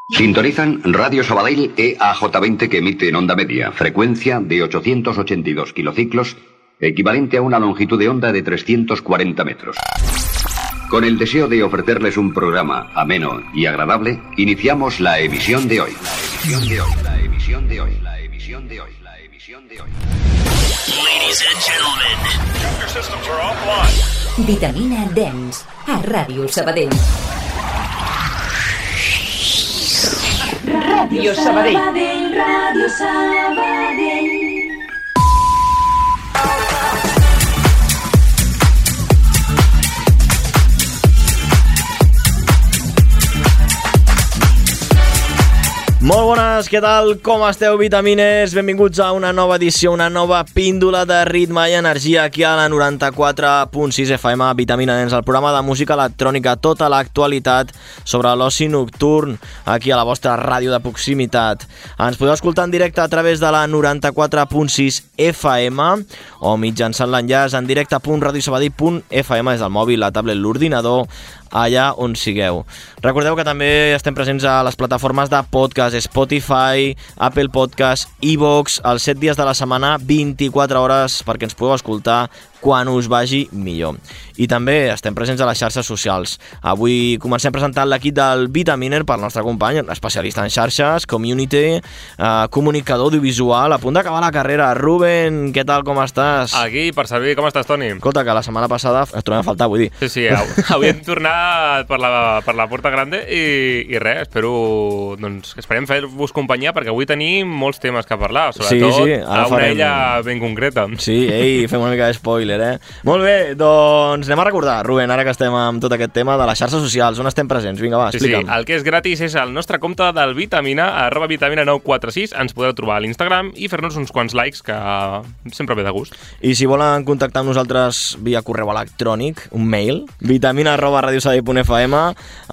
Sintonizan Radio Sabadell EAJ20 que emite en onda media, frecuencia de 882 kilociclos, equivalente a una longitud de onda de 340 metros. Con el deseo de ofrecerles un programa ameno y agradable, iniciamos la emisión de hoy. Ladies and gentlemen, your systems are offline. Vitamina Dance a Ràdio Sabadell. Ràdio Sabadell. Ràdio Sabadell. Molt bones, què tal? Com esteu, vitamines? Benvinguts a una nova edició, una nova píndola de ritme i energia aquí a la 94.6 FM, Vitamina Dance, el programa de música electrònica, tota l'actualitat sobre l'oci nocturn, aquí a la vostra ràdio de proximitat. Ens podeu escoltar en directe a través de la 94.6 FM o mitjançant l'enllaç en directe.radiosabadell.fm des del mòbil, la tablet, l'ordinador, allà on sigueu. Recordeu que també estem presents a les plataformes de podcast, Spotify, Apple Podcast, iVoox, els 7 dies de la setmana, 24 hores perquè ens podeu escoltar quan us vagi millor. I també estem presents a les xarxes socials. Avui comencem presentant l'equip del Vitaminer per nostre company, especialista en xarxes, community, comunicador audiovisual, a punt d'acabar la carrera. Ruben, què tal, com estàs? Aquí, per servir. Com estàs, Toni? Escolta, que la setmana passada et trobem a faltar, vull dir. Sí, avui hem tornat per la Porta Grande i res, esperem fer-vos companyia perquè avui tenim molts temes que parlar, sobretot a una illa ben concreta. Sí, fem una mica de spoiler, Molt bé, doncs anem a recordar, Ruben, ara que estem amb tot aquest tema de les xarxes socials, on estem presents? Vinga, va, explica'm. Sí, el que és gratis és el nostre compte del Vitamina, @vitamina946, ens podeu trobar a l'Instagram i fer-nos uns quants likes, que sempre ve de gust. I si volen contactar amb nosaltres via correu electrònic, un mail, vitamina@radiosabadell.fm,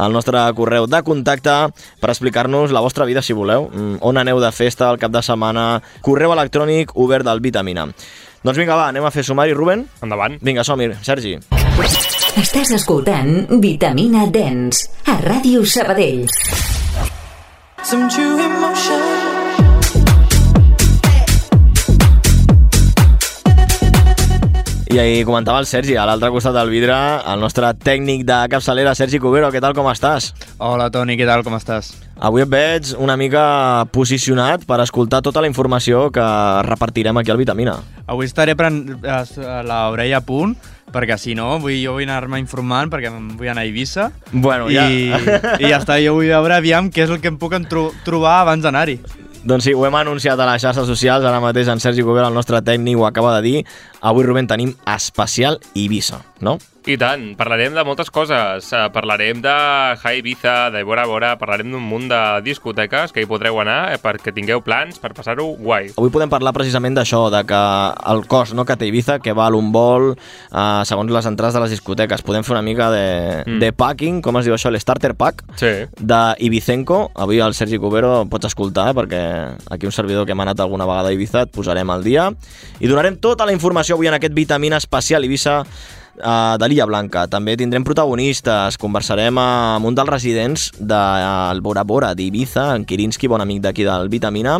el nostre correu de contacte per explicar-nos la vostra vida, si voleu, on aneu de festa el cap de setmana, correu electrònic obert del Vitamina. Doncs vinga, va, anem a fer sumari, Ruben? Endavant. Vinga, som-hi, Sergi. Estàs escoltant Vitamina Dance a Ràdio Sabadell. Some true emotion. I ahir comentava el Sergi, a l'altre costat del vidre, el nostre tècnic de capçalera, Sergi Cubero. Què tal, com estàs? Hola, Toni, què tal, com estàs? Avui et veig una mica posicionat per escoltar tota la informació que repartirem aquí al Vitamina. Avui estaré l'orella a punt, perquè si no, jo vull anar-me informant, perquè vull anar a Eivissa. Bueno, ja. I ja està, jo vull veure aviam què és el que em puc trobar abans d'anar-hi. Doncs sí, ho hem anunciat a les xarxes socials, ara mateix en Sergi Cubero, el nostre tècnic, ho acaba de dir. Avui, Rubén, tenim especial Eivissa, no? I tant, parlarem de moltes coses. Parlarem de High Ibiza, de Bora Bora, parlarem d'un munt de discoteques que hi podreu anar perquè tingueu plans per passar-ho guai. Avui podem parlar precisament d'això, de que el cost que té Ibiza, que val un vol, segons les entrades de les discoteques. Podem fer una mica de packing, com es diu això, l'starter pack, d'Ibicenco. Avui el Sergi Cubero pots escoltar, perquè aquí un servidor que hem anat alguna vegada a Ibiza et posarem al dia. I donarem tota la informació avui en aquest Vitamina especial Ibiza de l'Illa Blanca. També tindrem protagonistes, conversarem amb un dels residents del Bora Bora d'Ibiza, en Kirinski, bon amic d'aquí del Vitamina,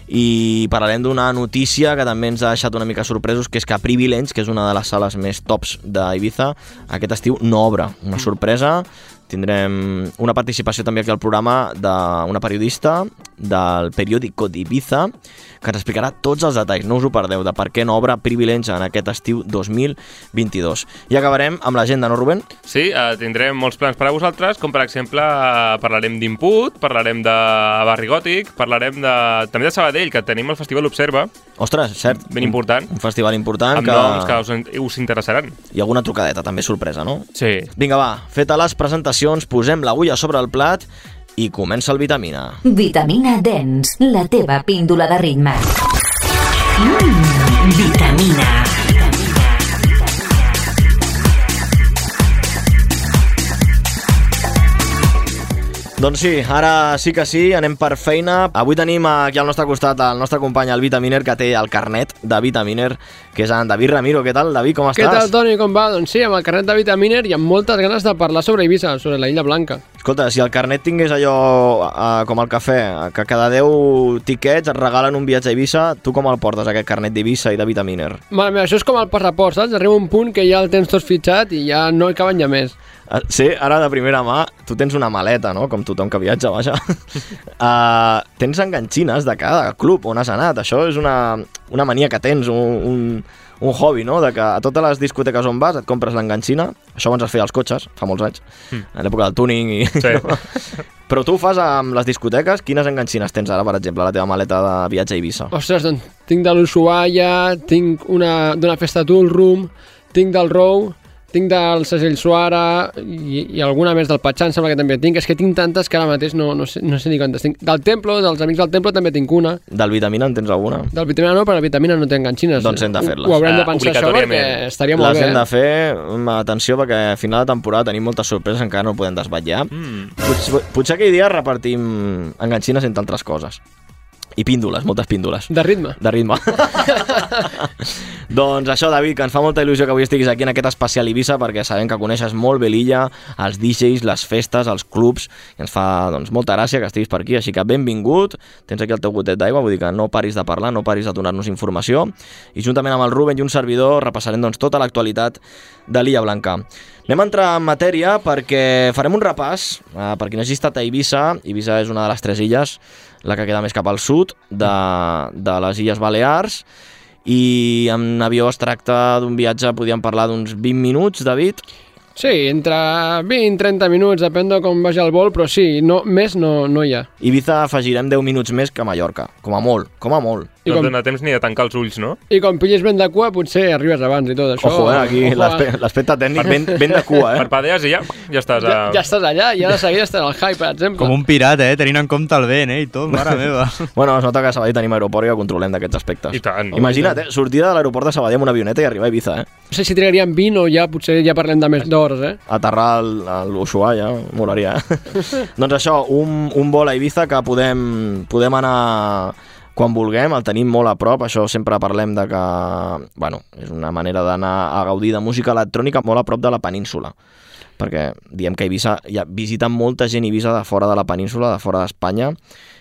i parlarem d'una notícia que també ens ha deixat una mica sorpresos, que és que Privilege, que és una de les sales més tops d'Ibiza, aquest estiu no obre. Una sorpresa. Tindrem una participació també aquí al programa d'una periodista del periòdico d'Ibiza que ens explicarà tots els detalls, no us ho perdeu, de per què no obre Privilege en aquest estiu 2022. I acabarem amb l'agenda, no, Rubén? Sí, tindrem molts plans per a vosaltres, com per exemple parlarem d'Input, parlarem de Barri Gòtic, parlarem també de Sabadell, que tenim el Festival Observa. Ostres, cert. Ben important. Un festival important. Amb noms que us interessaran. I alguna trucadeta, també sorpresa, no? Sí. Vinga, va, feta les presentacions, posem l'agulla sobre el plat i comença el Vitamina. Vitamina Dance, la teva píndola de ritme. Vitamina. Doncs sí, ara sí que sí, anem per feina. Avui tenim aquí al nostre costat el nostre company, el Vitaminer, que té el carnet de Vitaminer, que és en David Ramiro. Què tal, David, com estàs? Què tal, Toni, com va? Doncs sí, amb el carnet de Vitaminer i amb moltes ganes de parlar sobre Eivissa, sobre la Illa Blanca. Escolta, si el carnet tingués allò com el cafè, que cada 10 tiquets et regalen un viatge a Eivissa, tu com el portes, aquest carnet d'Eivissa i de Vitaminer? Mare meva, això és com el passaport, saps? Arriba un punt que ja el tens tot fitxat i ja no hi caben ja més. Sí, ara de primera mà, tu tens una maleta, no? Com tothom que viatja, vaja. Tens enganxines de cada club on has anat. Això és una mania que tens, un hobby, no? De que a totes les discoteques on vas et compres l'enganxina. Això abans es feia als cotxes, fa molts anys, a l'època del tuning. Sí. No? Però tu ho fas amb les discoteques. Quines enganxines tens ara, per exemple, a la teva maleta de viatge a Eivissa? Ostres, doncs tinc de l'Ushuaia, tinc d'una festa Tool Room, tinc del Row, tinc del Segell Suara i alguna més del Patxà, em sembla que també tinc. És que tinc tantes que ara mateix no sé ni quantes tinc. Del Templo, dels Amics del Templo també tinc una. Del Vitamina en tens alguna? Del Vitamina no, però la Vitamina no té enganxines. Doncs hem de fer-les. Ho haurem de pensar això perquè estaria molt bé. Les hem de fer, atenció, perquè a final de temporada tenim moltes sorpreses, encara no ho podem desvetllar. Potser aquell dia repartim enganxines entre altres coses. I píndoles, moltes píndoles. De ritme. De ritme. Doncs això, David, que ens fa molta il·lusió que avui estiguis aquí en aquest especial Eivissa, perquè sabem que coneixes molt bé l'illa, els DJs, les festes, els clubs, i ens fa molta gràcia que estiguis per aquí, així que benvingut, tens aquí el teu gotet d'aigua, vull dir que no paris de parlar, no paris de donar-nos informació, i juntament amb el Ruben i un servidor repassarem tota l'actualitat de l'Illa Blanca. Anem a entrar en matèria perquè farem un repàs, per qui no hagi estat a Eivissa. Eivissa és una de les 3 illes, la que queda més cap al sud de les Illes Balears, i en avió es tracta d'un viatge, podríem parlar d'uns 20 minuts, David? Sí, entre 20 i 30 minuts, depèn de com vagi el vol, però sí, més no hi ha. Ibiza afegirem 10 minuts més que Mallorca, com a molt, com a molt. No et dona temps ni de tancar els ulls, no? I com pillis vent de cua, potser arribes abans i tot això. Ojo, aquí l'aspecte tècnic vent de cua, Parpadees i ja estàs a... Ja estàs allà, i ara de seguida estàs al high, per exemple. Com un pirata, tenint en compte el vent, i tot, mare meva. Bueno, es nota que a Sabadell tenim aeroport i que controlem d'aquests aspectes. I tant. Imagina't, sortir de l'aeroport de Sabadell amb una avioneta i arribar a Ibiza, No sé si trigaríem 20 o ja potser ja parlem de més d'hores, Aterrar a l'Ushuaia, molaria, Doncs això, un vol a Ibiza que podem anar quan vulguem, el tenim molt a prop, això sempre parlem de que, bueno, és una manera d'anar a gaudir de música electrònica molt a prop de la península, perquè diem que Eivissa, visiten molta gent Eivissa de fora de la península, de fora d'Espanya,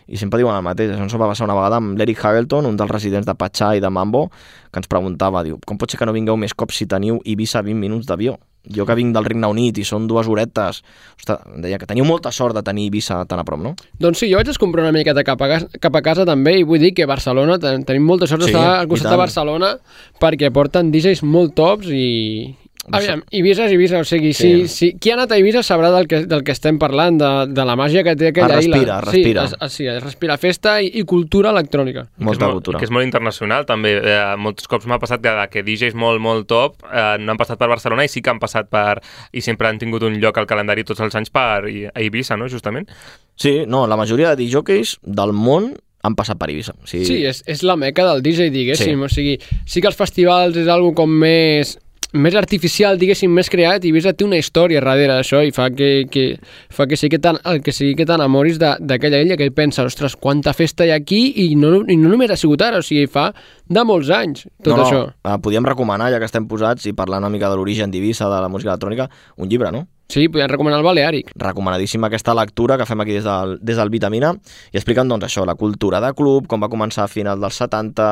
i sempre diuen el mateix. Això ens va passar una vegada amb l'Eric Hagelton, un dels residents de Patxà i de Mambo, que ens preguntava, diu, com pot ser que no vingueu més cops si teniu Eivissa a 20 minuts d'avió? Jo que vinc del Regne Unit i són 2 horetes, ostres, deia que teniu molta sort de tenir Eivissa tan a prop, no? Doncs sí, jo vaig descomprar una miqueta cap a casa també, i vull dir que Barcelona, tenim molta sort d'estar al costat de Barcelona, perquè porten DJs molt tops i... Aviam, Eivissa és Eivissa, o sigui, si qui ha anat a Eivissa sabrà del que estem parlant, de la màgia que té aquella illa. Respira. Sí, respira festa i cultura electrònica. Molta cultura. Que és molt internacional, també. Molts cops m'ha passat que DJs molt, molt top no han passat per Barcelona i sí que han passat i sempre han tingut un lloc al calendari tots els anys a Eivissa, no?, justament. Sí, no, la majoria de DJs del món han passat per Eivissa. Sí, és la meca del DJ, diguéssim. O sigui, sí que els festivals és algo com més artificial, diguéssim, més creat, i Eivissa té una història darrere d'això i fa que sigui que t'enamoris d'aquella illa, que pensa, ostres, quanta festa hi ha aquí, i no només ha sigut ara, o sigui, fa de molts anys això. Podíem recomanar, ja que estem posats i parlant una mica de l'origen d'Eivissa, de la música electrònica, un llibre, no? Sí, podem recomanar el Baleàric. Recomanadíssima aquesta lectura que fem aquí des del Vitamina, i explicant, doncs, això, la cultura de club, com va començar a final dels 70,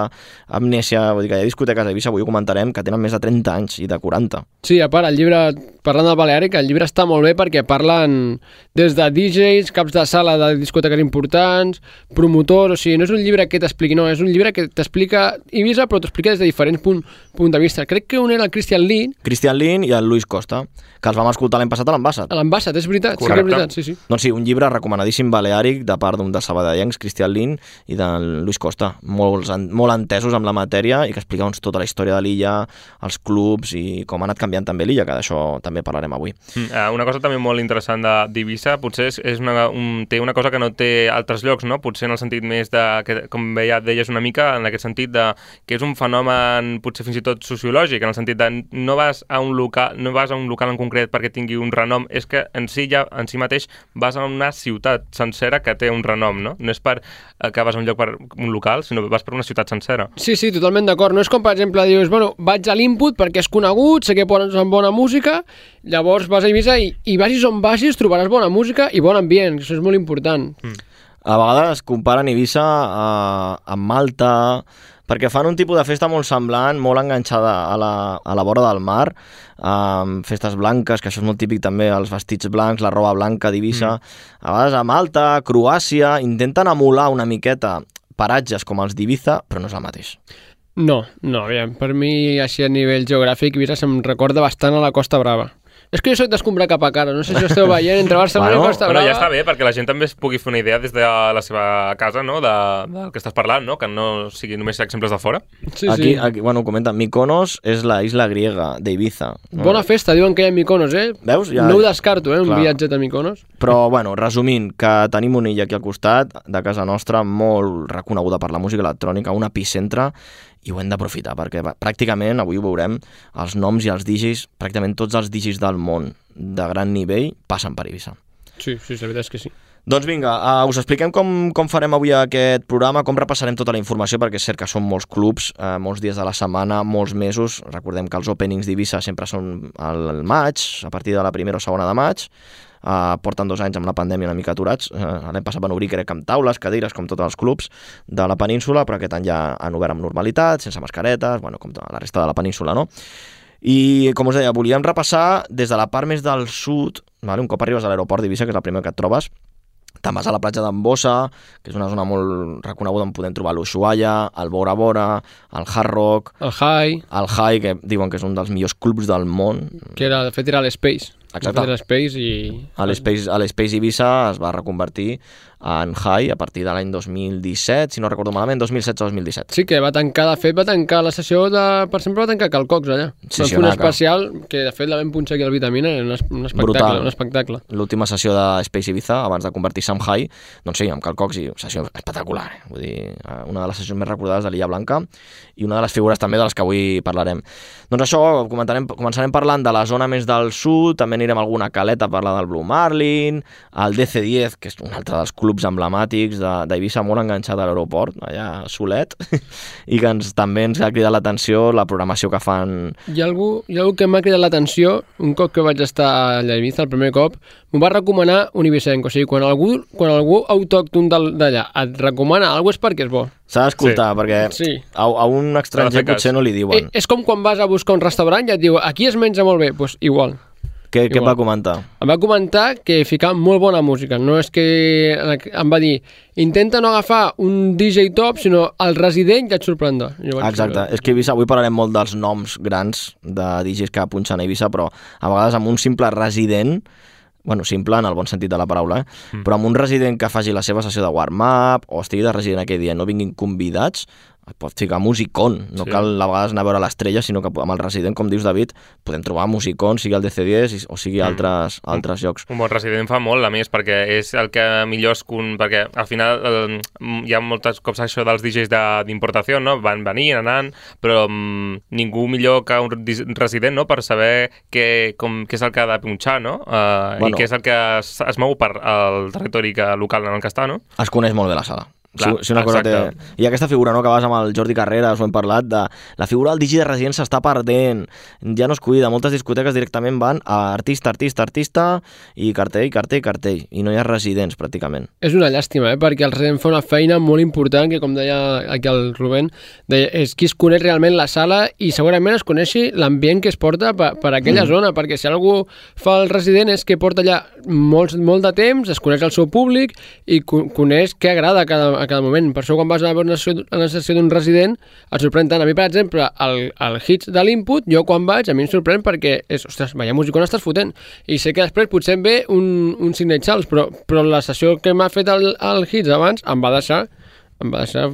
Amnèsia, vull dir que hi ha discoteques a Eivissa, avui ho comentarem, que tenen més de 30 anys i de 40. Sí, a part, el llibre, parlant del Baleàric, el llibre està molt bé perquè parlen des de DJs, caps de sala de discoteques importants, promotors, o sigui, no és un llibre que t'expliqui, no, és un llibre que t'explica Eivissa, però t'explica des de diferents punts de vista. Crec que un era el Christian Lin i el Luis Costa, que els vam escoltar l'any passat a l'Ambassat. A l'Ambassat, és veritat, correcte. Sí que és veritat, sí. Doncs sí, un llibre recomanadíssim baleàric de part d'un dels sabadellencs, Christian Lin, i del Luis Costa, molt entesos amb la matèria i que explica tota la història de l'illa, els clubs i com ha anat canviant també l'illa, que d'això també parlarem avui. Una cosa també molt interessant d'Eivissa potser té una cosa que no té altres llocs, no? Potser en el sentit més que, com deies una mica, en aquest sentit que és un fenomen potser fins i tot sociològic, en el sentit de no vas a un local en concret perquè tingui un un renom, és que en si mateix vas a una ciutat sencera que té un renom, no? No és que vas a un lloc per un local, sinó vas per una ciutat sencera. Sí, totalment d'acord. No és com, per exemple, dius, bueno, vaig a l'Input perquè és conegut, sé que posen bona música, llavors vas a Eivissa i vagis on vagis trobaràs bona música i bon ambient, això és molt important. A vegades comparen Eivissa amb Malta, perquè fan un tipus de festa molt semblant, molt enganxada a la vora del mar, festes blanques, que això és molt típic també, els vestits blancs, la roba blanca d'Eivissa. A vegades a Malta, Croàcia, intenten emular una miqueta paratges com els d'Eivissa, però no és el mateix. No, aviam, per mi, així a nivell geogràfic, Eivissa se'm recorda bastant a la Costa Brava. És que jo soc d'escombrar cap a cara, no sé si ho esteu veient entre Barcelona i Costa Brava. Ja està bé, perquè la gent també es pugui fer una idea des de la seva casa, no?, del que estàs parlant, no?, que no sigui només exemples de fora. Sí. Aquí, bueno, comenta, Mykonos és la isla griega d'Eivissa. Bona festa, diuen que hi ha Mykonos, Veus? No ho descarto, un viatget a Mykonos. Però, bueno, resumint, que tenim una illa aquí al costat, de casa nostra, molt reconeguda per la música electrònica, un epicentre, i ho hem d'aprofitar, perquè pràcticament, avui ho veurem, els noms i els DJs, pràcticament tots els DJs del món de gran nivell passen per Eivissa. Sí, la veritat és que sí. Doncs vinga, us expliquem com farem avui aquest programa, com repassarem tota la informació, perquè és cert que són molts clubs, molts dies de la setmana, molts mesos. Recordem que els openings d'Eivissa sempre són al maig, a partir de la primera o segona de maig. Porten 2 anys amb la pandèmia una mica aturats. L'any passat van obrir, crec, amb taules, cadires, com tots els clubs de la península, però aquest any ja han obert amb normalitat, sense mascaretes, bueno, com la resta de la península, no? I, com us deia, volíem repassar des de la part més del sud, vale? Un cop arribes a l'aeroport d'Eivissa, que és el primer que et trobes, te'n vas a la platja d'Ambossa, que és una zona molt reconeguda on podem trobar l'Ushuaia, el Bora Bora, el Hard Rock, el High, que diuen que és un dels millors clubs del món. Que de fet era l'Space. Exacte. L'Space Eivissa es va reconvertir en High a partir de l'any 2017, si no recordo malament, 2016-2017. Sí, que va tancar la sessió per sempre va tancar Calcocs allà. Sí, un especial que de fet la vam punxar aquí al Vitamina, un espectacle. L'última sessió de Space Ibiza, abans de convertir-se en High, doncs sí, amb Calcocs, i sessió espectacular. Vull dir, una de les sessions més recordades de l'Illa Blanca i una de les figures també de les que avui parlarem. Doncs això, començarem parlant de la zona més del sud, també anirem a alguna caleta a parlar del Blue Marlin, el DC-10, que és un altre dels clubs emblemàtics d'Eivissa, molt enganxat a l'aeroport, allà solet, i que també ens ha cridat l'atenció la programació que fan. Hi ha algú que m'ha cridat l'atenció, un cop que vaig estar a Eivissa, el primer cop, m'ho va recomanar Univicenc. O sigui, quan algú autòcton d'allà et recomana alguna cosa és perquè és bo. S'ha d'escoltar, perquè a un estranger potser no li diuen. És com quan vas a buscar un restaurant i et diu aquí es menja molt bé, doncs igual. Què et va comentar? Em va comentar que ficava molt bona música. No és que em va dir intenta no agafar un DJ top, sinó el resident ja et sorprendrà. Exacte. És que Eivissa, avui parlarem molt dels noms grans de DJs que punxen a Eivissa, però a vegades amb un simple resident, bueno, simple en el bon sentit de la paraula, però amb un resident que faci la seva sessió de warm-up o estigui de resident aquell dia, no vinguin convidats, et pot ficar musicón. No cal a vegades anar a veure l'estrella, sinó que amb el resident, com dius, David, podem trobar musicón, sigui el DC-10 o sigui altres llocs. Un bon resident fa molt, a més, perquè és el que millor perquè al final hi ha molts cops això dels DJs d'importació, no? Van venir, anant, però ningú millor que un resident, no?, per saber què és el que ha de punxar, no? I què és el que es mou per al territori local en el que està, no? Es coneix molt bé la sala. Si una cosa té... I aquesta figura, no?, que vas amb el Jordi Carreras, ho hem parlat, de la figura del DJ de resident s'està perdent, ja no es cuida, moltes discoteques directament van a artista i cartell, i no hi ha residents pràcticament. És una llàstima, perquè el resident fa una feina molt important, que com deia aquí el Rubén, és qui es coneix realment la sala i segurament es coneixi l'ambient que es porta per aquella zona, perquè si algú fa el resident és que porta allà molt de temps, es coneix el seu públic i coneix què agrada a cada moment. Per això quan vas a veure una sessió d'un resident et sorprèn tant. A mi, per exemple, el hits de l'Input, jo quan vaig, a mi em sorprèn perquè és, ostres, veia música on estàs fotent. I sé que després potser em ve un Sidney Charles, però la sessió que m'ha fet el hits abans em va deixar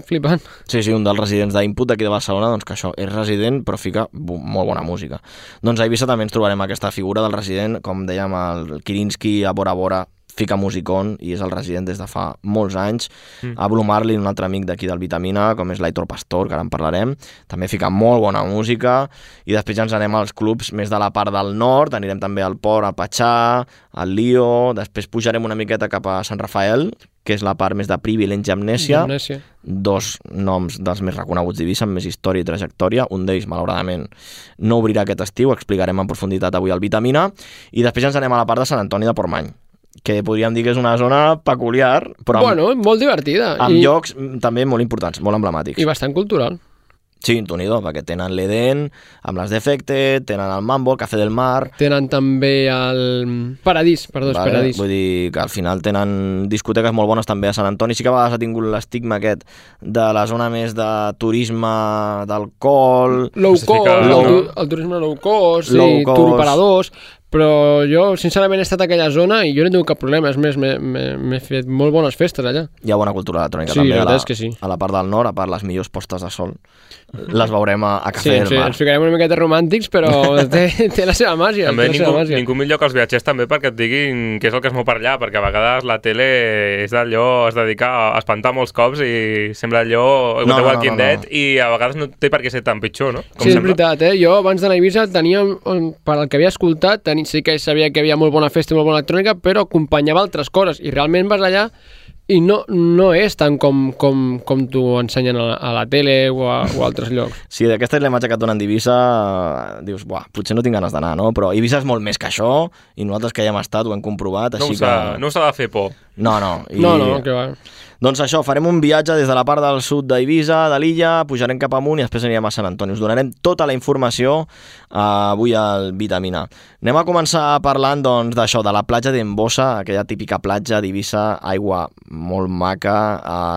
flipant. Sí, un dels residents d'Input d'aquí de Barcelona, doncs que això és resident però fica molt bona música. Doncs a Eivissa també ens trobarem aquesta figura del resident, com dèiem, el Kirinski a Bora Bora, fica musicón i és el resident des de fa molts anys. A Blue Marlin, un altre amic d'aquí del Vitamina, com és l'Aitor Pastor, que ara en parlarem, també fica molt bona música, i després ja ens anem als clubs més de la part del nord, anirem també al Port, al Patxà, al Lío, després pujarem una miqueta cap a Sant Rafael, que és la part més de Privilege i Amnèsia, dos noms dels més reconeguts d'Eivissa, amb més història i trajectòria. Un d'ells, malauradament, no obrirà aquest estiu, explicarem en profunditat avui al Vitamina, i després ens anem a la part de Sant Antoni de Portmany, que podríem dir que és una zona peculiar, però molt divertida. Amb llocs també molt importants, molt emblemàtics. I bastant cultural. Sí, Tonido, perquè tenen l'Eden, amb les Defecte, tenen el Mambo, el Café del Mar... Tenen també el Paradís, Paradís. Vull dir que al final tenen discoteques molt bones també a Sant Antoni. Sí que a vegades ha tingut l'estigma aquest de la zona més de turisme d'alcohol... Low cost, el turisme low cost, turoperadors... Però jo, sincerament, he estat a aquella zona i jo no he tingut cap problema. És més, m'he fet molt bones festes allà. Hi ha bona cultura electrònica també a la part del nord, a part les millors postes de sol. Les veurem a Café del Mar. Ens ficarem una miqueta romàntics, però té la seva màgia. També ningú millor que els viatgers també perquè et diguin què és el que es mou per allà, perquè a vegades la tele és d'allò, es dedica a espantar molts cops i sembla allò The Walking Dead i a vegades no té per què ser tan pitjor, no? Sí, és veritat, Jo abans d'anar a Eivissa tenia, per al que havia escoltat, sí que sabia que hi havia molt bona festa i molt bona electrònica, però acompanyava altres coses, i realment vas allà i no és tant com t'ho ensenyen a la tele o a altres llocs. Sí, d'aquesta és la imatge que et donen d'Eivissa, dius, potser no tinc ganes d'anar, no? Però Eivissa és molt més que això, i nosaltres que hi hem estat ho hem comprovat, així que... No us ha de fer por. No, que va. Doncs això, farem un viatge des de la part del sud d'Eivissa, de l'illa, pujarem cap amunt i després anirem a Sant Antoni. Us donarem tota la informació avui al Vitamina. Anem a començar parlant doncs, d'això, de la platja d'Embossa, aquella típica platja d'Eivissa, aigua molt maca,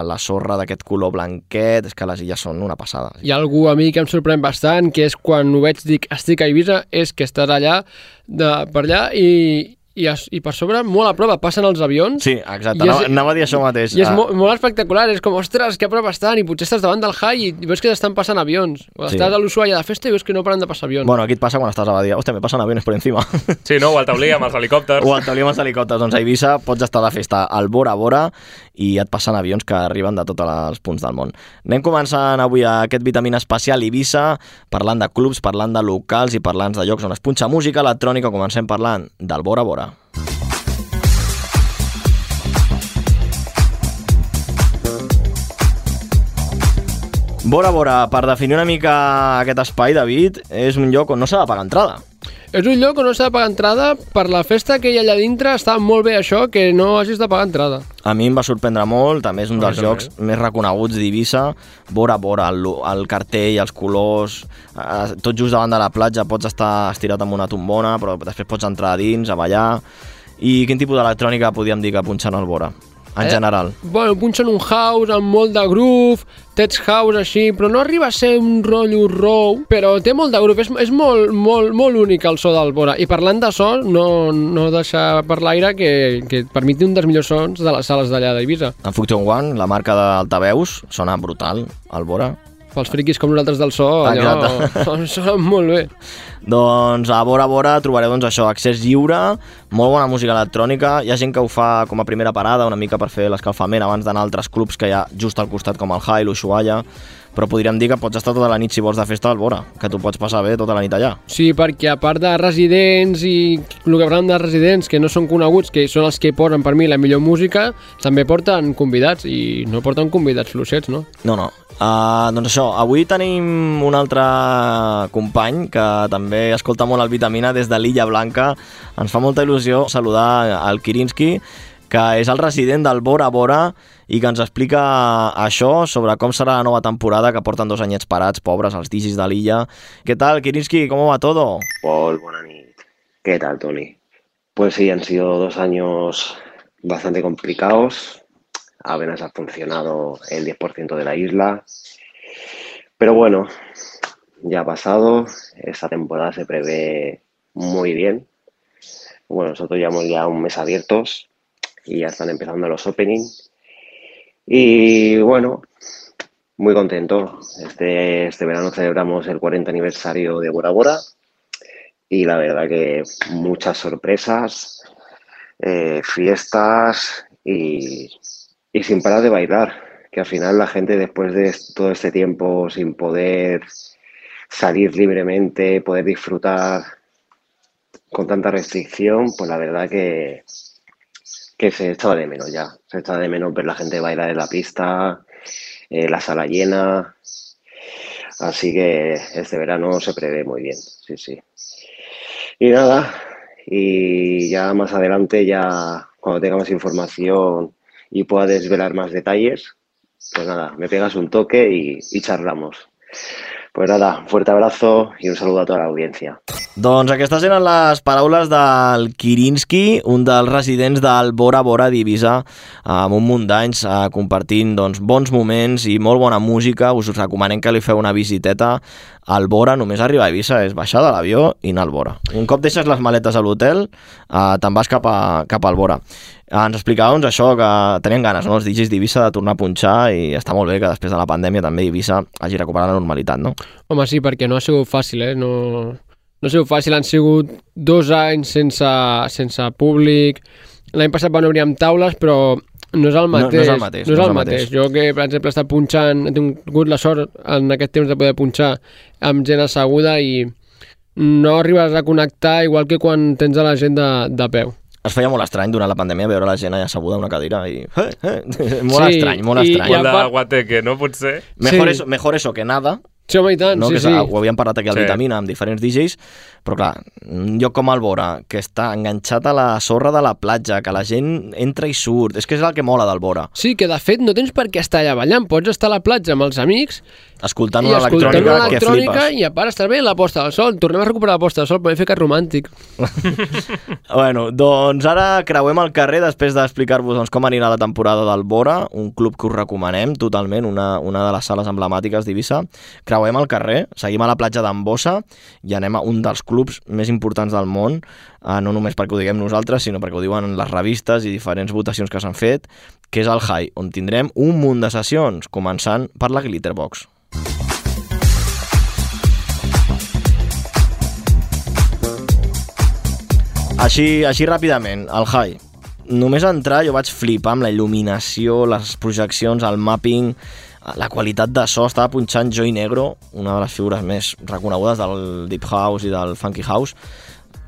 la sorra d'aquest color blanquet, és que les illes són una passada. Hi ha algú a mi que em sorprèn bastant, que és quan ho veig, dic, estic a Eivissa, és que estàs allà, per allà, i per sobre, molt a prop, passen els avions. Sí, exacte, anava a dir això mateix. I és molt espectacular, és com, ostres, que a prop estan, i potser estàs davant del High i veus que estan passant avions. O estàs a l'Ushuaia de festa i veus que no paren de passar avions. Bueno, aquí et passa quan estàs a Badia. Hòstia, me passen aviones per encima. Sí, no? O al taulí amb els helicòpters. Doncs a Eivissa pots estar de festa al vora a vora i et passen avions que arriben de tots els punts del món. Anem començant avui aquest Vitamina especial Eivissa, parlant de clubs, parlant de locals i parlant de llocs on es punxa música electrònica. Comencem parlant del vora a vora. Vora a vora, per definir una mica aquest espai, David, és un lloc on no s'ha de pagar entrada. És un lloc on no s'ha de pagar entrada. Per la festa que hi ha allà dintre està molt bé això, que no hagis de pagar entrada. A mi em va sorprendre molt, també és un dels llocs més reconeguts d'Eivissa. Vora a vora, el cartell, els colors, tot just davant de la platja, pots estar estirat amb una tombona, però després pots entrar a dins, a ballar. I quin tipus d'electrònica podríem dir que punxen al vora? En general. Bueno, punxen un house amb molt de groove, tech house així, però no arriba a ser un rotllo raw, però té molt de groove, és molt únic el so del vora. I parlant de so, no deixar per l'aire que per mi té un dels millors sons de les sales d'allà d'Eivissa. En Function One, la marca d'altaveus, sona brutal, al vora. Pels friquis com nosaltres del so, allò sona molt bé. Doncs a vora trobareu això, accés lliure, molt bona música electrònica. Hi ha gent que ho fa com a primera parada, una mica per fer l'escalfament abans d'anar a altres clubs que hi ha just al costat, com el High, l'Ushuaia, però podríem dir que pots estar tota la nit si vols de festa al vora, que tu pots passar bé tota la nit allà. Sí, perquè a part de residents i el que parlem de residents que no són coneguts, que són els que porten per mi la millor música, també porten convidats i no porten convidats fluixets, no? No. Doncs això, avui tenim un altre company que també escolta molt el Vitamina des de l'Illa Blanca. Ens fa molta il·lusió saludar el Kirinski, que és el resident del Vora a Vora i que ens explica això sobre com serà la nova temporada, que porten 2 anyets parats, pobres, els digis de l'illa. ¿Qué tal, Kirinski? ¿Cómo va todo? Buena nit. ¿Qué tal, Tony? Pues sí, han sido 2 años bastante complicados. Apenas ha funcionado el 10% de la isla. Pero bueno, ya ha pasado. Esta temporada se prevé muy bien. Bueno, nosotros llevamos ya un mes abiertos y ya están empezando los openings. Y bueno, muy contento. Este verano celebramos el 40 aniversario de Bora Bora y la verdad que muchas sorpresas. fiestas y sin parar de bailar, que al final la gente después de todo este tiempo sin poder salir libremente, poder disfrutar con tanta restricción, pues la verdad que se echaba de menos ya. Se echaba de menos ver la gente bailar en la pista, la sala llena. Así que este verano se prevé muy bien, sí. Y nada, y ya más adelante, ya cuando tenga más información y pueda desvelar más detalles, pues nada, me pegas un toque y charlamos. Pues nada, un fuerte abrazo i un saludo a tota l'audiència. Doncs aquestes eren les paraules del Kirinski, un dels residents del Bora Bora d'Eivissa, amb un munt d'anys compartint bons moments i molt bona música. Us recomanem que li feu una visiteta al Bora. Només arribar a Eivissa és baixar de l'avió i anar al Bora. Un cop deixes les maletes a l'hotel, te'n vas cap al Bora. Ens explicava això, que tenien ganes, no, els DJs d'Eivissa, de tornar a punxar, i està molt bé que després de la pandèmia també Eivissa hagi recuperat la normalitat, no? Home, sí, perquè no ha sigut fàcil, No ha sigut fàcil, han sigut 2 anys sense públic. L'any passat van obrir amb taules, però no és el mateix. No és el mateix. Jo que, per exemple, he estat punxant, he tingut la sort en aquest temps de poder punxar amb gent asseguda i no arribes a connectar igual que quan tens a la gent de peu. Es feia molt estrany durant la pandèmia veure la gent allà asseguda a una cadira i... Molt estrany. Molt de guateque, no? Potser. Mejor eso que nada. Sí, home, i tant, no? sí. Ho havíem parlat aquí al Vitamina amb diferents DJs, però clar, un lloc com el Bora, que està enganxat a la sorra de la platja, que la gent entra i surt, és que és el que mola del Bora. Sí, que de fet no tens per què estar allà ballant, pots estar a la platja amb els amics escoltant una electrònica que flipes. I a part estar bé la posta del sol, tornem a recuperar la posta del sol, podem fer que és romàntic. Bueno, doncs ara creuem el carrer després d'explicar-vos com anirà la temporada del Bora, un club que us recomanem totalment, una de les sales emblemàtiques d'Eivissa. Creuem el carrer, seguim a la platja d'Ambossa i anem a un dels clubs més importants del món, no només perquè ho diguem nosaltres, sinó perquè ho diuen les revistes i diferents votacions que s'han fet, que és el High, on tindrem un munt de sessions, començant per la Glitterbox. Així ràpidament, el High. Només entrar jo vaig flipar amb la il·luminació, les projeccions, el mapping, la qualitat de so. Estava punxant Joy Negro, una de les figures més reconegudes del Deep House i del Funky House.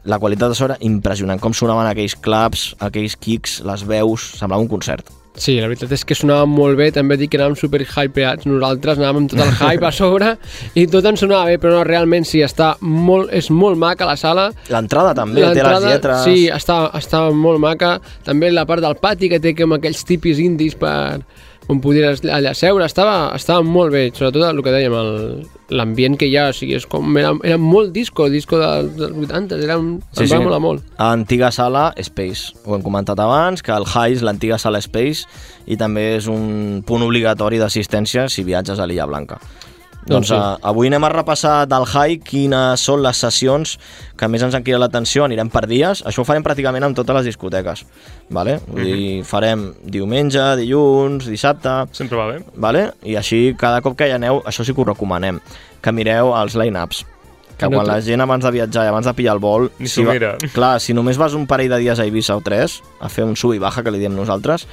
La qualitat de so era impressionant, com sonaven aquells claps, aquells kicks, les veus, semblava un concert. Sí, la veritat és que sonava molt bé, també dic que anàvem super hypeats, nosaltres anàvem amb tot el hype a sobre i tot ens sonava bé, però no, realment sí, és molt maca la sala. L'entrada també, té les lletres... Sí, està molt maca, també la part del pati que té com aquells tipis indis on podries allà seure, estava molt bé, sobretot el que dèiem, l'ambient que hi ha, o sigui, era molt disco dels 80, em va molar molt. Antiga sala Space, ho hem comentat abans, que el High és l'antiga sala Space i també és un punt obligatori d'assistència si viatges a l'Illa Blanca. Doncs avui anem a repassar del High quines són les sessions que més ens han cridat l'atenció. Anirem per dies, això ho farem pràcticament amb totes les discoteques, vale? Vull dir, farem diumenge, dilluns, dissabte... Sempre va bé. Vale? I així, cada cop que hi aneu, això sí que us recomanem, que mireu els line-ups, que quan la gent abans de viatjar i abans de pillar el vol... Ni s'ho mira. Clar, si només vas un parell de dies a Eivissa o 3, a fer un sub i baja, que li diem nosaltres,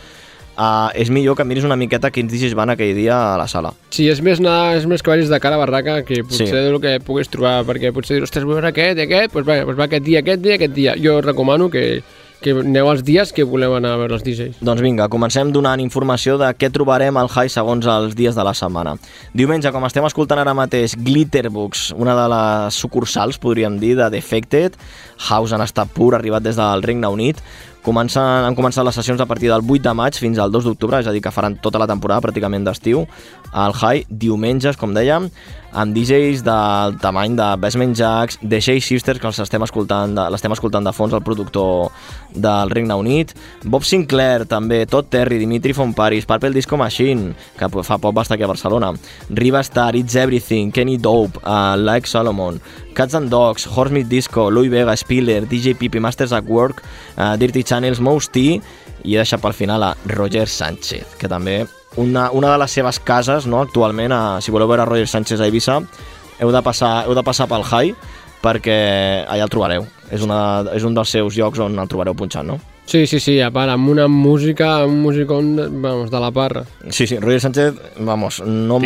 és millor que miris una miqueta quins DJs van aquell dia a la sala. Sí, és més que vagis de cara a barraca que potser del que puguis trobar, perquè potser dir, ostres, vull veure aquest i aquest, doncs va aquest dia. Jo recomano que aneu els dies que voleu anar a veure els DJs. Doncs vinga, comencem donant informació de què trobarem al High segons els dies de la setmana. Diumenge, com estem escoltant ara mateix, Glitterbox, una de les sucursals, podríem dir, de Defected, House en estat pur, arribat des del Regne Unit. Han començat les sessions a partir del 8 de maig fins al 2 d'octubre, és a dir, que faran tota la temporada pràcticament d'estiu al High, diumenges, com dèiem, amb DJs del tamany de Basement Jaxx, The Shea Sisters, que l'estem escoltant de fons, el productor del Regne Unit, Bob Sinclair, també, Todd Terry, Dimitri Von Paris, Purple Disco Machine, que fa poc va estar aquí a Barcelona, Riva Star, It's Everything, Kenny Dope, Like Solomon, Cats and Dogs, Horsemeat Disco, Louis Vega, Spiller, DJ Pipi, Masters at Work, Dirty Channels, Mouse T, i he deixat pel final a Roger Sánchez, que també una de les seves cases, no, actualment, si voleu veure Roger Sánchez a Eivissa, heu de passar pel High, perquè allà el trobareu. És un dels seus llocs on el trobareu punxant, no? Sí, a part, amb una música, un musicón, vamos, de la parra. Sí, Roger Sánchez, vamos, no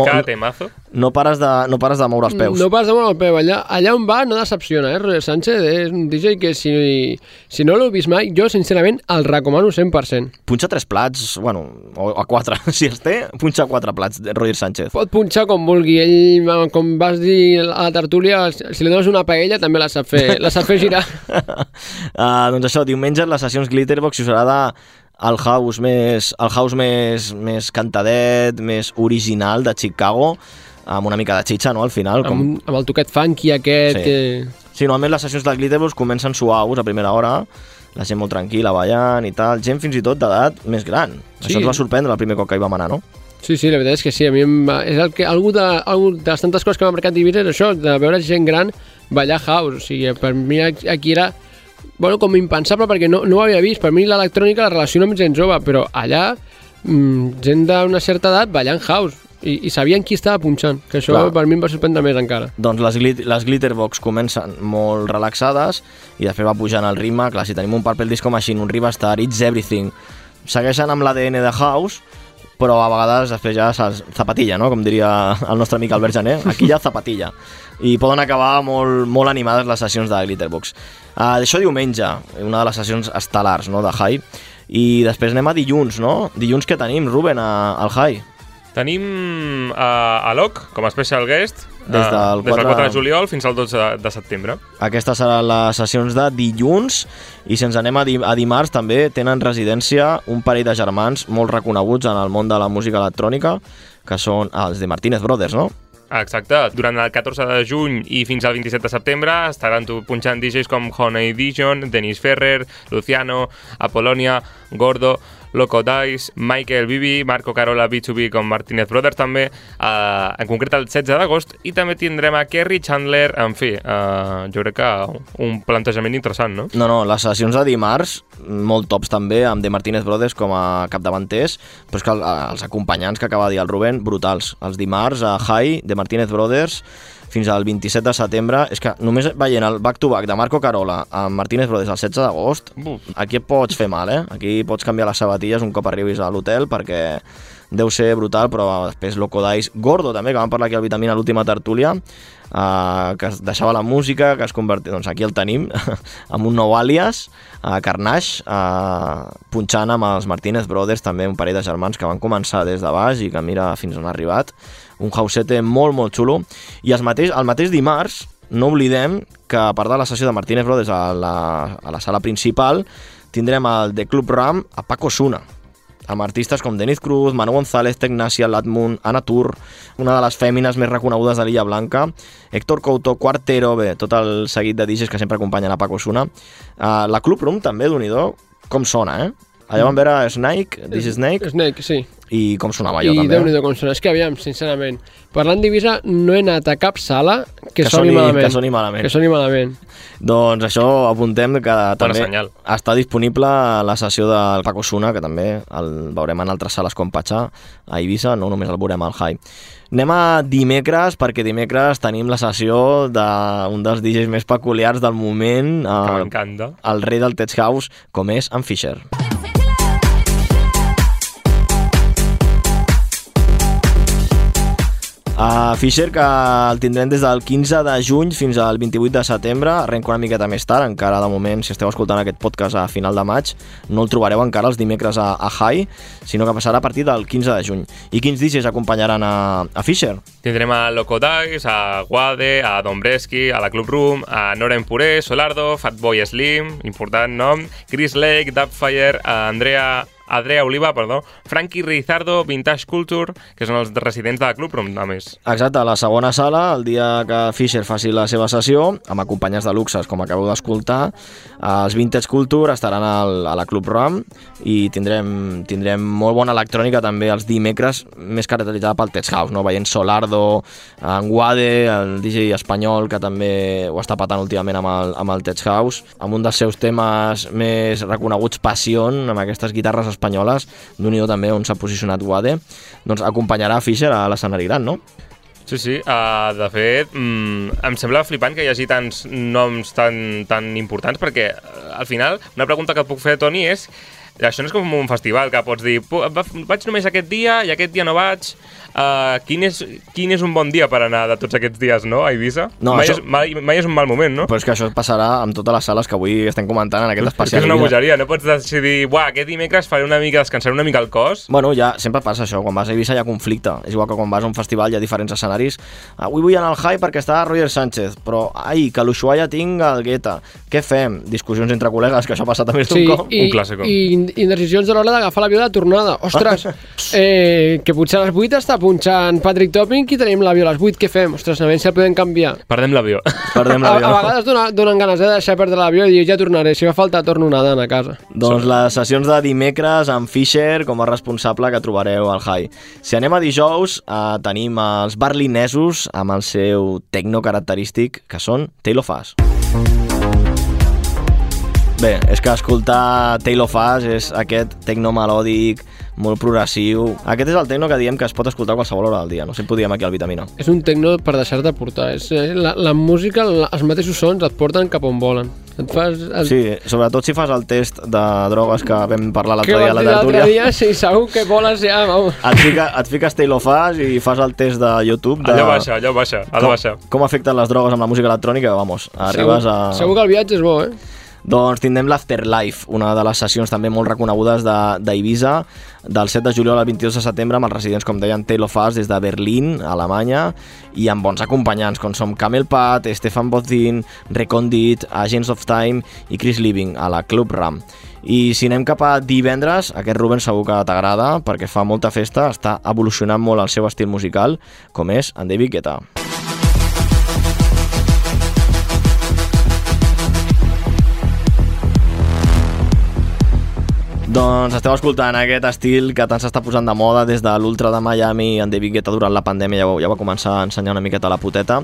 pares de moure els peus. No pares de moure el peu. Allà on va no decepciona, Roger Sánchez és un DJ que si no l'heu vist mai, jo sincerament el recomano 100%. Punxa 3 plats, bueno, o 4, si els té, punxa 4 plats, Roger Sánchez. Pot punxar com vulgui, ell, com vas dir a la tertúlia, si li dones una paella també la sap fer girar. Doncs això, diumenge les sessions Glitterbox si us agrada el house més cantadet, més original de Chicago, amb una mica de xitxa, no?, al final. Amb el toquet funky aquest. Sí, normalment les sessions de Glitterbox comencen suaus a primera hora, la gent molt tranquil·la, ballant i tal, gent fins i tot d'edat més gran. Sí. Això ens va sorprendre el primer cop que hi vam anar, no? Sí, la veritat és que sí, a mi és algú de les tantes coses que m'ha marcat d'Ibiza és això, de veure gent gran ballar house, o sigui, per mi aquí era, bueno, com impensable perquè no ho havia vist, per mi l'electrònica la relaciono amb gent jove, però allà gent d'una certa edat ballant house i sabien qui estava punxant, que això per mi em va sorprendre més encara. Doncs les Glitterbox comencen molt relaxades i després va pujant el ritme, clar, si tenim un Purple Disco Machine, un Rivastar, It's Everything, segueixen amb l'ADN de house, però a vegades després ja zapatilla, no?, com diria el nostre amic Albert Jané, aquí ja zapatilla, i poden acabar molt animades les sessions de Glitterbox. Això diumenge, una de les sessions estel·lars, no?, de High, i després anem a dilluns, no? Dilluns què tenim, Ruben, al High? Tenim a Locke com a special guest des del 4 de juliol fins al 12 de setembre. Aquestes seran les sessions de dilluns i si ens anem a dimarts també tenen residència un parell de germans molt reconeguts en el món de la música electrònica que són els de Martínez Brothers, no? Exacte. Durant el 14 de juny i fins al 27 de setembre estaran punxant DJs com Honey Dijon, Dennis Ferrer, Luciano, Apollonia, Gordo, Loco Dice, Michael Bibi, Marco Carola B2B com Martínez Brothers també, en concret el 16 d'agost, i també tindrem a Kerry Chandler, en fi, jo crec que un plantejament interessant, no? No, les sessions de dimarts, molt tops també, amb The Martínez Brothers com a capdavanters, però és que els acompanyants que acaba de dir el Rubén, brutals. Els dimarts a High, The Martínez Brothers, fins al 27 de setembre, és que només veient el back-to-back de Marco Carola amb Martínez Brothers el 16 d'agost, aquí et pots fer mal, Aquí pots canviar les sabatilles un cop arribis a l'hotel perquè deu ser brutal, però després Loco Dice, Gordo també, que vam parlar aquí al Vitamina a l'última tertúlia, que es deixava la música, que es convertia, doncs aquí el tenim, amb un nou àlies, Carnage, punxant amb els Martínez Brothers, també un parell de germans que van començar des de baix i que mira fins on ha arribat, un housete molt xulo, i el mateix dimarts, no oblidem que a part de la sessió de Martínez Brothers a la sala principal, tindrem el The Club Ram a Paco Osuna, amb artistes com Denise Cruz, Manu González, Tecnacia, Latmun, Ana Tur, una de les fèmines més reconegudes de l'Illa Blanca, Héctor Couto, Quartero, bé, tot el seguit de DJs que sempre acompanyen a Paco Osuna. La Club Room també, Déu-n'hi-do, com sona, Allà vam veure Snake, This is Snake. Snake, sí. I com sonava allò, també. I Déu-n'hi-do com sona. És que, aviam, sincerament, parlant d'Ibiza, no he anat a cap sala que soni malament. Doncs això apuntem que també està disponible la sessió del Paco Osuna, que també el veurem en altres sales com Pachá, a Ibiza, no només el veurem al High. Anem a dimecres, perquè dimecres tenim la sessió d'un dels DJs més peculiars del moment, el rei del Tech House, com és en Fisher. Fisher, que el tindrem des del 15 de juny fins al 28 de setembre, arrenca una miqueta més tard, encara de moment, si esteu escoltant aquest podcast a final de maig, no el trobareu encara els dimecres a High, sinó que passarà a partir del 15 de juny. I quins DJs acompanyaran a Fisher? Tindrem a Loco Dice, a Guade, a Dombreski, a la Club Room, a Noren Puré, Solardo, Fatboy Slim, important nom, Chris Lake, Dubfire, a Adrea Oliva, Frankie Rizardo, Vintage Culture, que són els residents de la Club Room, a més. Exacte, a la segona sala, el dia que Fisher faci la seva sessió, amb acompanyats de luxes, com acabeu d'escoltar, els Vintage Culture estaran a la Club Room i tindrem molt bona electrònica també els dimecres, més caracteritzada pel Tech House, no? Veient Solardo, en Guade, el DJ espanyol, que també ho està patant últimament amb el Tech House, amb un dels seus temes més reconeguts, Passion, amb aquestes guitarres espanyoles, d'un i també on s'ha posicionat Guade, doncs acompanyarà Fisher a l'escenari gran, no? Sí, de fet, em sembla flipant que hi hagi tants noms tan importants, perquè al final una pregunta que et puc fer, Toni, és això no és com un festival que pots dir vaig només aquest dia i aquest dia no vaig. Quin és un bon dia per anar de tots aquests dies, no, a Eivissa? No, mai és un mal moment, no? Però és que això passarà amb totes les sales que avui estem comentant en aquest especial. És una bogeria, no pots decidir aquest dimecres faré descansaré una mica el cos. Bueno, ja sempre passa això, quan vas a Eivissa hi ha conflicte. És igual que quan vas a un festival hi ha diferents escenaris. Avui vull anar al High perquè està Roger Sánchez, però que a l'Ushuaia tinc el Guetta. Què fem? Discussions entre col·legues, que això passa també d'un cop. Un clàssico. I decisions a l'hora d'agafar l'avió de tornada. Ostres, que potser a les 8 està punxant Patrick Topping i tenim l'avió a les 8, què fem? Ostres, a veure si el podem canviar. Perdem l'avió. A vegades donen ganes de deixar perdre l'avió i dir ja tornaré, si fa falta torno nedant a casa. Doncs les sessions de dimecres amb Fisher com a responsable que trobareu al High. Si anem a dijous, tenim els berlinesos amb el seu tecno característic, que són Tail of Us. Bé, és que escoltar Tail of Us és aquest tecno melòdic molt progressiu. Aquest és el tecno que diem que es pot escoltar a qualsevol hora del dia, no sempre ho diem aquí al Vitamina. És un tecno per deixar-te portar. La música, els mateixos sons et porten cap on volen. Sí, sobretot si fas el test de drogues que vam parlar l'altre dia a la tertúlia. L'altre dia, sí, segur que voles ja, vamos. Et fiques Tail of Us i fas el test de YouTube. Allò baixa. Com afecten les drogues amb la música electrònica, vamos, arribes a... Segur que el viatge és bo, Doncs tindrem l'Afterlife, una de les sessions també molt reconegudes d'Eivissa, del 7 de juliol al 22 de setembre, amb els residents, com deien, Tail of Us des de Berlín, Alemanya, i amb bons acompanyants, com som Camel Pat, Stefan Bodzin, Recondit, Agents of Time i Chris Living, a la Club Ram. I si anem cap a divendres, aquest Ruben segur que t'agrada, perquè fa molta festa, està evolucionant molt el seu estil musical, com és en David Guetta. Doncs esteu escoltant aquest estil que tant s'està posant de moda des de l'Ultra de Miami. En David Guetta durant la pandèmia ja va començar a ensenyar una miqueta la poteta.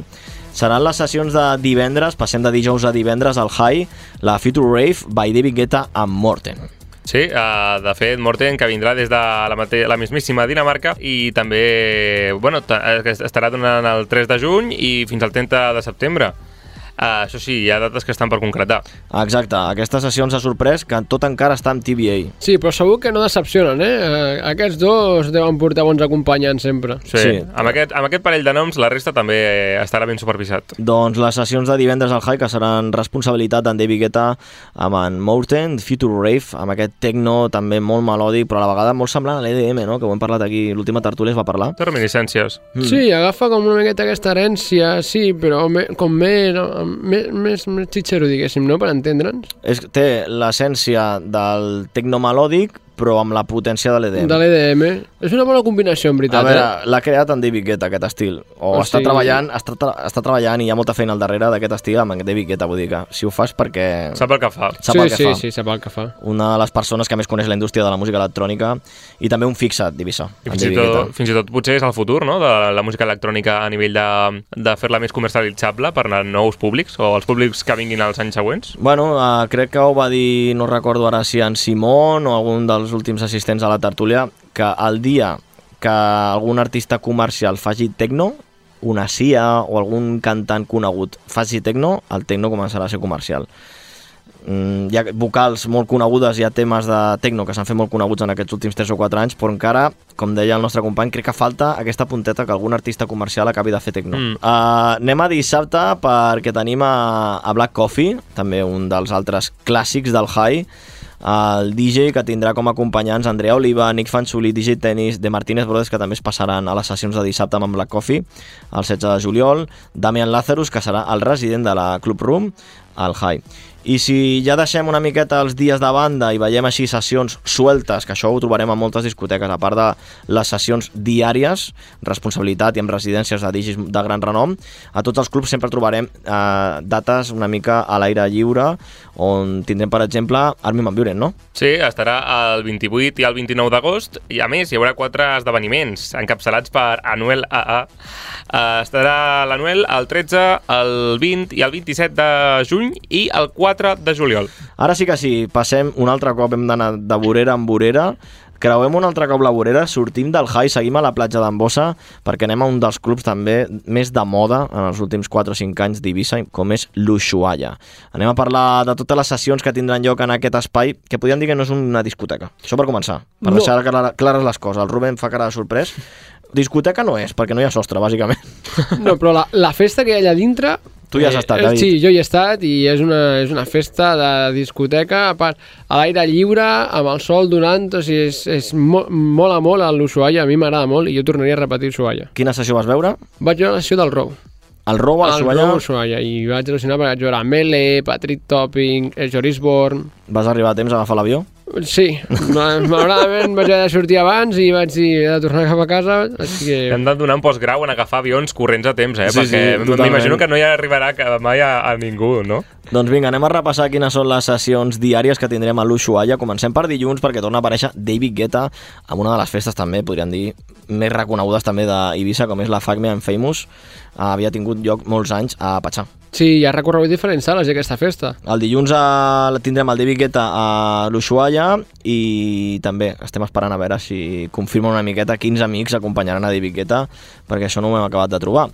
Seran les sessions de divendres, passem de dijous a divendres al High, la Future Rave by David Guetta amb Morten. Sí, de fet, Morten, que vindrà des de la mismíssima Dinamarca i també estarà donant el 3 de juny i fins al 30 de setembre. Això sí, hi ha dates que estan per concretar. Exacte, aquestes sessions ha sorprès que tot encara està amb TBA. Sí, però segur que no decepcionen, Aquests dos deuen portar bons acompanyants sempre. Sí. Amb aquest parell de noms la resta també estarà ben supervisat. Doncs les sessions de divendres al High, que seran responsabilitat d'en David Guetta amb en Morten, Future Rave, amb aquest techno també molt melòdic, però a la vegada molt semblant a l'EDM, no? Que ho hem parlat aquí, l'última tertúlia es va parlar. De reminiscències. Sí, agafa com una miqueta aquesta herència, sí, però com més xitxero, diguéssim, no?, per entendre'ns. Té l'essència del tecno melòdic, però amb la potència de l'EDM. De l'EDM. És una bona combinació, en veritat. A veure, l'ha creat en David Guetta, aquest estil. Està treballant i hi ha molta feina al darrere d'aquest estil amb en David Guetta, vull dir que si ho fas perquè... Sap el que fa. Sí, sap el que fa. Una de les persones que més coneix la indústria de la música electrònica i també un fixat d'Eivissa. Fins i tot potser és el futur, no?, de la música electrònica a nivell de fer-la més comercialitzable per a nous públics o els públics que vinguin als anys següents. Bueno, crec que ho va dir, no recordo ara si en Simon o algun dels últims assistents a la tertúlia, que el dia que algun artista comercial faci techno, una CIA o algun cantant conegut faci techno, el techno començarà a ser comercial. Hi ha vocals molt conegudes, hi ha temes de techno que s'han fet molt coneguts en aquests últims 3 o 4 anys, però encara, com deia el nostre company, crec que falta aquesta punteta que algun artista comercial acabi de fer techno. Anem a dissabte perquè tenim a Black Coffee, també un dels altres clàssics del High, el DJ que tindrà com a acompanyants Andrea Oliva, Nick Fanciulli, DJ Tennis, The Martínez Brothers, que també es passaran a les sessions de dissabte amb Black Coffee el 16 de juliol, Damian Lazarus, que serà el resident de la Club Room al High. I si ja deixem una miqueta els dies de banda i veiem així sessions sueltes, que això ho trobarem a moltes discoteques, a part de les sessions diàries, responsabilitat i amb residències de DJs de gran renom, a tots els clubs sempre trobarem dates una mica a l'aire lliure, on tindrem, per exemple, Armin van Buuren, no? Sí, estarà el 28 i el 29 d'agost, i a més hi haurà 4 esdeveniments encapçalats per Anuel AA. Estarà l'Anuel el 13, el 20 i el 27 de juny i el 4 de juliol. Ara sí que sí, passem un altre cop, hem d'anar de vorera en vorera Creuem un altre cop la vorera, sortim del High, seguim a la platja d'Ambossa, perquè anem a un dels clubs també més de moda en els últims 4 o 5 anys d'Eivissa, com és l'Ushuaia. Anem a parlar de totes les sessions que tindran lloc en aquest espai, que podríem dir que no és una discoteca. Això per començar, per deixar clares les coses. El Rubén fa cara de sorprès. Discoteca no és, perquè no hi ha sostre, bàsicament. No, però la festa que hi ha allà dintre... Tu ja has estat, David. Sí, jo hi he estat i és una festa de discoteca, a part, a l'aire lliure, amb el sol donant, o sigui, és mola molt l'Ushuaia, a mi m'agrada molt i jo tornaria a repetir Ushuaia. Quina sessió vas veure? Vaig veure la sessió del Row. El Row a l'Ushuaia? El Row a l'Ushuaia, i vaig al·lucinar perquè vaig veure Melee, Patrick Topping, Joris Born... Vas arribar a temps a agafar l'avió? Sí, malauradament vaig haver de sortir abans i vaig dir he de tornar cap a casa, així que... Hem de donar un postgrau en agafar avions corrents a temps, Sí, perquè totalment. m'imagino que no hi arribarà mai a ningú, no? Doncs vinga, anem a repassar quines són les sessions diàries que tindrem a l'Ushuaia. Comencem per dilluns, perquè torna a aparèixer David Guetta amb una de les festes també, podríem dir, més reconegudes també d'Eivissa, com és la Fuck Me I'm Famous. Havia tingut lloc molts anys a Patxà. Sí, hi ha recorregut diferents sales d'aquesta festa. El dilluns tindrem el David Guetta a l'Ushuaia i també estem esperant a veure si confirma una miqueta quins amics acompanyaran a David Guetta, perquè això no ho hem acabat de trobar.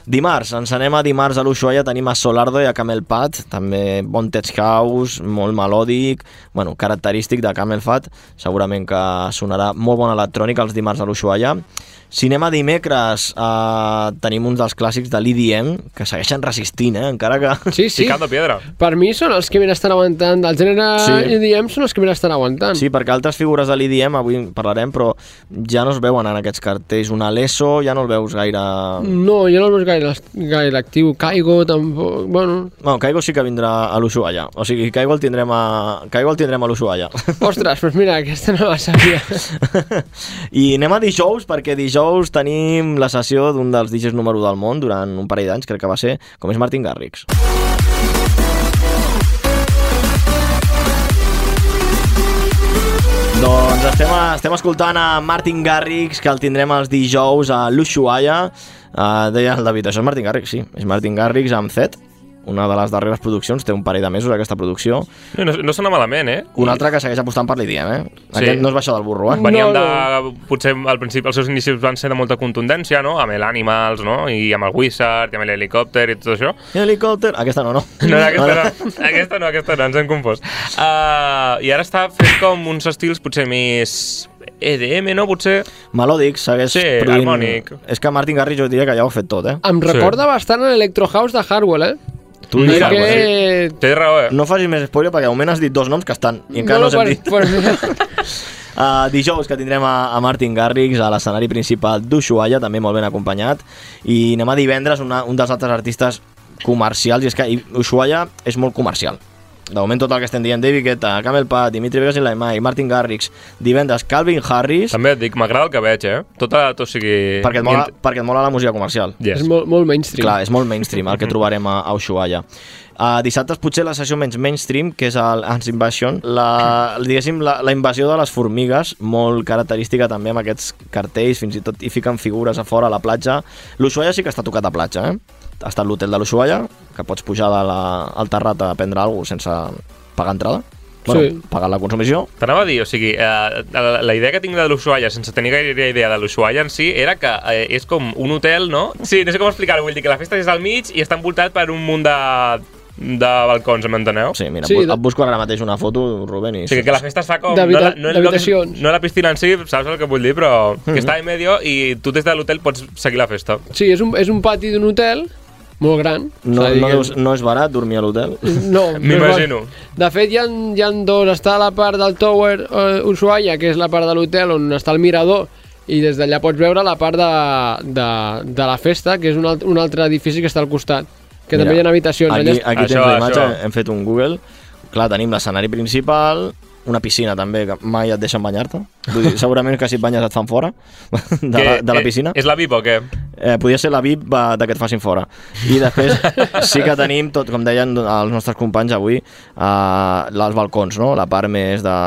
Dimarts, ens anem a dimarts a l'Ushuaia, tenim a Solardo i a Camel Fat, també bon tech house, molt melòdic, bueno, característic de Camel Fat, segurament que sonarà molt bona electrònica els dimarts a l'Ushuaia. Cinema dimecres, tenim uns dels clàssics de l'EDM, que segueixen resistint, encara que... Sí. Picando piedra. Per mi són els que més estan aguantant, del gènere EDM són els que més estan aguantant. Sí, perquè altres figures de l'EDM, avui en parlarem, però ja no es veuen en aquests cartells. Un Alesso ja no el veus gaire... No, jo no el veus gaire actiu. Kaigo tampoc, bueno... No, Kaigo sí que vindrà a l'Ushuaia. O sigui, Kaigo el tindrem a l'Ushuaia. Ostres, doncs mira, aquesta no la sabia. I anem a dijous, perquè dijous tenim la sessió d'un dels DJs número 1 del món durant un parell d'anys, crec que va ser, com és Martin Garrix. Doncs estem escoltant a Martin Garrix, que el tindrem els dijous a l'Ushuaia. Deia el David, això és Martin Garrix, sí, és Martin Garrix amb Zed, una de les darreres produccions, té un parell de mesos aquesta producció. No sona malament, Un altre que segueix apostant per l'EDM, Sí. Aquest no es baixa del burro, Veníem potser al principi els seus inicis van ser de molta contundència, no? Amb l'Animals, no? I amb el Wizard, i amb l'Helicòpter i tot això. Helicòpter, aquesta no. No, aquesta no, ens hem confós. I ara està fent com uns estils potser més EDM, no? Potser... Melòdic, segueix produint... harmònic. És que Martin Garrix jo diria que ja ho ha fet tot, Em recorda bastant l'Electro House de Hardwell, Tu dius que... Té raó, No facis més spoiler perquè de moment has dit 2 noms que estan i encara no s'hem dit. Dijous que tindrem a Martin Garrix a l'escenari principal d'Ushuaia, també molt ben acompanyat, i anem a divendres un dels altres artistes comercials, i és que Ushuaia és molt comercial. De moment tot el que estem dient, David Guetta, Camel Fat, Dimitri Vegas i Laimai, Martin Garrix, divendres Calvin Harris... També et dic, m'agrada el que veig, Tot sigui... Perquè et mola la música comercial. Yes. És molt mainstream. Clar, és molt mainstream el que trobarem a Ushuaia. Dissabtes potser la sessió menys mainstream, que és el Ants Invasion, diguéssim, la invasió de les formigues, molt característica també amb aquests cartells, fins i tot hi fiquen figures a fora a la platja. L'Ushuaia sí que està tocat a platja, Ha estat l'hotel de l'Ushuaia, que pots pujar al terrat a prendre alguna cosa sense pagar entrada. Bueno, pagar la consumició. T'anava a dir, o sigui, la idea que tinc de l'Ushuaia, sense tenir gaire idea de l'Ushuaia en si, era que és com un hotel, no? Sí, no sé com explicar-ho, vull dir que la festa és al mig i està envoltat per un munt de balcons, m'enteneu? Sí, mira, et busco ara mateix una foto, Rubén. O sigui, que la festa es fa com... d'habitacions. No la piscina en si, saps el que vull dir, però que està en medio i tu des de l'hotel pots seguir la festa. Sí, és un pati d'un hotel molt gran. No és barat dormir a l'hotel? No. M'imagino. De fet, hi ha dos. Està la part del Tower Ushuaia, que és la part de l'hotel on està el mirador, i des d'allà pots veure la part de la festa, que és un altre edifici que està al costat, que també hi ha habitacions. Aquí tens la imatge, hem fet un Google. Clar, tenim l'escenari principal, una piscina també, que mai et deixen banyar-te. Segurament que si et banyes et fan fora de la piscina. És la VIP o què? Podria ser la VIP de que et facin fora. I després sí que tenim tot, com deien els nostres companys avui, els balcons, no? La part més de...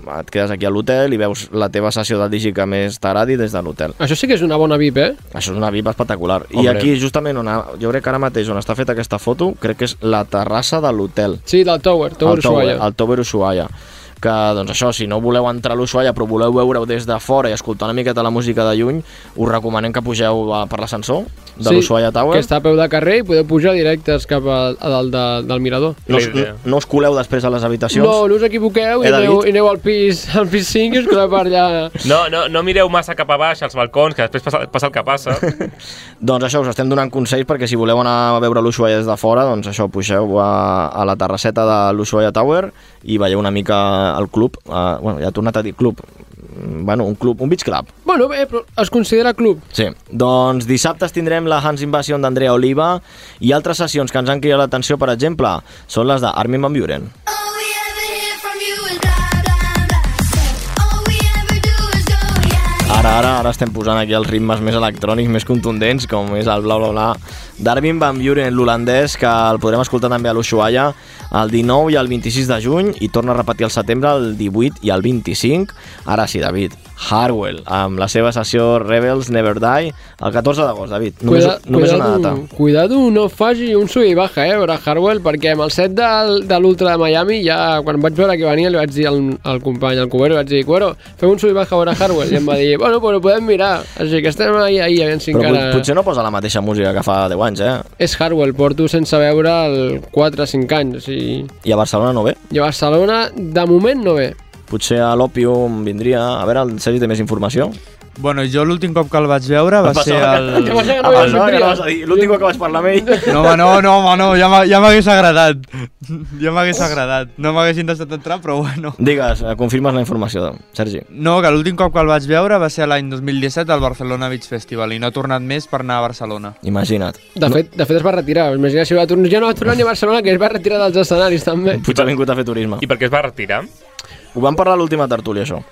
Et quedes aquí a l'hotel i veus la teva sessió del digi que més t'agradi des de l'hotel. Això sí que és una bona VIP, Això és una VIP espectacular. Hombre. I aquí, justament, jo crec que ara mateix on està feta aquesta foto, crec que és la terrassa de l'hotel. Sí, del Tower Ushuaia. El Tower Ushuaia. que, doncs això, si no voleu entrar a l'Ushuaia però voleu veure-ho des de fora i escoltar una miqueta la música de lluny, us recomanem que pugeu per l'ascensor de l'Ushuaia Tower. Que està a peu de carrer i podeu pujar directes cap a dalt del mirador. No us coleu després a les habitacions? No us equivoqueu i aneu al pis 5 i us coleu per allà. No mireu massa cap a baix als balcons, que després passa el que passa. Doncs això, us estem donant consells perquè si voleu anar a veure l'Ushuaia des de fora, doncs això, pugeu a la terrasseta de l'Ushuaia Tower i veieu una mica el club. Bueno, ja he tornat a dir club. Bueno, un beach club. Bueno, bé, però es considera club. Sí, doncs dissabtes tindrem la Hans Invasion d'Andrea Oliva i altres sessions que ens han cridat l'atenció, per exemple, són les d'Armin van Buuren. Ara estem posant aquí els ritmes més electrònics, més contundents, com és el bla bla bla d'Armin van Buuren, l'holandès, que el podrem escoltar també a l'Ushuaia el 19 i el 26 de juny i torna a repetir al setembre el 18 i el 25. Ara sí, David, Hardwell, amb la seva sessió Rebels Never Die, el 14 d'agost, David. Només una data. Cuidado, no faci un sub i baja, veure Hardwell, perquè amb el set de l'Ultra de Miami, ja quan vaig veure que venia, li vaig dir al company, al Cubero, vaig dir, Cubero, fem un sub i baja a veure Hardwell, i em va dir, bueno, però podem mirar, així que estem ahí, a veure si encara... Però potser no posa la mateixa música que fa 10 anys, És Hardwell, porto sense veure el 4 o 5 anys, o sigui... I a Barcelona no ve? I a Barcelona, de moment, no ve. Potser a l'Òpium vindria... A veure, el Sergi té més informació? Bueno, jo l'últim cop que el vaig veure va ser el... L'últim cop que vaig parlar amb ell. No, ja m'hagués agradat. Ja m'hagués agradat. No m'haguessin deixat entrar, però bueno. Digues, confirmes la informació, Sergi. No, que l'últim cop que el vaig veure va ser l'any 2017 al Barcelona Beach Festival i no ha tornat més per anar a Barcelona. Imagina't. De fet es va retirar. Imagina si ja no va tornar ni a Barcelona, que es va retirar dels escenaris també. Potser ha vingut a fer turisme. I per què es va retirar? Ho vam parlar a l'última tertúlia, això.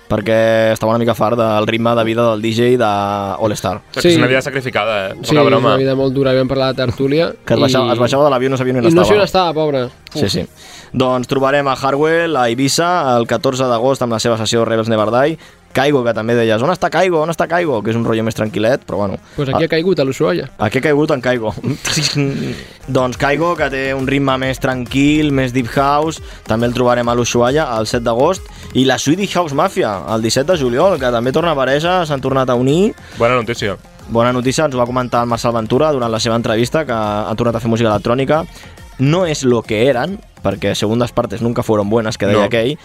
Perquè estava una mica fart del ritme de vida del DJ de All Star. Sí. És una vida sacrificada, Sí, és una vida molt dura. Vam parlar de tertúlia. Que es baixava de l'avió i no sabia on estava. I no sé on estava, pobre. Sí. Doncs trobarem a Hardwell a Eivissa el 14 d'agost amb la seva sessió Rebels Never Die. Caigo, que també deies, on està Caigo? Que és un rotllo més tranquil·let, però bueno. Pues aquí ha caigut, a l'Ushuaia. Aquí ha caigut en Caigo. Doncs Caigo, que té un ritme més tranquil, més deep house, també el trobarem a l'Ushuaia el 7 d'agost. I la Swedish House Mafia, el 17 de juliol, que també torna a aparèixer, s'han tornat a unir. Bona notícia. Bona notícia, ens ho va comentar el Marcel Ventura durant la seva entrevista, que han tornat a fer música electrònica. No és lo que eran, perquè segundas partes nunca fueron buenas, que deia aquell.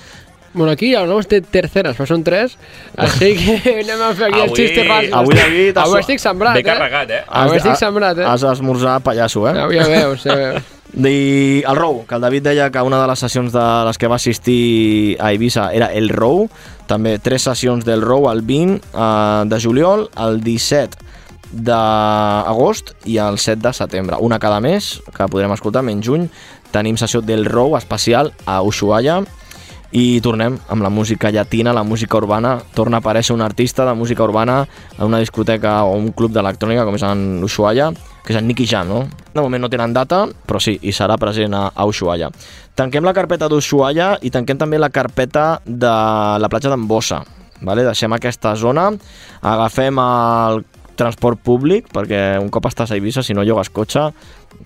Bueno, aquí hablamos de terceras, però són 3, així que anem a fer aquí els xistes rasos. Avui, David, avui estic sembrat, ben carregat, Avui estic sembrat, Has d'esmorzar pallasso, Avui ja veus, I el Row, que el David deia que una de les sessions de les que va assistir a Eivissa era el Row, també 3 sessions del Row, el 20 de juliol, el 17 d'agost i el 7 de setembre. Una cada mes, que podrem escoltar, menys juny. Tenim sessió del Row especial a Ushuaia. I tornem amb la música llatina, la música urbana. Torna a aparèixer un artista de música urbana en una discoteca o un club d'electrònica com és en Ushuaia, que és en Nicky Jam, no? De moment no tenen data, però sí, hi serà present a Ushuaia. Tanquem la carpeta d'Ushuaia i tanquem també la carpeta de la platja d'Embossa. Vale? Deixem aquesta zona, agafem el transport públic, perquè un cop estàs a Eivissa, si no llogues cotxe,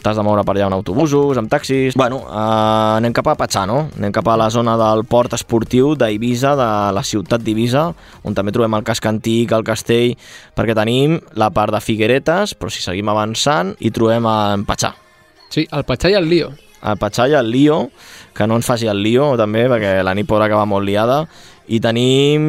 t'has de moure per allà en autobusos, amb taxis... Bueno, anem cap a Patxà, no? Anem cap a la zona del port esportiu d'Eivissa, de la ciutat d'Eivissa, on també trobem el casc antic, el castell, perquè tenim la part de Figueretes, però si seguim avançant, hi trobem en Patxà. Sí, el Patxà i el Lío. El Patxà i el Lío, que no ens faci el lío també, perquè la nit podrà acabar molt liada. I tenim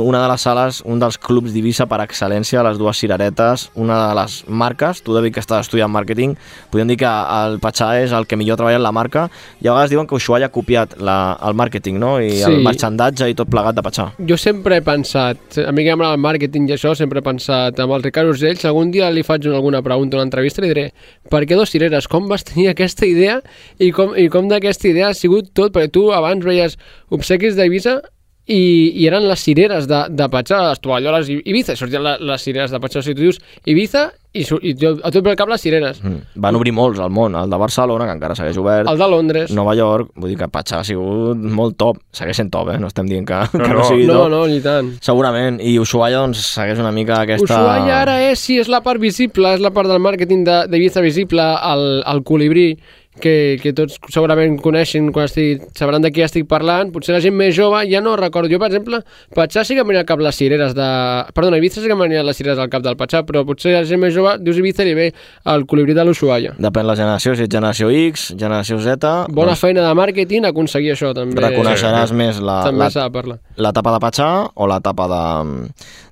una de les sales, un dels clubs d'Eivissa per excel·lència, les dues cireretes, una de les marques. Tu, David, que estàs estudiant màrqueting, podem dir que el Patxà és el que millor treballa en la marca, i a vegades diuen que Ushuaia ha copiat el màrqueting, no? I el marxandatge i tot plegat de Patxà. Jo sempre he pensat, a mi que m'agrada el màrqueting i això, sempre he pensat amb el Ricard Urgell, si algun dia li faig alguna pregunta, una entrevista, li diré, per què dos cireres? Com vas tenir aquesta idea i com d'aquesta idea ha sigut tot? Perquè tu abans veies obsequis d'Eivissa i eren les cireres de Patxà, les tovalloles Ibiza, i sortien les cireres de Patxà. O sigui, tu dius Ibiza i a tot pel cap les cireres. Van obrir molts al món, el de Barcelona, que encara segueix obert, el de Londres, Nova York, vull dir que Patxà ha sigut molt top, segueix sent top, no estem dient que no sigui top. No, ni tant. Segurament, i Ushuaia doncs segueix una mica aquesta... Ushuaia ara és la part visible, és la part del màrqueting d'Ibiza visible, el colibrí, que tots segurament coneixen quan sabran de qui estic parlant. Potser la gent més jove ja no recordo. Jo, per exemple, Patxà sí que em venia al cap les cireres de... Perdona, Ibiza sí que em venia les cireres al cap del Patxà, però potser la gent més jove dius Ibiza i ve el colibrí de l'Ushuaia. Depèn la generació, si ets generació X, generació Z... Bona feina de màrqueting, aconseguir això també. Reconeixeràs més també s'ha de parlar. L'etapa de Patxà o l'etapa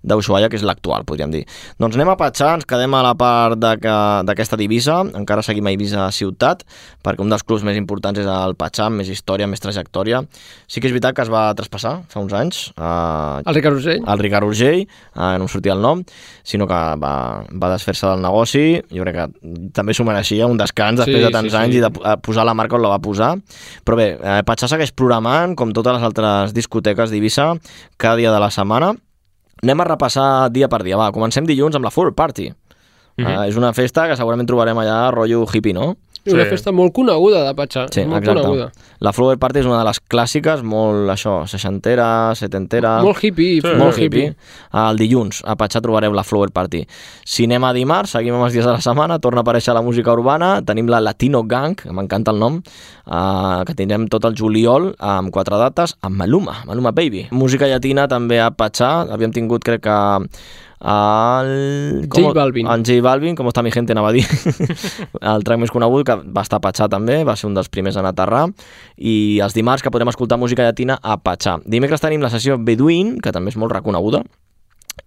d'Ushuaia, que és l'actual, podríem dir. Doncs anem a Patxà, ens quedem a la part d'aquesta d'Eivissa, encara seguim a Eivissa ciutat, perquè un dels clubs més importants és el Patxà, més història, més trajectòria. Sí que és veritat que es va traspassar fa uns anys. El Ricard Urgell. El Ricard Urgell, no em sortia el nom, sinó que va desfer-se del negoci. Jo crec que també s'ho mereixia, un descans després de tants anys i de posar la marca on la va posar. Però bé, Patxà segueix programant, com totes les altres discoteques d'Eivissa, cada dia de la setmana. Anem a repassar dia per dia. Va, comencem dilluns amb la Flower Party. És una festa que segurament trobarem allà rotllo hippie, no? Una festa molt coneguda de Patxà. Sí, molt exacte. coneguda. La Flower Party és una de les clàssiques, molt, això, seixantera, setentera... Molt hippie. Sí, molt hippie. El dilluns a Patxà trobareu la Flower Party. Si anem a dimarts, seguim amb els dies de la setmana, torna a aparèixer la música urbana, tenim la Latino Gang, que m'encanta el nom, que tindrem tot el juliol amb 4 dates, amb Maluma Baby. Música llatina també a Patxà, havíem tingut, crec que... J Balvin. En J Balvin, com està mi gente, anava a dir. El track més conegut, que va estar a Patxà també, va ser un dels primers en aterrar, i els dimarts que podrem escoltar música llatina a Patxà. Dimecres tenim la sessió Bedouin, que també és molt reconeguda,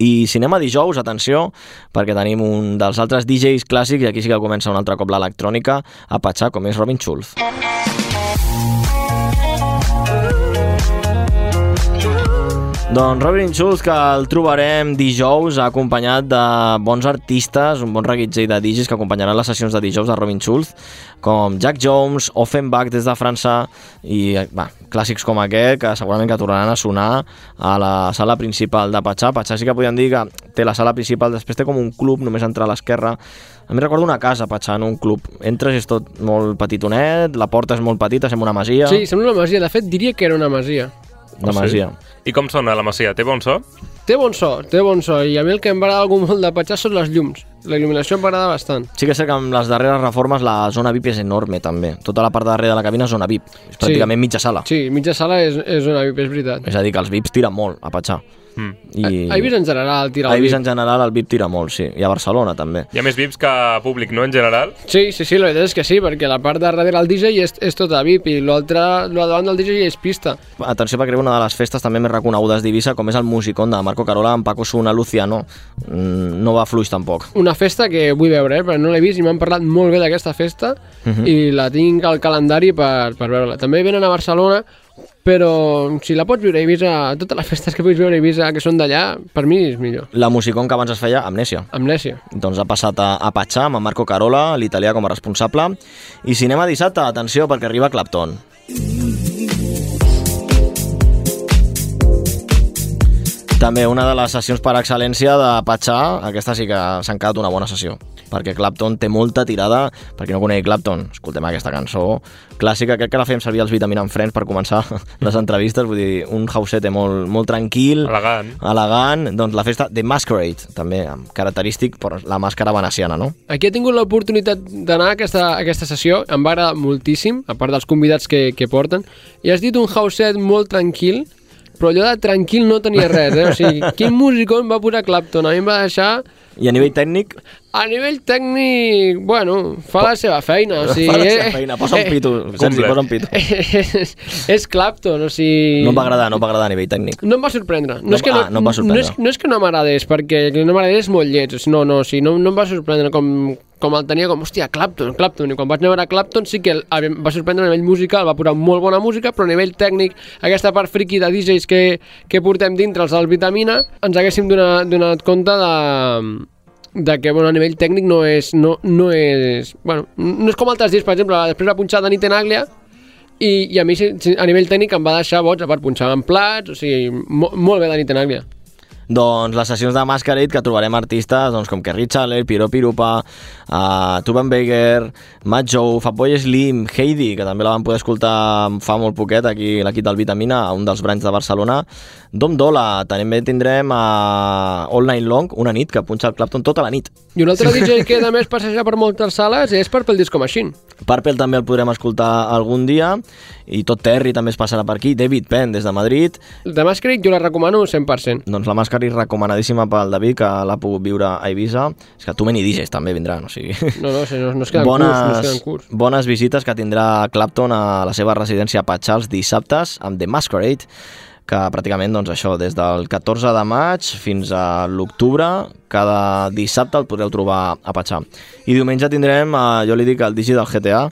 i si anem a dijous, atenció, perquè tenim un dels altres DJs clàssics, i aquí sí que comença un altre cop l'electrònica a Patxà, com és Robin Schulz. Doncs Robin Schulz, que el trobarem dijous acompanyat de bons artistes, un bon reguitzell de DJs que acompanyaran les sessions de dijous de Robin Schulz, com Jack Jones, Offenbach des de França i clàssics com aquest que segurament que tornaran a sonar a la sala principal de Patxà. Patxà sí que podem dir que té la sala principal, després té com un club, només entrar a l'esquerra. A mi recordo una casa, Patxà, no un club. Entres i és tot molt petitonet, la porta és molt petita, sembla una masia. Sí, sembla una masia. De fet, diria que era una masia. Una masia. I com sona la masia? Té bon so? Té bon so. I a mi el que em va agradar molt de Patxà són les llums. La il·luminació em va agradar bastant. Sí que sé que amb les darreres reformes la zona VIP és enorme també. Tota la part de darrere de la cabina és zona VIP. És pràcticament mitja sala. Sí, mitja sala és zona VIP, és veritat. És a dir, que els VIPs tiren molt a Patxà. A Eivissa en general tira el VIP. A Eivissa en general el VIP tira molt, sí. I a Barcelona també. Hi ha més VIPs que públic, no, en general? Sí, la veritat és que sí, perquè la part de darrere el DJ és tota VIP i l'altre, davant del DJ és pista. Atenció, perquè una de les festes també més reconegudes d'Eivissa, com és el Musicón de Marco Carola amb Paco Suna, Luciano, no va fluix tampoc. Una festa que vull veure, perquè no l'he vist i m'han parlat molt bé d'aquesta festa i la tinc al calendari per veure-la. També venen a Barcelona, però si la pots viure a Eivissa, totes les festes que puguis veure a Eivissa que són d'allà, per mi és millor. La Musicón que abans es feia, Amnèsia. Doncs ha passat a Patxà amb Marco Carola, l'italià com a responsable. I si anem a dissabte, atenció, perquè arriba Clapton. També una de les sessions per excel·lència de Patxà, aquesta sí que s'ha quedat una bona sessió, perquè Clapton té molta tirada. Per qui no conegui Clapton, escoltem aquesta cançó clàssica, crec que la fèiem servir els Vitamina en Friends per començar les entrevistes, vull dir, un housete molt tranquil, elegant. Doncs la festa The Masquerade, també característic per la màscara veneciana, no? Aquí he tingut l'oportunitat d'anar a aquesta sessió, em va agradar moltíssim, a part dels convidats que porten, i has dit un houset molt tranquil, però allò de tranquil no tenia res, O sigui, quin músico em va posar Clapton? A mi em va deixar... I a nivell tècnic? A nivell tècnic, bueno, fa la seva feina. O sigui, fa la seva feina, posa un pito, Sergi, posa un pito. És Clapton, o sigui... No em va agradar a nivell tècnic. No em va sorprendre. No és que no m'agradés, perquè no m'agradés molt lleig, no em va sorprendre com el tenia com, hòstia, Clapton, i quan vaig anar a veure Clapton sí que em va sorprendre a nivell musical, va posar molt bona música, però a nivell tècnic, aquesta part friki de DJs que portem dintre els del Vitamina, ens haguéssim donat compte de que a nivell tècnic no és com altres dies, per exemple, després va punxar Dani Tenaglia i a mi a nivell tècnic em va deixar boig, a part punxar en plats, o sigui, molt bé Dani Tenaglia. Doncs les sessions de Masquerade, que trobarem artistes doncs, com Kerry Chandler, Piero Pirupa, Tuban Baker, Matt Joe, Fatboy Slim, Heidi, que també la vam poder escoltar fa molt poquet aquí l'equip del Vitamina, a un dels branys de Barcelona, Dom Dola, també tindrem All Night Long, una nit que punxa el Clapton tota la nit. I un altre DJ que a més passeja per moltes sales és Purple Disco Machine. Purple també el podrem escoltar algun dia, i tot Terry també es passarà per aquí, David Penn des de Madrid. De Masquerade jo la recomano 100%. Doncs la Masquerade recomanadíssima pel David, que l'ha pogut viure a Eivissa. És que tu many DJs també vindran, o sigui... No es queden curts. Bones visites que tindrà Clapton a la seva residència a Patxar els dissabtes amb The Masquerade, que pràcticament, doncs això, des del 14 de maig fins a l'octubre, cada dissabte el podreu trobar a Patxar. I diumenge tindrem, jo li dic, el DJ del GTA,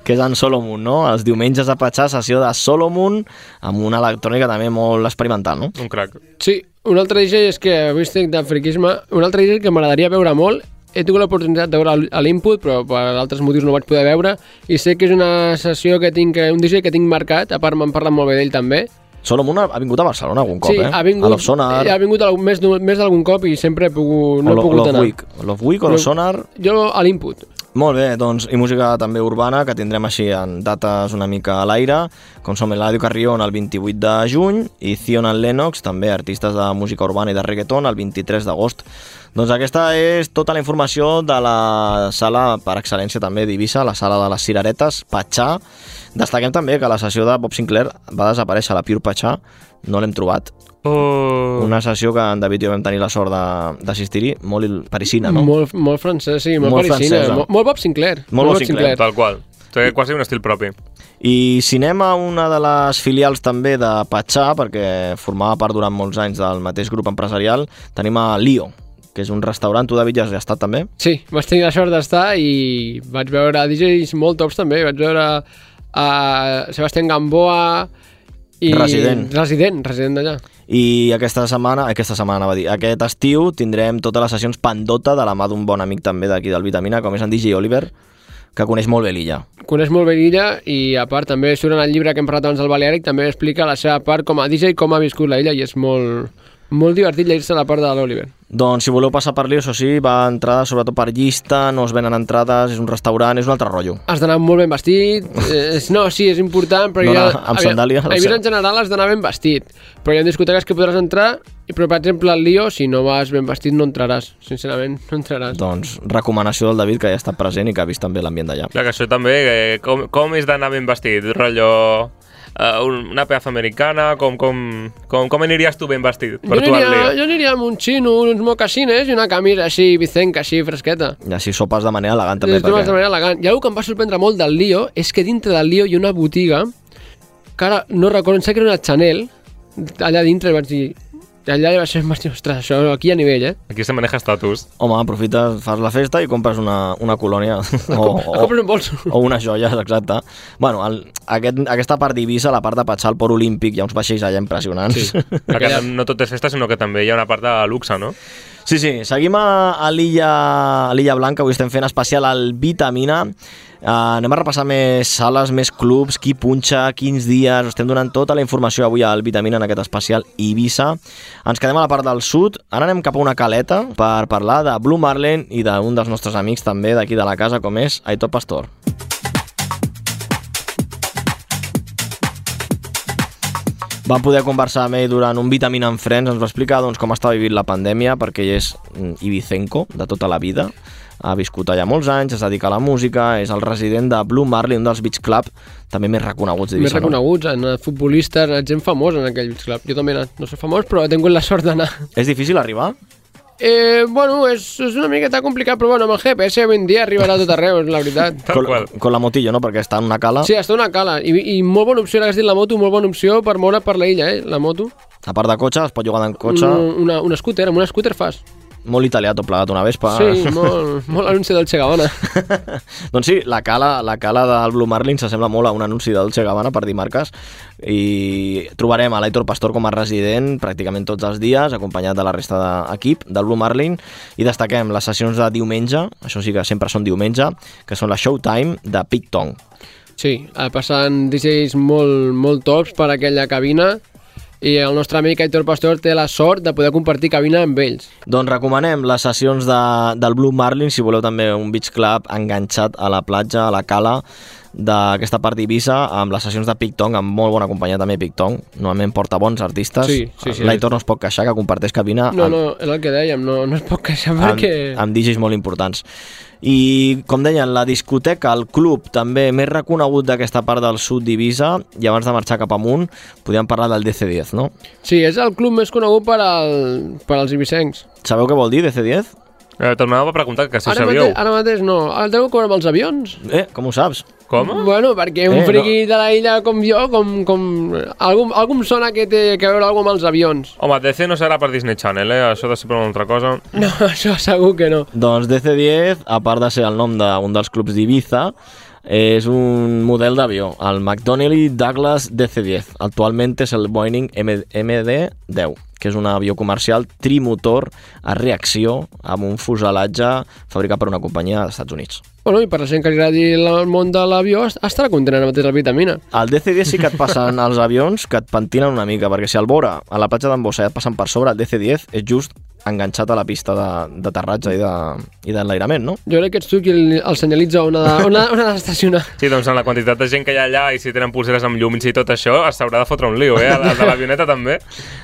que és en Solomon, no? Els diumenges a Patxar, sessió de Solomon, amb una electrònica també molt experimental, no? Un crac. Sí, un altre DJ és que, avui estic de friquisme, un altre DJ que m'agradaria veure molt, he tingut l'oportunitat de veure a l'Input, però per altres motius no vaig poder veure, i sé que és una sessió que tinc, un DJ que tinc marcat, a part m'han parlat molt bé d'ell també. Solomon ha vingut a Barcelona algun cop, sí, ha vingut, a Love Sonar. Ha vingut més d'algun cop i sempre he pogut, no he pogut anar. Love Week o Love Sonar? Jo a l'Input. Molt bé, doncs, i música també urbana, que tindrem així en dates una mica a l'aire, com som Eladio Carrión el 28 de juny, i Zion and Lennox, també artistes de música urbana i de reggaeton, el 23 d'agost. Doncs aquesta és tota la informació de la sala per excel·lència també d'Eivissa, la sala de les Cireretes, Patxar. Destaquem també que la sessió de Bob Sinclair va desaparèixer, la Pure Patxar, no l'hem trobat. Una sessió que en David i jo vam tenir la sort d'assistir-hi, molt parisina, no? Molt francès, sí, molt parisina. Molt Bob Sinclair. Molt Bob Sinclair. Tal qual. Té quasi un estil propi. I si anem a una de les filials també de Patxar, perquè formava part durant molts anys del mateix grup empresarial, tenim a Lio, que és un restaurant. Tu, David, ja has estat també? Sí, vaig tenir la sort d'estar i vaig veure DJs molt tops també. Vaig veure a Sebastián Gamboa i... Resident d'allà. I aquesta setmana va dir, aquest estiu tindrem totes les sessions Pandota de la mà d'un bon amic també d'aquí del Vitamina, com és en DJ Oliver, que coneix molt bé l'illa. Coneix molt bé l'illa i a part també surt en el llibre que hem parlat abans del Baleàric, també explica la seva part com a DJ, com ha viscut la illa, i és molt divertit llegir-se la part de l'Oliver. Doncs si voleu passar per Lio, això sí, va entrada sobretot per llista, no es venen entrades, és un restaurant, és un altre rotllo. Has d'anar molt ben vestit, no, sí, és important, però amb sandàlies. A Eivissa en general has d'anar ben vestit, però hi ha discoteques que podràs entrar, però per exemple al Lio, si no vas ben vestit no entraràs, sincerament, no entraràs. Doncs recomanació del David, que ja ha estat present i que ha vist també l'ambient d'allà. Clar, que això també, com és d'anar ben vestit, rotllo... una pedazo americana, com anirías tu ben vestit per tu al Lio? Jo aniria amb un xino, uns mocassines i una camisa així vicenca, així fresqueta. I així sopes de manera elegant també. De manera elegant. I una que em va sorprendre molt del Lio és que dintre del Lio hi ha una botiga que ara no recordo, em sembla que era una Chanel, allà dintre vaig dir... Allà va ser, ostres, això aquí a nivell, Aquí se maneja estatus. Home, aprofites, fas la festa i compres una colònia. Compres un bolso. O unes joies, exacte. Bueno, aquesta part d'Eivissa, la part de Patxar, el Port Olímpic, hi ha uns vaixells allà impressionants. Sí. Perquè no tot és festa, sinó que també hi ha una part de luxe, no? Sí, seguim a l'Illa Blanca, avui estem fent especial al Vitamina. Anem a repassar més sales, més clubs, qui punxa, quins dies, estem donant tota la informació avui al Vitamina en aquest especial Eivissa. Ens quedem a la part del sud, ara anem cap a una caleta per parlar de Blue Marlin i d'un dels nostres amics també d'aquí de la casa, com és Aitor Pastor. Vam poder conversar amb ell durant un Vitamina en Friends, ens va explicar com està vivint la pandèmia, perquè ell és ibicenco de tota la vida, ha viscut allà molts anys, es dedica a la música, és el resident de Blue Marlin, un dels beach club també més reconeguts d'Eivissa. Més reconeguts, han anat futbolistes, gent famosa en aquell beach club. Jo també he anat, no soc famós, però he tingut la sort d'anar. És difícil arribar? Bueno, és una miqueta complicat, però bueno, amb el GPS avui en dia arribarà a tot arreu, és la veritat. Con la motillo, no? Perquè està en una cala. Sí, està en una cala. I molt bona opció, l'hagués dit la moto, molt bona opció per moure per la illa, la moto. A part de cotxe, es pot jugar en cotxe. Un scooter, amb un scooter fas. Molt italià tot plegat, una Vespa. Sí, molt anunci del Che Gabbana. Doncs sí, la cala del Blue Marlin s'assembla molt a un anunci del Che Gabbana, per dir marques, i trobarem a l'Aitor Pastor com a resident pràcticament tots els dies, acompanyat de la resta d'equip del Blue Marlin, i destaquem les sessions de diumenge, això sí que sempre són diumenge, que són la Showtime de Pete Tong. Sí, passant DJs molt tops per aquella cabina, i el nostre amic Aitor Pastor té la sort de poder compartir cabina amb ells. Doncs recomanem les sessions del Blue Marlin, si voleu també un beach club enganxat a la platja, a la cala d'aquesta part d'Eivissa, amb les sessions de Pictong, amb molt bona companyia també Pictong, normalment porta bons artistes. Sí. L'Aitor no es pot queixar, que comparteix cabina No, és el que dèiem, no es pot queixar perquè... amb DJs molt importants. I, com deien, la discoteca, el club també més reconegut d'aquesta part del sud d'Eivissa, i abans de marxar cap amunt, podíem parlar del DC10, no? Sí, és el club més conegut per als eivissencs. Sabeu què vol dir DC10? Tornava a preguntar que si ho sabíeu. Ara mateix no. El treu com amb els avions. Com ho saps? Com? Bueno, perquè un friqui de la illa com jo, algú em sona que té que veure alguna amb els avions. Home, DC no serà per Disney Channel, Això de ser per una altra cosa. No, això segur que no. Doncs DC10, a part de ser el nom d'un dels clubs d'Eivissa, és un model d'avió, el McDonnell Douglas DC-10. Actualment és el Boeing MD-10, que és un avió comercial trimotor a reacció amb un fuselatge fabricat per una companyia dels Estats Units. Bueno, i per la gent que li agradi el món de l'avió, estarà content ara mateix la vitamina. Al DC-10 sí que et passen els avions que et pentinen una mica, perquè si al vora a la platja d'en Bossa et passen per sobre, el DC-10 és just enganxat a la pista d'aterratge i d'enlairament, no? Jo crec que ets tu qui el senyalitza on ha d'estacionar. Sí, doncs amb la quantitat de gent que hi ha allà i si tenen pulseres amb llums i tot això, s'haurà de fotre un lío, El de l'avioneta també.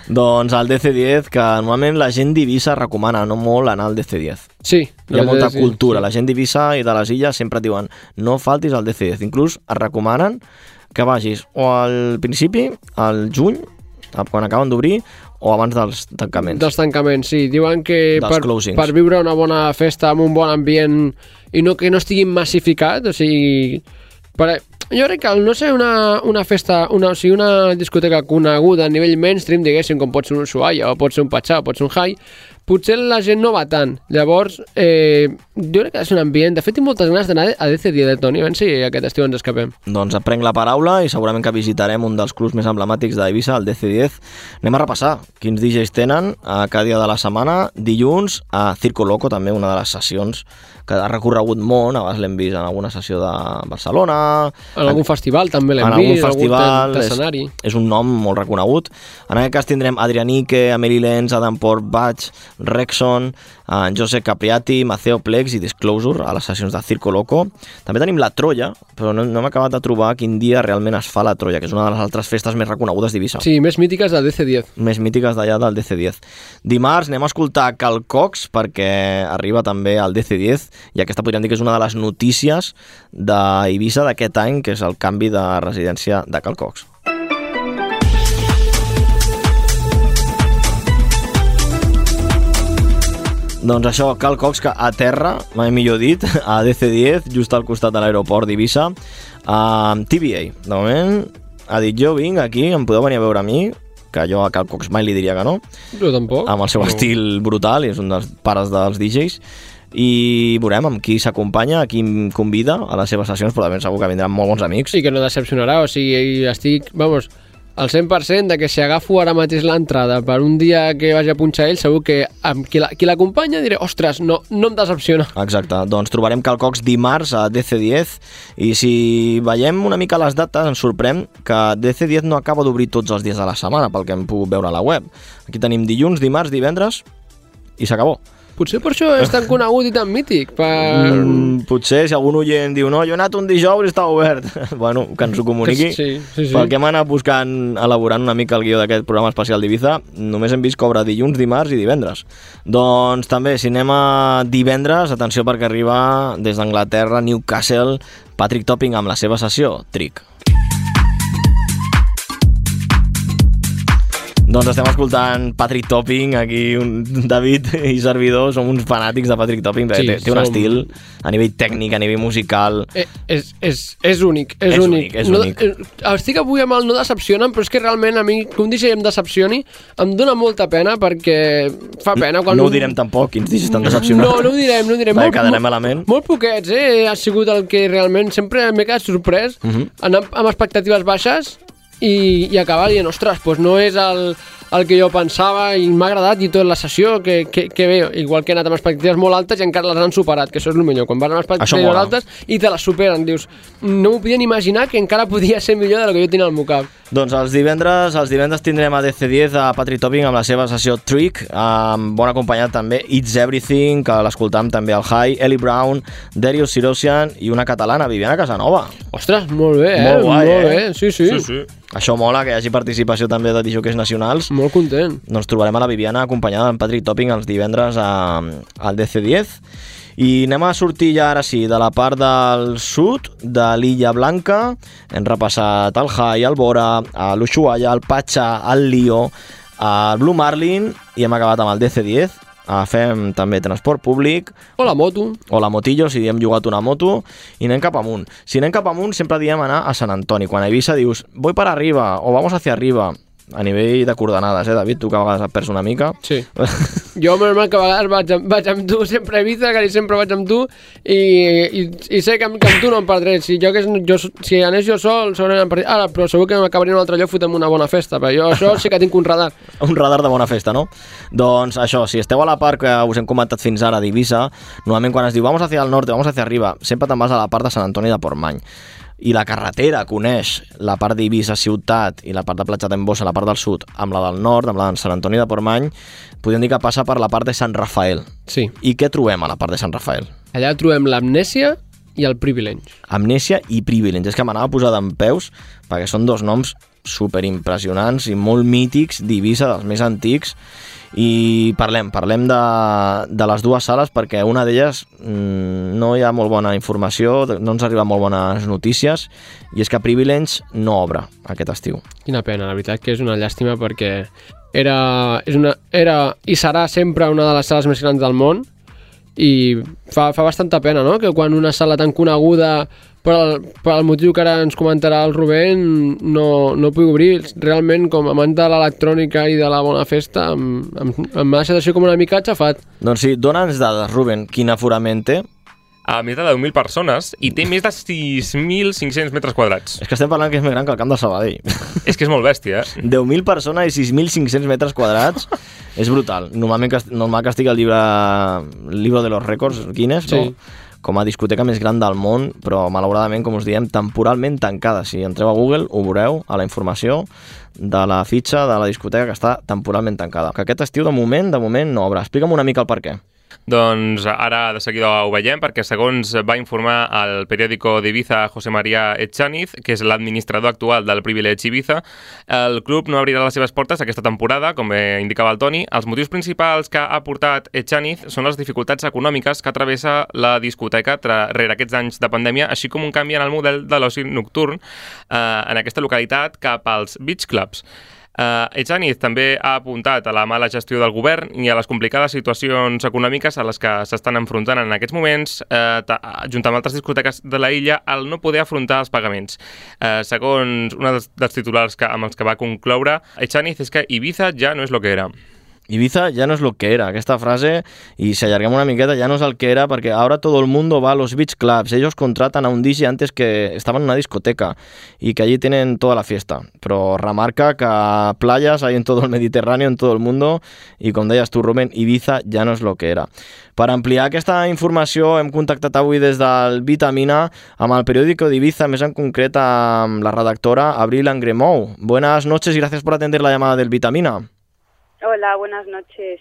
Doncs el DC-10, que normalment la gent d'Eivissa recomana no molt anar al DC-10. Sí. Hi ha molta cultura. La gent d'Eivissa i de les illes sempre et diuen no faltis al DC-10. Inclús et recomanen que vagis o al principi, al juny, quan acaben d'obrir, o abans dels tancaments. Dels tancaments, sí. Diuen que per viure una bona festa amb un bon ambient i que no estigui massificat, o sigui... Jo crec que al no ser una festa, una discoteca coneguda a nivell mainstream, diguéssim, com pot ser un Ushuaia, o pot ser un Pachá, o pot ser un High, potser la gent no va tant. Llavors, jo crec que és un ambient... De fet, tinc moltes ganes d'anar a DC10, Toni, a veure si aquest estiu ens escapem. Doncs aprenc la paraula i segurament que visitarem un dels clubs més emblemàtics d'Eivissa, el DC10. Anem a repassar quins DJs tenen a cada dia de la setmana. Dilluns, a Circo Loco, també una de les sessions que ha recorregut món, abans l'hem vist en alguna sessió de Barcelona... En algun festival també l'hem vist, en algun festival, escenari. És un nom molt reconegut. En aquest cas tindrem Adrianique, Amelie Lenz, Adam Port, Batch, Rexon, en Josep Capriati, Maceo Plex i Disclosure a les sessions de Circo Loco. També tenim la Troia, però no hem acabat de trobar quin dia realment es fa la Troia, que és una de les altres festes més reconegudes d'Eivissa. Sí, més mítiques del DC10. Més mítiques d'allà del DC10. Dimarts anem a escoltar Cal Cox, perquè arriba també al DC10, i aquesta podríem dir que és una de les notícies d'Eivissa d'aquest any, que és el canvi de residència de Cal Cox. Doncs això, Cal Cox, que aterra, mai millor dit, a DC-10, just al costat de l'aeroport d'Eivissa, amb TBA. De moment, ha dit, jo vinc aquí, em podeu venir a veure a mi, que jo a Cal Cox mai li diria que no. Jo tampoc. Amb el seu estil brutal, i és un dels pares dels DJs, i veurem amb qui s'acompanya, a qui em convida a les seves sessions, però també segur que vindran molt bons amics. Sí, que no decepcionarà, o sigui, estic, vamos, al 100% de que si agafo ara mateix l'entrada per un dia que vagi a punxar ell, segur que amb qui l'acompanya diré, ostres, no em decepciona. Exacte, doncs trobarem Cal Cox dimarts a DC10, i si veiem una mica les dates ens sorprèn que DC10 no acaba d'obrir tots els dies de la setmana, pel que hem pogut veure a la web. Aquí tenim dilluns, dimarts, divendres i s'acabó. Potser per això és tan conegut i tan mític. Potser, si algun oient diu no, jo he anat un dijous i està obert. Bueno, que ens ho comuniqui. Sí. Perquè hem anat buscant, elaborant una mica el guió d'aquest programa especial d'Eivissa, només hem vist que obre dilluns, dimarts i divendres. Doncs també, si anem a divendres, atenció perquè arriba des d'Anglaterra, Newcastle, Patrick Topping amb la seva sessió, Trick. Doncs estem escoltant Patrick Topping, aquí David i servidor, som uns fanàtics de Patrick Topping, sí, té un estil a nivell tècnic, a nivell musical... És únic, és únic. Estic avui amb el no decepcionen, però és que realment a mi que un DJ em decepcioni em dona molta pena, perquè fa pena quan... No ho direm tampoc, quins DJs estan decepcionats. No ho direm. Quedarem malament. Molt poquets, ha sigut el que realment sempre m'he quedat sorprès, anar amb expectatives baixes i acabar dient, ostres, doncs no és el que jo pensava i m'ha agradat i tota la sessió que bé, igual que he anat amb expectatives molt altes i encara les han superat, que això és el millor, quan vas amb expectatives altes i te les superen, dius, no m'ho podien imaginar que encara podia ser millor del que jo tenia al meu cap. Doncs els divendres tindrem a DC10 a Patrick Topping amb la seva sessió Trick, bon acompanyat també It's Everything, que l'escoltam també al High, Ellie Brown, Darius Sirosian i una catalana, Viviana Casanova. Ostres, molt bé, Molt guai, molt bé. Sí. Això mola, que hi hagi participació també de disjòqueis nacionals. Molt content. Doncs trobarem a la Viviana acompanyada amb Patrick Topping els divendres al DC10. I anem a sortir ja ara sí de la part del sud de l'Illa Blanca. Hem repassat el High, el Bora, l'Ushuaia, el Pacha, el Lio, el Blue Marlin i hem acabat amb el DC10. Fem també transport públic. O la moto. O la motillo, si hem jugat una moto. I anem cap amunt. Si anem cap amunt sempre diem anar a Sant Antoni. Quan a Eivissa dius, voy para arriba o vamos hacia arriba. A nivell de coordenades, David? Tu que a vegades et perds una mica. Sí. Jo, normal, que a vegades vaig amb tu, sempre a Eivissa, que sempre vaig amb tu, i sé que amb tu no em perdré. Si anés jo sol, segurament em perdré. Ara, però segur que m'acabaré en un altre lloc fotent una bona festa, però jo això sí que tinc un radar. Un radar de bona festa, no? Doncs això, si esteu a la part que us hem comentat fins ara d'Eivissa, normalment quan es diu vamos hacia el norte, vamos hacia arriba, sempre te'n vas a la part de Sant Antoni de Portmany. I la carretera coneix la part d'Eivissa ciutat i la part de Platja d'Embossa, la part del sud, amb la del nord, amb la de Sant Antoni de Portmany, podríem dir que passa per la part de Sant Rafael. Sí. I què trobem a la part de Sant Rafael? Allà trobem l'Amnèsia i el Privilege. Amnèsia i Privilege. És que m'anava a posar dempeus perquè són dos noms superimpressionants i molt mítics d'Eivissa, dels més antics. I parlem de les dues sales perquè una d'elles no hi ha molt bona informació, no ens arriben molt bones notícies, i és que Privilege no obre aquest estiu. Quina pena, la veritat que és una llàstima perquè era i serà sempre una de les sales més grans del món i fa bastanta pena, no?, que quan una sala tan coneguda per el motiu que ara ens comentarà el Rubén no pugui obrir. Realment, com a amant de l'electrònica i de la bona festa, m'ha deixat així com una mica aixafat. Doncs sí, dona'ns dades, Rubén, quin aforament té? A més de 10.000 persones i té més de 6.500 metres quadrats. És que estem parlant que és més gran que el camp de Sabadell. És que és molt bèstia, 10.000 persones i 6.500 metres quadrats és brutal. Normal que estigui al llibre de los rècords Guinness, sí, no? Com a discoteca més gran del món, però malauradament, com us diem, temporalment tancada. Si entreu a Google ho veureu a la informació de la fitxa de la discoteca que està temporalment tancada. Que aquest estiu de moment no obre. Explica'm una mica el per què. Doncs ara de seguida ho veiem, perquè segons va informar el periòdico d'Ibiza José María Echaniz, que és l'administrador actual del Privilege Ibiza, el club no obrirà les seves portes aquesta temporada, com bé indicava el Toni. Els motius principals que ha portat Echaniz són les dificultats econòmiques que travessa la discoteca rere aquests anys de pandèmia, així com un canvi en el model de l'oci nocturn en aquesta localitat cap als beach clubs. Echaniz també ha apuntat a la mala gestió del govern i a les complicades situacions econòmiques a les que s'estan enfrontant en aquests moments, junt amb altres discoteques de la illa, al no poder afrontar els pagaments. Segons un dels titulars amb els que va concloure, Echaniz, és que Ibiza ja no és lo que era. Ibiza ya no es lo que era. Aquesta frase, y si allargamos una miqueta, ya no es el que era, porque ahora todo el mundo va a los beach clubs. Ellos contratan a un DJ antes que estaban en una discoteca y que allí tienen toda la fiesta. Però remarca que playas hay en todo el Mediterráneo, en todo el mundo, i com deies tu, Rubén, Ibiza ja no és lo que era. Per ampliar aquesta informació hem contactat avui des del Vitamina amb el periòdico d'Ibiza, més en concret amb la redactora Abril Angremou. Buenas noches y gracias por atender la llamada del Vitamina. Hola, buenas noches.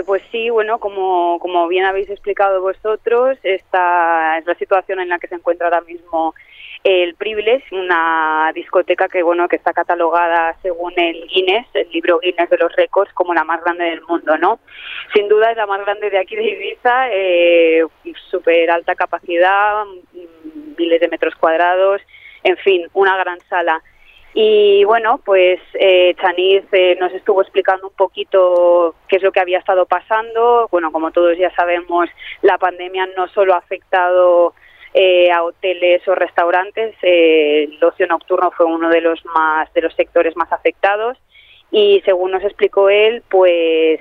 Pues sí, bueno, como bien habéis explicado vosotros, esta es la situación en la que se encuentra ahora mismo el Privilege, una discoteca que está catalogada según el Guinness, el libro Guinness de los récords, como la más grande del mundo, ¿no? Sin duda es la más grande de aquí de Ibiza, súper alta capacidad, miles de metros cuadrados, en fin, una gran sala. Y bueno, pues Echaniz nos estuvo explicando un poquito qué es lo que había estado pasando. Bueno, como todos ya sabemos, la pandemia no solo ha afectado a hoteles o restaurantes, el ocio nocturno fue uno de los sectores más afectados. Y según nos explicó él, pues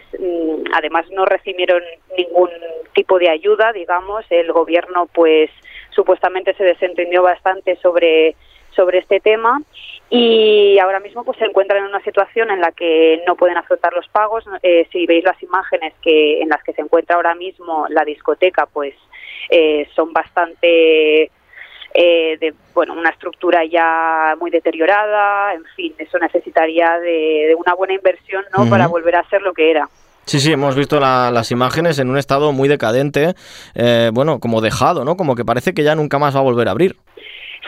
además no recibieron ningún tipo de ayuda, digamos. El gobierno pues supuestamente se desentendió bastante sobre sobre este tema, y ahora mismo pues se encuentran en una situación en la que no pueden afrontar los pagos. Si veis las imágenes en las que se encuentra ahora mismo la discoteca, pues son bastante una estructura ya muy deteriorada. En fin, eso necesitaría de una buena inversión, ¿no? Para volver a ser lo que era. Sí, hemos visto las imágenes en un estado muy decadente, como dejado, ¿no? Como que parece que ya nunca más va a volver a abrir.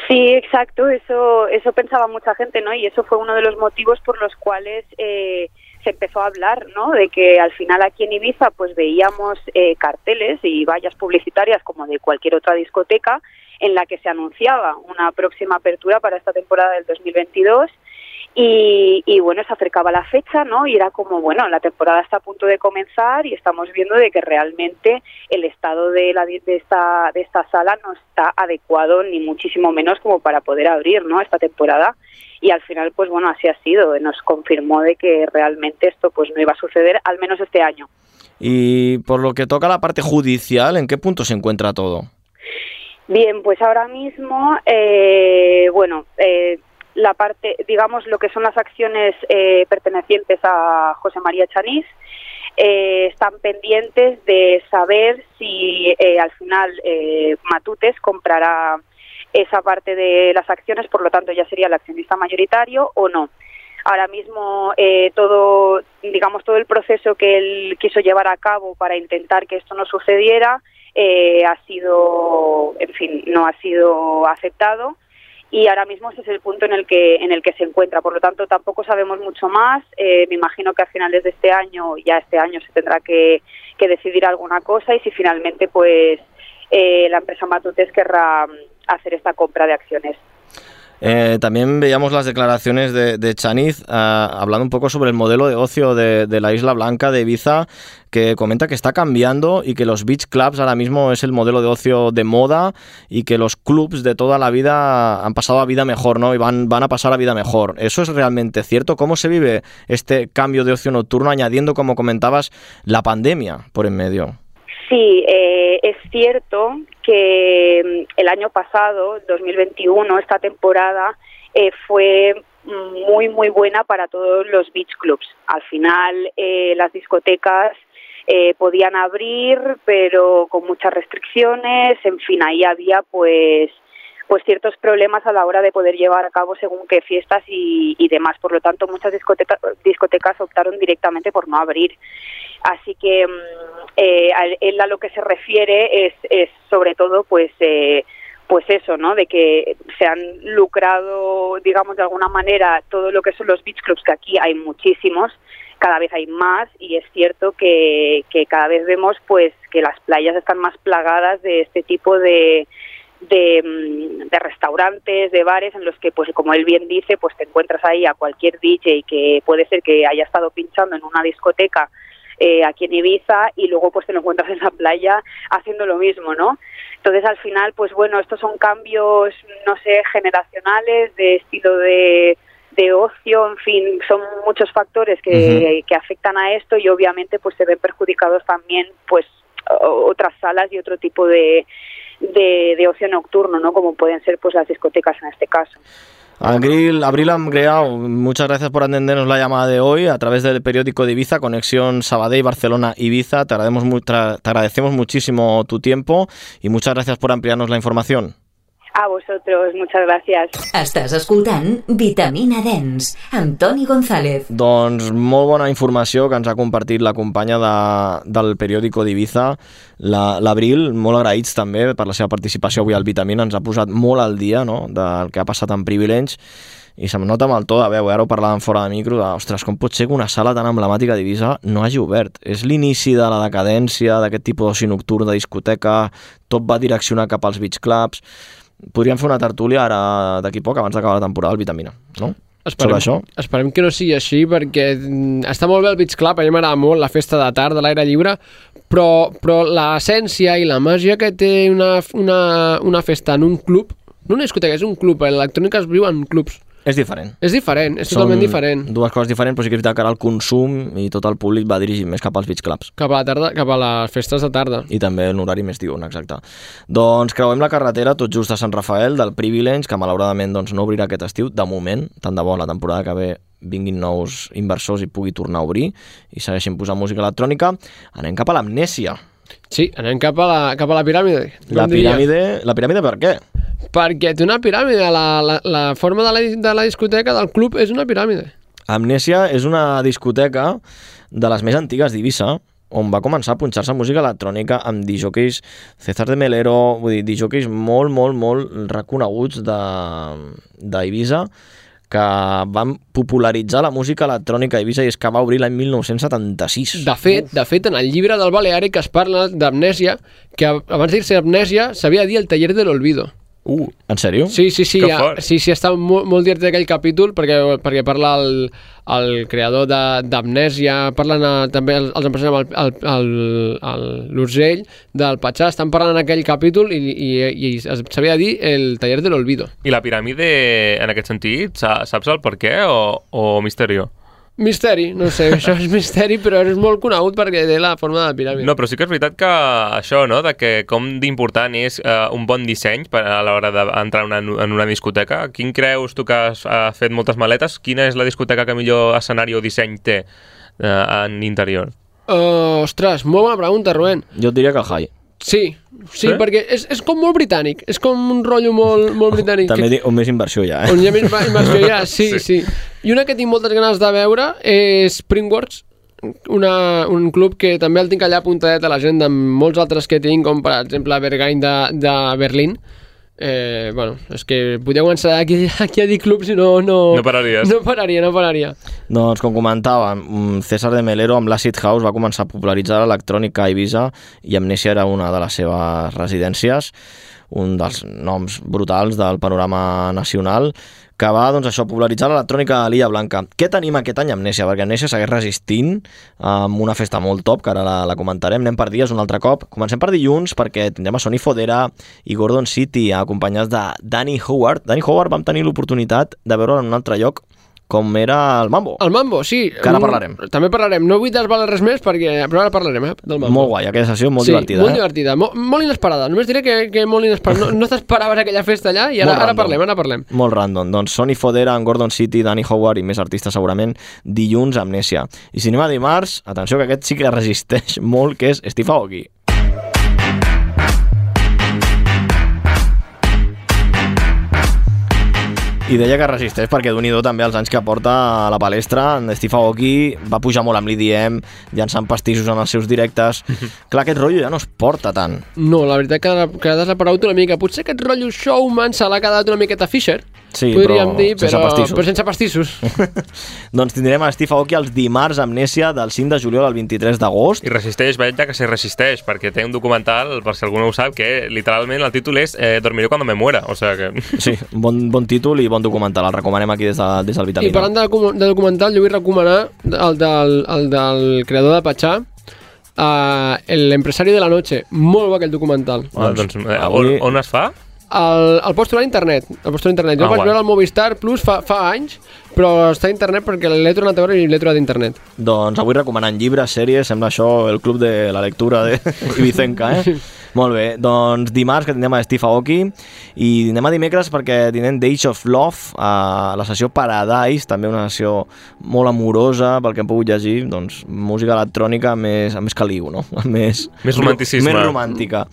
Sí, exacto, eso pensaba mucha gente, ¿no? Y eso fue uno de los motivos por los cuales se empezó a hablar, ¿no? De que al final aquí en Ibiza pues veíamos carteles y vallas publicitarias como de cualquier otra discoteca en la que se anunciaba una próxima apertura para esta temporada del 2022. Y bueno, se acercaba la fecha, ¿no? Y era como, bueno, la temporada está a punto de comenzar y estamos viendo de que realmente el estado de esta sala no está adecuado, ni muchísimo menos como para poder abrir, ¿no? Esta temporada. Y al final, pues bueno, así ha sido. Nos confirmó de que realmente esto pues no iba a suceder, al menos este año. Y por lo que toca a la parte judicial, ¿en qué punto se encuentra todo? Bien, pues ahora mismo, la parte, digamos, lo que son las acciones pertenecientes a José María Chaniz, están pendientes de saber si al final Matutes comprará esa parte de las acciones, por lo tanto ya sería el accionista mayoritario o no. Ahora mismo todo el proceso que él quiso llevar a cabo para intentar que esto no sucediera no ha sido aceptado. Y ahora mismo ese es el punto en el que se encuentra. Por lo tanto, tampoco sabemos mucho más. Me imagino que a finales de este año se tendrá que decidir alguna cosa, y si finalmente pues la empresa Matutes querrá hacer esta compra de acciones. También veíamos las declaraciones de Chaniz hablando un poco sobre el modelo de ocio de la Isla Blanca de Ibiza, que comenta que está cambiando y que los beach clubs ahora mismo es el modelo de ocio de moda y que los clubs de toda la vida han pasado a vida mejor, ¿no? Y van a pasar a vida mejor. ¿Eso es realmente cierto? ¿Cómo se vive este cambio de ocio nocturno, añadiendo, como comentabas, la pandemia por en medio? Sí, es cierto que el año pasado, 2021, esta temporada fue muy, muy buena para todos los beach clubs. Al final, las discotecas podían abrir, pero con muchas restricciones. En fin, ahí había pues ciertos problemas a la hora de poder llevar a cabo según qué fiestas y demás. Por lo tanto, muchas discotecas optaron directamente por no abrir. Así que él a lo que se refiere es sobre todo pues eso, ¿no? De que se han lucrado, digamos, de alguna manera todo lo que son los beach clubs, que aquí hay muchísimos, cada vez hay más, y es cierto que cada vez vemos pues que las playas están más plagadas de este tipo de restaurantes, de bares, en los que, pues como él bien dice, pues te encuentras ahí a cualquier DJ que puede ser que haya estado pinchando en una discoteca aquí en Ibiza, y luego pues te lo encuentras en la playa haciendo lo mismo, ¿no? Entonces al final, pues bueno, estos son cambios, no sé, generacionales, de estilo de ocio, en fin, son muchos factores que afectan a esto, y obviamente pues se ven perjudicados también pues otras salas y otro tipo de ocio nocturno, ¿no? Como pueden ser pues las discotecas en este caso. Abril Amgreau, muchas gracias por atendernos la llamada de hoy a través del periódico de Ibiza, Conexión Sabadell, Barcelona, Ibiza. Te agradecemos muchísimo tu tiempo y muchas gracias por ampliarnos la información. A vosotros, muchas gràcies. Estàs escoltant Vitamina Dens, amb Toni González. Doncs molt bona informació que ens ha compartit la companya del periòdico d'Ibiza, l'Abril, molt agraïts també per la seva participació avui al Vitamina, ens ha posat molt al dia, no?, del que ha passat en Privilege, i se'm nota amb el to de veu, ara ho parlàvem fora de micro, ostres, com pot ser que una sala tan emblemàtica d'Ibiza no hagi obert? És l'inici de la decadència d'aquest tipus d'oci nocturn, de discoteca, tot va direccionar cap als beach clubs. Podríem fer una tertúlia ara d'aquí poc, abans d'acabar la temporada del Vitamina, no? Sobre això. Esperem que no sigui així, perquè està molt bé el Beach Club, a mi m'agrada molt la festa de tarda, de l'aire lliure, però l'essència i la màgia que té una festa en un club, no una discoteca, és un club, l'electrònica es viu en clubs, És diferent. És diferent, és totalment diferent. Dues coses diferents, però sí que és veritat que ara el consum i tot el públic va dirigir més cap als beach clubs. Cap a la tarda, cap a les festes de tarda. I també en horari més diurn, exacte. Doncs creuem la carretera tot just a Sant Rafael del Privilege, que malauradament doncs, no obrirà aquest estiu, de moment, tant de bo la temporada que ve vinguin nous inversors i pugui tornar a obrir i segueixin posant música electrònica. Anem cap a l'Amnèsia. Sí, anem cap a la piràmide. La piràmide per què? Perquè té una piràmide, la forma de la discoteca del club és una piràmide. Amnèsia és una discoteca de les més antigues d'Eivissa, on va començar a punxar-se música electrònica amb disjockeys César de Melero, vull dir, disjockeys molt reconeguts d'Eivissa, que van popularitzar la música electrònica a Eivissa, i és que va obrir l'any 1976. De fet, en el llibre del Baleàric es parla d'amnèsia, que abans de dir-se amnèsia s'havia de dir el taller de l'olvido. En sèrio? Sí, està molt divertit aquell capítol perquè parla el creador d'Amnèsia, parlen també els empresaris amb l'Urgell del Patxà, estan parlant en aquell capítol i s'havia de dir el taller de l'olvido. I la piràmide, en aquest sentit, saps el per què o misteri? Misteri, no sé, això és misteri, però és molt conegut perquè té la forma de la piràmide. No, però sí que és veritat que això, no?, de que com d'important és un bon disseny a l'hora d'entrar en una discoteca. Quin creus tu que has fet moltes maletes? Quina és la discoteca que millor escenari o disseny té en interior? Ostres, molt bona pregunta, Rubén. Jo et diria que el High. Sí, perquè és com molt britànic, és com un rotllo molt britànic. També on més inversió hi ha, On hi ha més inversió hi ha, sí. I una que tinc moltes ganes de veure és Springworks, un club que també el tinc allà apuntadet a l'agenda amb molts altres que tinc, com per exemple Berghain de Berlín. És que podeu començar aquí a dir clubs i no pararies. No pararia. Doncs, com comentàvem, César de Melero amb l'Acid House va començar a popularitzar l'electrònica a Eivissa i Amnèsia era una de les seves residències, un dels noms brutals del panorama nacional, que va, doncs, això, popularitzar l'electrònica a l'Illa Blanca. Què tenim aquest any a Amnèsia? Perquè Amnèsia segueix resistint amb una festa molt top, que ara la comentarem. Anem per dies un altre cop. Comencem per dilluns, perquè tindrem a Sonny Fodera i Gordon City, acompanyats de Danny Howard. Danny Howard vam tenir l'oportunitat de veure'l en un altre lloc, com era el Mambo. El Mambo, sí. Que ara parlarem. També parlarem. No vull desvelar res més, però ara parlarem del Mambo. Molt guai, aquella sessió molt divertida. Molt divertida, molt inesperada. Només diré que molt inesperada. No t'esperaves aquella festa allà i ara parlem. Molt random. Doncs Sonny Fodera, en Gordon City, Danny Howard i més artistes segurament dilluns a Amnèsia. I si anem a dimarts, atenció que aquest sí que resisteix molt, que és Steve Aoki. I deia que resisteix perquè d'un i do també els anys que porta a la palestra. En Steve Aoki va pujar molt amb l'EDM, llançant pastissos en els seus directes. Clar, aquest rotllo ja no es porta tant. No, la veritat que ha desaparegut una mica. Potser aquest rotllo showman se l'ha quedat una miqueta Fisher. Sí, podríem dir, però sense pastissos. Doncs tindrem a Steve Aoki els dimarts a Amnèsia del 5 de juliol al 23 d'agost. I resisteix, veig que se resisteix, perquè té un documental, per si algú no ho sap, que literalment el títol és Dormiré cuando me muera, o sea que... Sí, bon títol i bon documental, el recomanem aquí des del Vitamina. I parlant de documental, jo vull recomanar el del creador de Patxà, l'empresari de la noche. Molt bo aquell documental. Doncs, on es fa? El pots trobar a internet. Jo vaig veure el Movistar Plus fa anys, però està a internet perquè l'he tornat a veure i l'he trobat a internet. Doncs avui recomanant llibres, sèries, sembla això el club de la lectura de Ibicenca, Molt bé, doncs dimarts que tindrem a Steve Aoki i anem a dimecres perquè tindrem Days of Love, a la sessió Paradise, també una sessió molt amorosa pel que hem pogut llegir, doncs música electrònica més caliu, no? Més romanticisme. Més romàntica.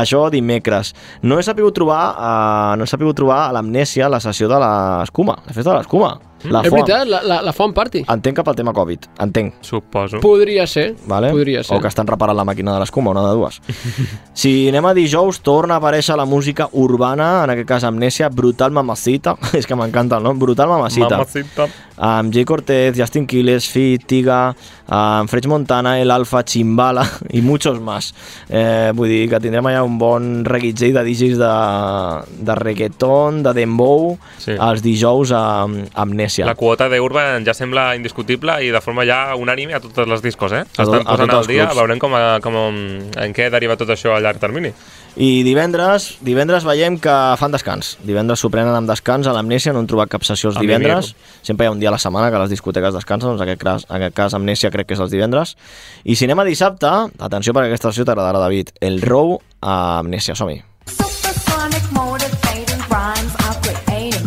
Això dimecres. No he sapigut trobar a l'Amnèsia la sessió de l'escuma, la festa de l'escuma. És veritat, la Font Party. Entenc cap al tema Covid, entenc. Suposo. Podria ser. Vale? Podria ser. O que estan reparant la màquina de l'escuma, una de dues. Si anem a dijous, torna a aparèixer la música urbana, en aquest cas Amnèsia, Brutal Mamacita, és que m'encanta el nom, Brutal Mamacita. Amb Jay Cortez, Justin Quiles, Fit, Tiga, amb French Montana, El Alfa, Chimbala i muchos más. Vull dir que tindrem allà un bon reguitzell de DJs de reggaeton, de dembow, els dijous a Amnèsia. La quota d'Urban ja sembla indiscutible i de forma ja unànime a totes les discos, S'estan posant al dia, veurem en què deriva tot això a llarg termini. I divendres veiem que fan descans. Divendres s'ho prenen amb descans a l'Amnèsia, no han trobat cap sessió els divendres. Sempre hi ha un dia a la setmana que les discoteques descansen, doncs en aquest cas Amnèsia crec que és els divendres. I si anem a dissabte, atenció perquè aquesta sessió t'agradarà, David, el Row a Amnèsia, som-hi. Supersonic motivating rhymes are creating.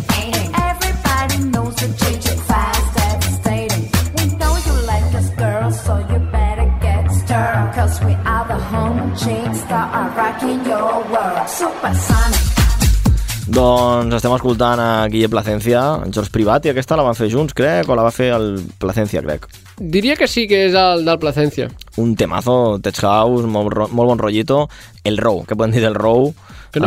Everybody knows the changing fast, devastating. We know you like us, girl, so you better get stirred. Cause we are the home chicks that are rocking your world. Supersonic. Doncs estem escoltant a Guille Placencia, en George Privat, i aquesta la van fer junts, crec, o la va fer el Placencia, crec. Diria que sí que és el del Placencia. Un temazo, Tech House, molt bon rollito. El Row, què podem dir del Row? Què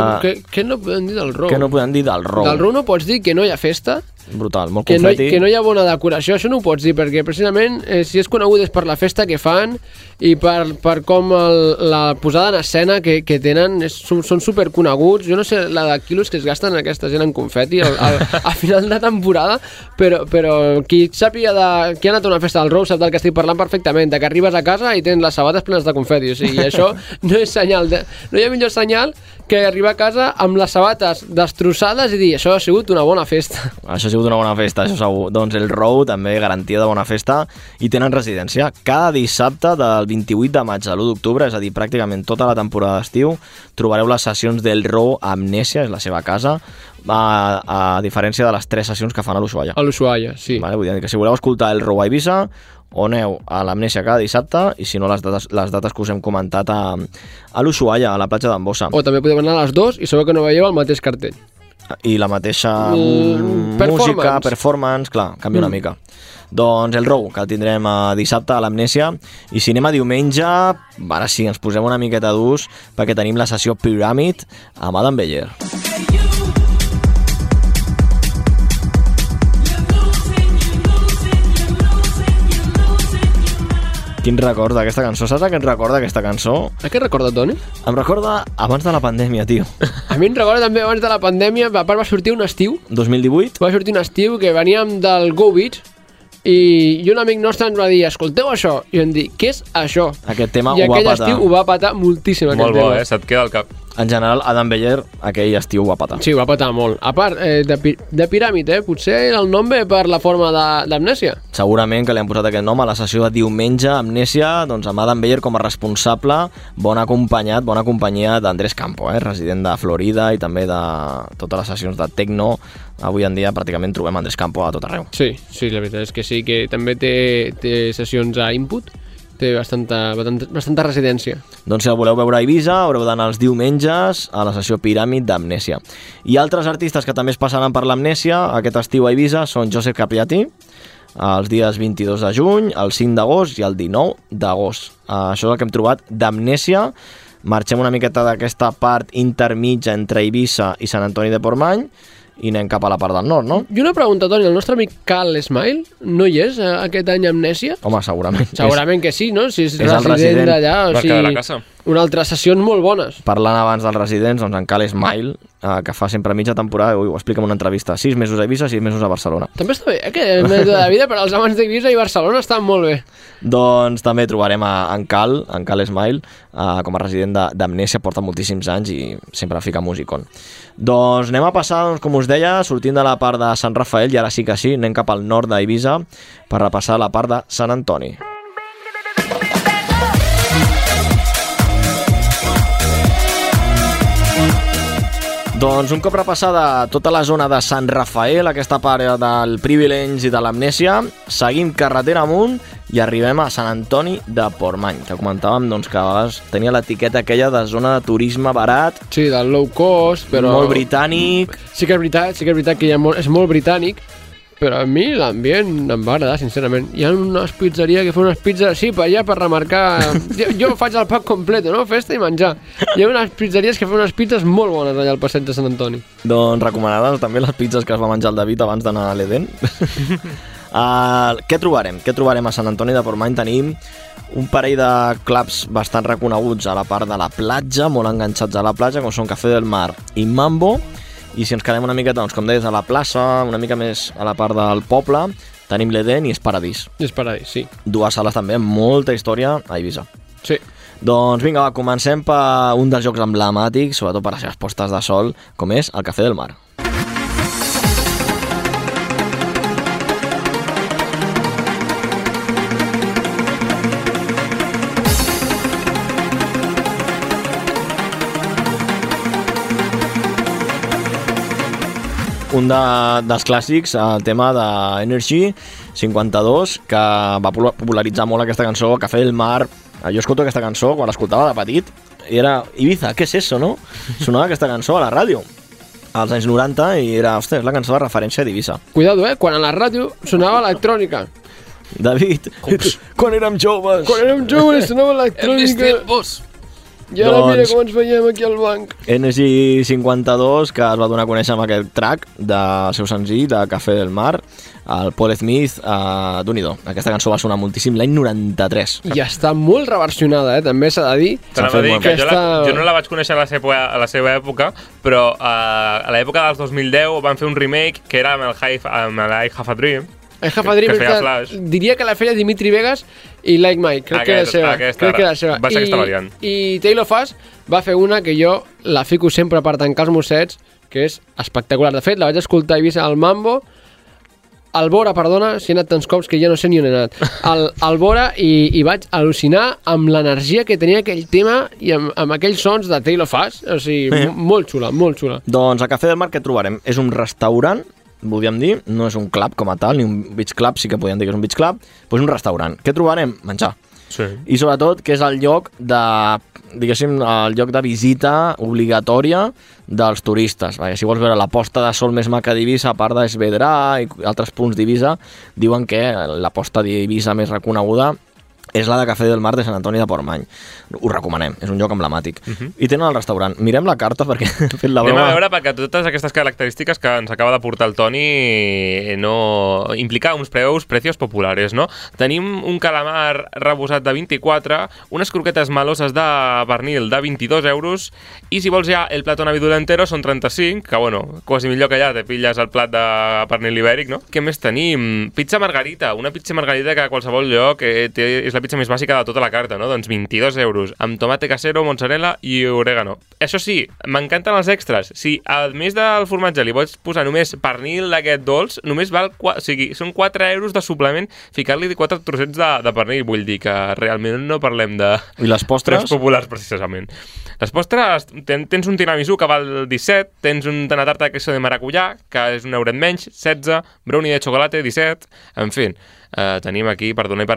no podem dir del Row? Què no podem dir del Row? Del Row no pots dir que no hi ha festa, brutal, molt confeti. Que no hi ha bona decoració, això no ho pots dir, perquè precisament si és conegut és per la festa que fan i per com la posada en escena que tenen, són superconeguts. Jo no sé la de quilos que es gasten aquesta gent en confeti a final de temporada, però qui sàpiga qui ha anat a una festa del Row sap del que estic parlant perfectament, de que arribes a casa i tens les sabates plenes de confeti, o sigui, això no és senyal, no hi ha millor senyal que arribar a casa amb les sabates destrossades i dir, això ha sigut una bona festa. Això ha sigut una bona festa, això segur. Doncs el Row també garantia de bona festa i tenen residència. Cada dissabte del 28 de maig a l'1 d'octubre, és a dir, pràcticament tota la temporada d'estiu, trobareu les sessions del Row a Amnèsia, és la seva casa, a diferència de les 3 sessions que fan a l'Ushuaia. A l'Ushuaia, sí. Vale, vull dir que si voleu escoltar el Row a Eivissa, o aneu a l'Amnèsia cada dissabte, i si no les dates que us hem comentat a l'Ushuaia, a la platja d'en Bossa. O també podeu anar a les 2 i sabeu que no veieu el mateix cartell. I la mateixa música, performance, clar, canvia una mica. Doncs el Row, que el tindrem dissabte a l'Amnèsia, i si anem a diumenge, ara sí, ens posem una miqueta d'ús, perquè tenim la sessió Pyramid amb Adam Beyer. Quin record d'aquesta cançó? Saps a què et recorda aquesta cançó? A què recorda, Toni? Em recorda abans de la pandèmia, tio. A mi em recorda també abans de la pandèmia, a part va sortir un estiu. 2018? Va sortir un estiu que veníem del Go Beach i un amic nostre ens va dir, escolteu això, i vam dir, què és això? Aquest tema I ho va patar. I aquell estiu ho va patar moltíssim. Molt bo, se't queda al cap. En general, Adam Beyer, aquell estiu ho va patar. Sí, ho va patar molt. A part, de Piràmid, potser el nom ve per la forma d'Amnèsia. Segurament que li han posat aquest nom a la sessió de diumenge, Amnèsia, doncs amb Adam Beyer com a responsable, bon companyia d'Andrés Campo, resident de Florida i també de totes les sessions de techno. Avui en dia pràcticament trobem Andrés Campo a tot arreu. Sí, la veritat és que sí, que també té sessions a Input, té bastanta residència. Doncs si el voleu veure a Eivissa, haureu d'anar els diumenges a la sessió Piràmid d'Amnèsia. I altres artistes que també es passaran per l'Amnèsia aquest estiu a Eivissa són Joseph Capriati, els dies 22 de juny, el 5 d'agost i el 19 d'agost. Això és el que hem trobat d'Amnèsia. Marxem una miqueta d'aquesta part intermitja entre Eivissa i Sant Antoni de Portmany i anem cap a la part del nord, no? I una pregunta, Toni, el nostre amic Cal Smile no hi és aquest any a Amnèsia? Home, segurament. Segurament que sí, no? Si és resident d'allà, o sigui, una altra sessions molt bones. Parlant abans dels residents, doncs en Cal Smile, que fa sempre mitja temporada, ho explica en una entrevista, 6 mesos a Eivissa, 6 mesos a Barcelona. També està bé, que el mètode de vida per als amants d'Eivissa i Barcelona estan molt bé. Doncs també trobarem en Cal Smile, com a resident d'Amnèsia, porta moltíssims anys i sempre fica musicon. Doncs anem a passar, doncs, com us deia, sortint de la part de Sant Rafael, i ara sí que sí, anem cap al nord d'Eivissa per repassar la part de Sant Antoni. Doncs un cop repassada tota la zona de Sant Rafael, aquesta part del Privilege i de l'Amnèsia, seguim carretera amunt i arribem a Sant Antoni de Portmany, que comentàvem doncs, que a vegades tenia l'etiqueta aquella de zona de turisme barat. Sí, del low cost, però... Molt britànic. Sí que és veritat que és molt britànic, però a mi l'ambient em va agradar, sincerament. Hi ha unes pizzeries que fan unes pizzas així per allà per remarcar... Jo faig el pack complet, no? Festa i menjar. Hi ha unes pizzeries que fan unes pizzas molt bones allà al passeig de Sant Antoni. Doncs recomanades també les pizzas que es va menjar el David abans d'anar a l'Eden. Què trobarem? Què trobarem a Sant Antoni de Portmany? Tenim un parell de clubs bastant reconeguts a la part de la platja, molt enganxats a la platja, com són Café del Mar i Mambo. I si ens quedem una miqueta, doncs, com deies, a la plaça, una mica més a la part del poble, tenim l'Eden i és Paradís. És Paradís, sí. Dues sales també amb molta història a Eivissa. Sí. Doncs vinga, va, comencem per un dels jocs emblemàtics, sobretot per les seves postes de sol, com és el Cafè del Mar. Un dels clàssics, el tema d'Energy 52, que va popularitzar molt aquesta cançó, Cafè del Mar. Jo escolto aquesta cançó quan l'escoltava de petit i era Ibiza, què és això, no? Sonava aquesta cançó a la ràdio als anys 90 i era, ostres, la cançó de referència d'Ibiza. Cuidado, quan a la ràdio sonava electrònica. David, quan érem joves. Quan érem joves sonava electrònica. I ara mira com ens veiem aquí al banc. Energy 52, que es va donar a conèixer amb aquest track del seu senzill de Cafè del Mar, el Paul Smith, d'un-i-do. Aquesta cançó va sonar moltíssim l'any 93. I està molt reversionada, també s'ha de dir. T'anava a dir que jo no la vaig conèixer a la seva època, però a l'època dels 2010 van fer un remake que era amb el I Have a Dream. I Have a Dream, diria que la feia Dimitri Vegas i Like Mike, crec que era la seva. Va ser aquesta variant. I Taylor Fass va fer una que jo la fico sempre per tancar els mossets, que és espectacular. De fet, la vaig escoltar a Eivissa al Mambo, al Bora, perdona, si he anat tants cops que ja no sé ni on he anat, al Bora, i vaig al·lucinar amb l'energia que tenia aquell tema i amb aquells sons de Taylor Fass. O sigui, molt xula, molt xula. Doncs a Cafè del Mar què trobarem? És un restaurant, podríem dir, no és un club com a tal, ni un beach club, sí que podríem dir que és un beach club, doncs un restaurant. Què trobarem? Menjar. Sí. I sobretot que és el lloc de, diguéssim, el lloc de visita obligatòria dels turistes. Si vols veure la posta de sol més maca d'Eivissa, a part d'Esvedrà i altres punts d'Eivissa, diuen que la posta d'Eivissa més reconeguda és la de Cafè del Mar de Sant Antoni de Portmany. Ho recomanem, és un lloc emblemàtic. I tenen el restaurant. Mirem la carta perquè he fet la broma. Anem a veure perquè totes aquestes característiques que ens acaba de portar el Toni no implica uns precios populares, no? Tenim un calamar rebosat de 24, unes croquetes maloses de pernil de 22 euros i si vols ja el plató navidull entero són 35, que bueno, quasi millor que allà te pilles el plat de pernil ibèric, no? Què més tenim? Pizza margarita, una pizza margarita que a qualsevol lloc és la pizza més bàsica de tota la carta, no? Doncs 22 euros, amb tomate casero, mozzarella i orégano. Això sí, m'encanten els extras. Si a més del formatge li vols posar només pernil d'aquest dolç, només val, o sigui, són 4 euros de suplement ficar-li 4 trossets de pernil. Vull dir que realment no parlem de... I les postres? Populars, precisament. Les postres, tens un tiramisú que val 17, tens una tarta de queso de maracuyà, que és un euret menys, 16, brownie de xocolate, 17, en fi... tenim aquí per donar i per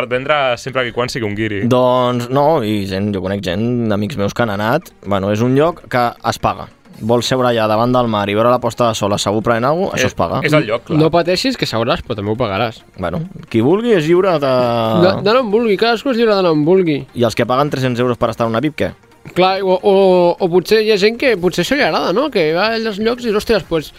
vendre sempre que quan sigui un guiri. Doncs no, i jo conec gent d'amics meus que han anat. Bueno, és un lloc que es paga. Vols seure allà davant del mar i veure la posta de sol assegut prenent alguna cosa, això es paga. És el lloc, clar. No pateixis que seuràs, però també ho pagaràs. Bueno, qui vulgui és lliure de... D'anar on vulgui, cadascú és lliure d'anar on vulgui. I els que paguen 300 euros per estar en una VIP, què? Clar, o potser hi ha gent que potser això li agrada, no? Que va als llocs i dius, ostres, pues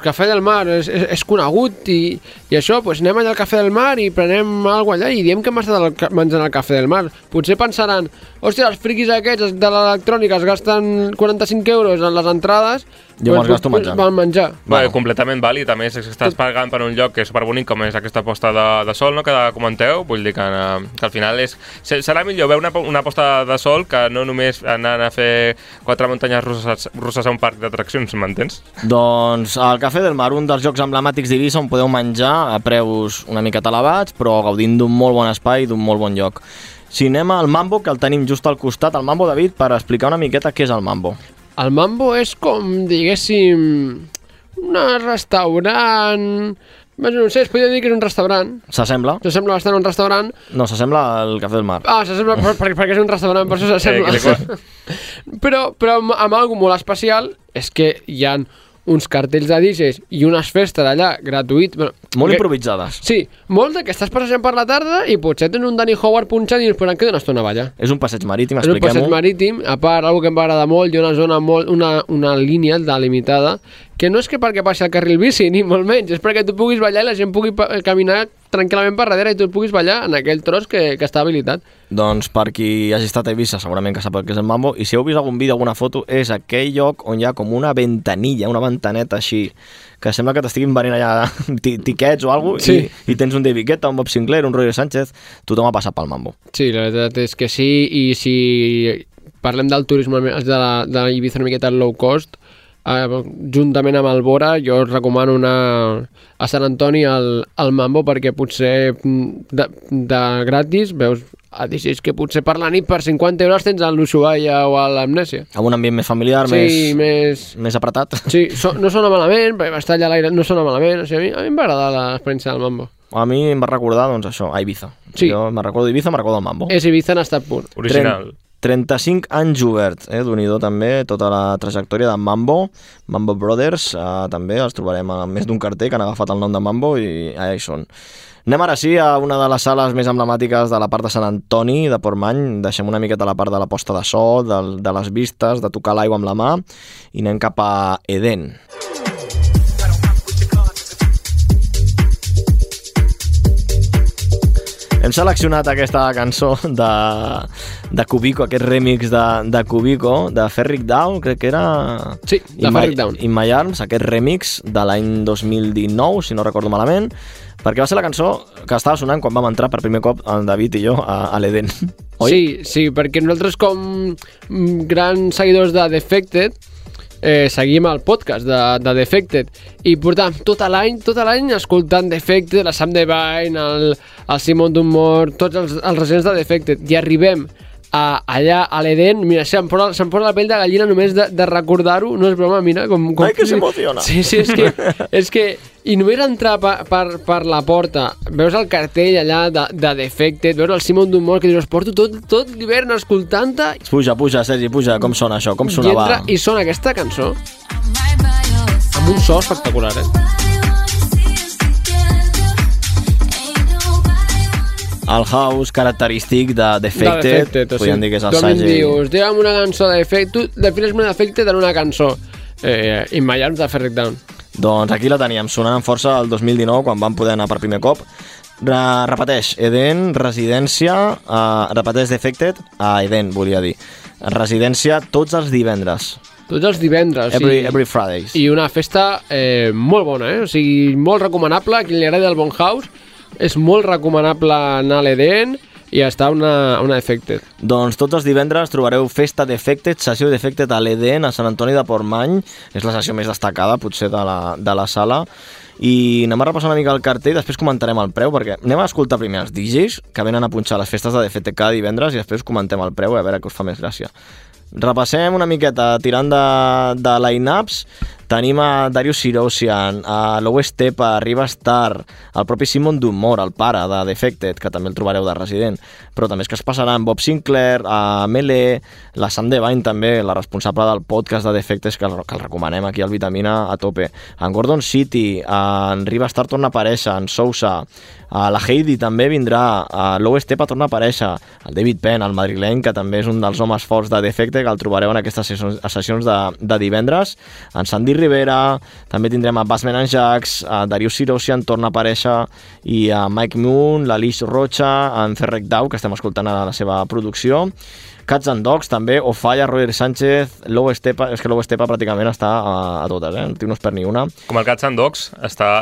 Cafè del Mar és conegut i això, pues anem allà al Cafè del Mar i prenem alguna allà i diem que hem estat menjant al Cafè del Mar. Potser pensaran, hòstia, els friquis aquests de l'electrònica es gasten 45 euros en les entrades, jo me'ls gasto menjant. Van menjar. Bueno, completament vàlid, a més estàs pagant per un lloc que és superbonic com és aquesta posta de sol, no?, que comenteu, vull dir que al final serà millor veure una posta de sol que no només anar a fer 4 muntanyes russes a un parc d'atraccions, m'entens? Doncs al Cafè del Mar, un dels llocs emblemàtics d'Eivissa on podeu menjar a preus una miqueta elevats, però gaudint d'un molt bon espai i d'un molt bon lloc. Si anem al Mambo, que el tenim just al costat, el Mambo, David, per explicar una miqueta què és el Mambo. El Mambo és com, diguéssim, un restaurant... No sé, es podria dir que és un restaurant. S'assembla? S'assembla bastant a un restaurant. No, s'assembla al Cafè del Mar. Ah, s'assembla perquè és un restaurant, per això s'assembla. Però amb algo molt especial és que hi ha uns cartells de DJs i unes festes allà gratuït. Molt improvisades. Sí, molt que estàs passejant per la tarda i potser tens un Danny Howard punxant i ens podran quedar una estona allà. És un passeig marítim, expliquem-ho. És un passeig marítim, a part, una que em va agradar molt, hi ha una zona una línia delimitada, que no és que perquè passi el carril bici, ni molt menys, és perquè tu puguis ballar i la gent pugui caminar tranquil·lament per darrere i tu puguis ballar en aquell tros que està habilitat. Doncs per qui hagi estat a Eivissa segurament que sap el que és el mambo, i si heu vist algun vídeo, alguna foto, és aquell lloc on hi ha com una ventanilla, una ventaneta així, que sembla que t'estiguin venint allà tiquets o alguna cosa, i tens un David Guetta, un Bob Sinclair, un Roger Sánchez, tothom ha passat pel mambo. Sí, la veritat és que sí, i si parlem del turisme de Ibiza una miqueta low cost, juntament amb el Bora, jo us recomano anar a Sant Antoni al Mambo, perquè potser de gratis veus a DJs que potser per la nit per 50 euros tens a l'Ushuaia o a l'Amnèsia. Amb un ambient més familiar, sí, més apretat. Sí, no sona malament, perquè estar allà a l'aire no sona malament, o sigui, a mi em va agradar l'experiència del Mambo. A mi em va recordar, doncs això, a Ibiza. Sí. Jo me'n recordo d'Ibiza, me'n recordo del Mambo. És Ibiza en estat pur. Original. 35 anys obert, d'Unido també, tota la trajectòria de Mambo Brothers, també els trobarem a més d'un carter que han agafat el nom de Mambo i allà hi són. Anem ara sí a una de les sales més emblemàtiques de la part de Sant Antoni, de Portmany. Deixem una miqueta la part de la posta de so, de les vistes, de tocar l'aigua amb la mà, i anem cap a Eden. Hem seleccionat aquesta cançó de Cubico, aquest remix de Cubico, de Ferric Down, crec que era... Sí, de Ferric Down. In My Arms, aquest remix de l'any 2019, si no recordo malament, perquè va ser la cançó que estava sonant quan vam entrar per primer cop el David i jo a l'Eden. Oi? Sí, perquè nosaltres com grans seguidors de Defected seguim el podcast de Defected i portàvem tot l'any escoltant Defected, la Sam Devine, el Simon Dunmore, tots els residents de Defected, i arribem allà a l'Eden, mira, se'm posa la pell de gallina només de recordar-ho, no és broma, mira com ai, que s'emociona. Sí, és que i només entrar per la porta, veus el cartell allà de Defected, veus el Simon Dunmore que dius, porto tot l'hivern escoltant-te. Puja, Sergi, puja, com sona això, com sonava? I sona aquesta cançó amb un so espectacular, El house característic de Defected, podríem dir que és el Sergi. Tu em dius, digue'm una cançó de Defected, tu defines-me Defected en una cançó, In My Arms de Ferric Down. Doncs aquí la teníem, sonant amb força el 2019, quan vam poder anar per primer cop. Repeteix, Eden, residència, repeteix Defected, Eden, volia dir. Residència tots els divendres. Tots els divendres. Every Fridays. I una festa molt bona, o sigui, molt recomanable, a qui li agrada el bon house, és molt recomanable anar a l'Eden i estar una Defected. Doncs tots els divendres trobareu festa Defected, sessió Defected a l'Eden, a Sant Antoni de Portmany. És la sessió més destacada, potser, de la sala. I anem a repassar una mica el cartell, després comentarem el preu, perquè anem a escoltar primer els DJs que venen a punxar les festes de Defected cada divendres i després comentem el preu, a veure què us fa més gràcia. Repassem una miqueta, tirant de line-ups. Tenim a Darius Syrossian, a Low Stepa, a Riva Star, el propi Simon Dunmore, el pare de Defected, que també el trobareu de resident, però també és que es passaran Bob Sinclair, a Mele, la Sam Devine també, la responsable del podcast de Defected, que el recomanem aquí al Vitamina a tope, en Gordon City, en Riva Star torna a aparèixer, en Sousa, a la Heidi també vindrà, a Low Stepa torna a aparèixer, el David Penn, el madrileny, que també és un dels homes forts de Defected, que el trobareu en aquestes sessions de divendres, en Sandy Rivera, també tindrem a Bassman and Jax, a Darius Syrossian torna a aparèixer, i a Mike Moon, l'Alice Rocha, en Ferric Down, que estem escoltant a la seva producció, Cats and Dogs també, Ofalla, Roger Sánchez, Low Stepa, és que Low Stepa pràcticament està a totes, el tio no es perd ni una. Com el Cats and Dogs,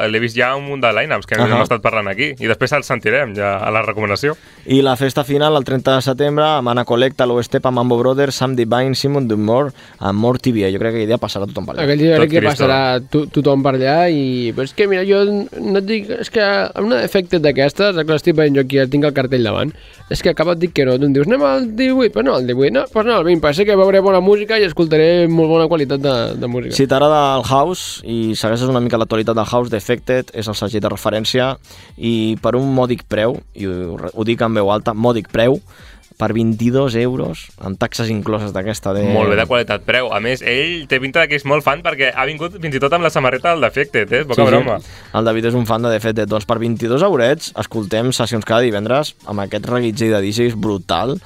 l'he vist ja un munt de line-ups que hem estat parlant aquí, i després el sentirem ja a la recomanació. I la festa final, el 30 de setembre, amb Anna Collecta, Low Stepa, Mambo Brothers, Sam Devine, Simon Dunmore, amb More TV. Jo crec que aquell dia passarà tothom per allà. Aquell dia crec que passarà tothom per allà, i però és que mira, jo no et dic, és que amb una Defected d'aquestes, que l'estic veient jo aquí, tinc el cartell davant, és que acaba et dic que no, tu em dius, anem al 18, però no al 18, no, doncs no al 20, perquè sé que veuré bona música i escoltaré molt bona qualitat de música. Si t'agrada el house i segueixes una mica l'actualitat del house, Defected és el segell de referència, i per un mòdic preu, i ho dic en veu alta, mòdic preu, per 22 euros, amb taxes incloses d'aquesta de... Molt bé de qualitat preu. A més, ell té pinta que és molt fan perquè ha vingut fins i tot amb la samarreta del Defected, poca broma. Sí. El David és un fan de Defected. Doncs per 22 eurets escoltem sessions cada divendres amb aquest reguitzell de DJs brutal.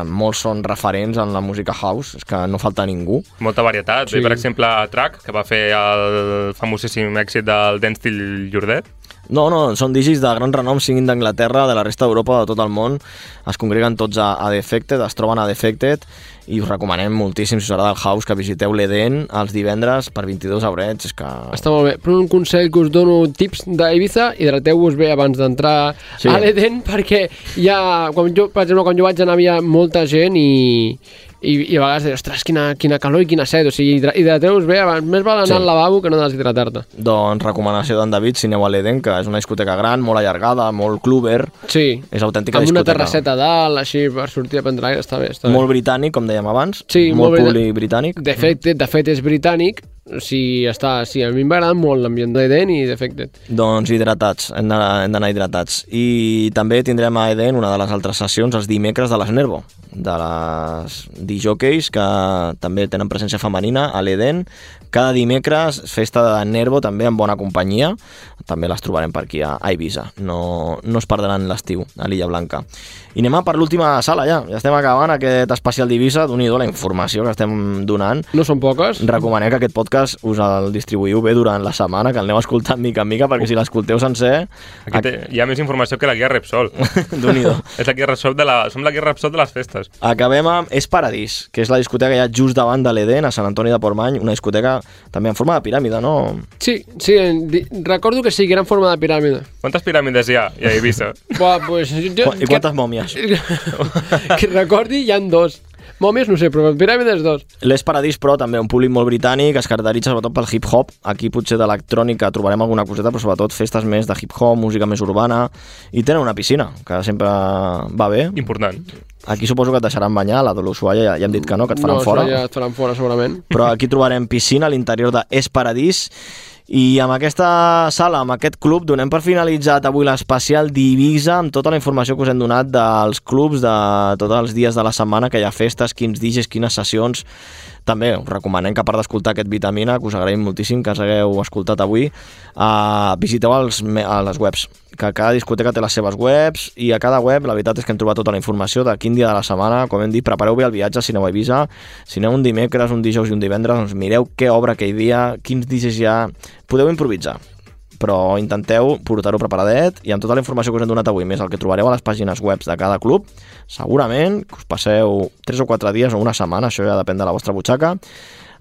Molts són referents en la música house, és que no falta ningú. Molta varietat. Sí. Ve, per exemple, Track, que va fer el famosíssim èxit del Dance Till You're Dead. No, són DJs de gran renom, siguin d'Anglaterra, de la resta d'Europa, de tot el món. Es congreguen tots a Defected, es troben a Defected, i us recomanem moltíssim, si us agrada el house, que visiteu l'Eden els divendres per 22 eurets. És que... Està molt bé. Però un consell que us dono, tips d'Ibiza, hidrateu-vos bé abans d'entrar a l'Eden, perquè hi ha, per exemple, quan jo vaig anar havia molta gent i a vegades dius, ostres, quina calor i quina set, o sigui, hidrateu-vos bé abans, més val anar al lavabo que no deshidratar-te. Doncs recomanació d'en David, si aneu a l'Eden, que és una discoteca gran, molt allargada, molt clubber, és autèntica discoteca. Amb una terrasseta dalt, així, per sortir a prendre aire, està bé. Molt britànic, com dèiem abans, sí, molt públic britànic. De fet és britànic, o sigui, a mi m'agrada molt l'ambient d'Eden i Defected. Doncs hidratats, hem d'anar hidratats. I també tindrem a Eden una de les altres sessions els dimecres de les Nervo, de les DJs que també tenen presència femenina a l'Eden. Cada dimecres, festa de Nervo, també en bona companyia. També les trobarem per aquí a Eivissa. No es perdran l'estiu a l'Illa Blanca. I anem per l'última sala ja. Ja estem acabant aquest especial d'Eivissa. Doni-do la informació que estem donant. No són poques. Recomanem que aquest podcast us el distribuïu bé durant la setmana, que el aneu escoltant mica en mica, perquè si l'escolteu sencer... Hi ha més informació que la guia Repsol. Doni-do. És la guia Repsol som la guia Repsol de les festes. Acabem amb És Paradís, que és la discoteca que hi ha just davant de l'Eden, a Sant Antoni de Portmany, una discoteca també en forma de piràmide, no? Sí, recordo que sí, que era en forma de piràmide. Quantes piràmides hi ha a Eivissa? Pues, I quantes mòmies? Que recordi, hi ha 2. Mòmies no sé, però piràmides 2. L'És Paradís, però, també un públic molt britànic, es caracteritza sobretot pel hip-hop. Aquí potser d'electrònica trobarem alguna coseta, però sobretot festes més de hip-hop, música més urbana, i tenen una piscina, que sempre va bé. Important. Aquí suposo que et deixaran banyar, la de l'Ushuaia ja hem dit que no, que et faran fora. No, ja et faran fora segurament. Però aquí trobarem piscina a l'interior de És Paradís. I amb aquesta sala, amb aquest club, donem per finalitzat avui l'especial d'Eivissa amb tota la informació que us hem donat dels clubs, de tots els dies de la setmana que hi ha festes, quins DJs, quines sessions. També us recomanem que a part d'escoltar aquest Vitamina, que us agraïm moltíssim que us hagueu escoltat avui, visiteu les webs, que cada discoteca té les seves webs, i a cada web la veritat és que hem trobat tota la informació de quin dia de la setmana. Com hem dit, prepareu bé el viatge si aneu a Eivissa. Si aneu un dimecres, un dijous i un divendres, doncs mireu què obre aquell dia, quins DJs hi ha. Podeu improvisar, però intenteu portar-ho preparadet, i amb tota la informació que us hem donat avui, més el que trobareu a les pàgines web de cada club, segurament que us passeu 3 o 4 dies o una setmana, això ja depèn de la vostra butxaca,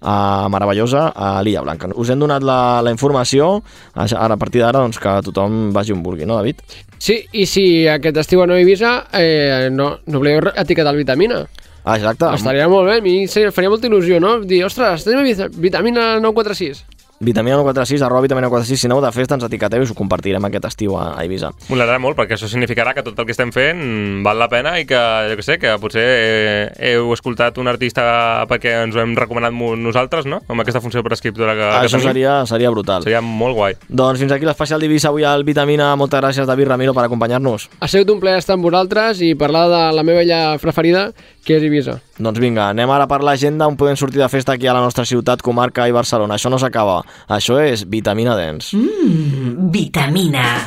meravellosa a l'Illa Blanca. Us hem donat la informació, ara a partir d'ara doncs, que tothom vagi on vulgui, no, David? Sí, i si aquest estiu aneu a Eivissa, no oblideu etiquetar el Vitamina. Exacte. Estaria molt bé, a mi faria molta il·lusió, no? Dir, ostres, tenim Vitamina 946. Vitamina 946, @Vitamina 946, si aneu de festa ens etiqueteu i us ho compartirem aquest estiu a Eivissa. M'agradarà molt, perquè això significarà que tot el que estem fent val la pena i que, jo què sé, que potser heu escoltat un artista perquè ens ho hem recomanat nosaltres, no? Amb aquesta funció prescriptora que això tenim. seria brutal. Seria molt guai. Doncs fins aquí l'especial d'Eivissa avui al Vitamina. Moltes gràcies, David Ramiro, per acompanyar-nos. Ha sigut un plaer estar amb vosaltres i parlar de la meva illa preferida, que és Eivissa. Doncs vinga, anem ara per l'agenda on podem sortir de festa aquí a la nostra ciutat, comarca i Barcelona. Això no s'acaba. Això és Vitamina Dance. Vitamina.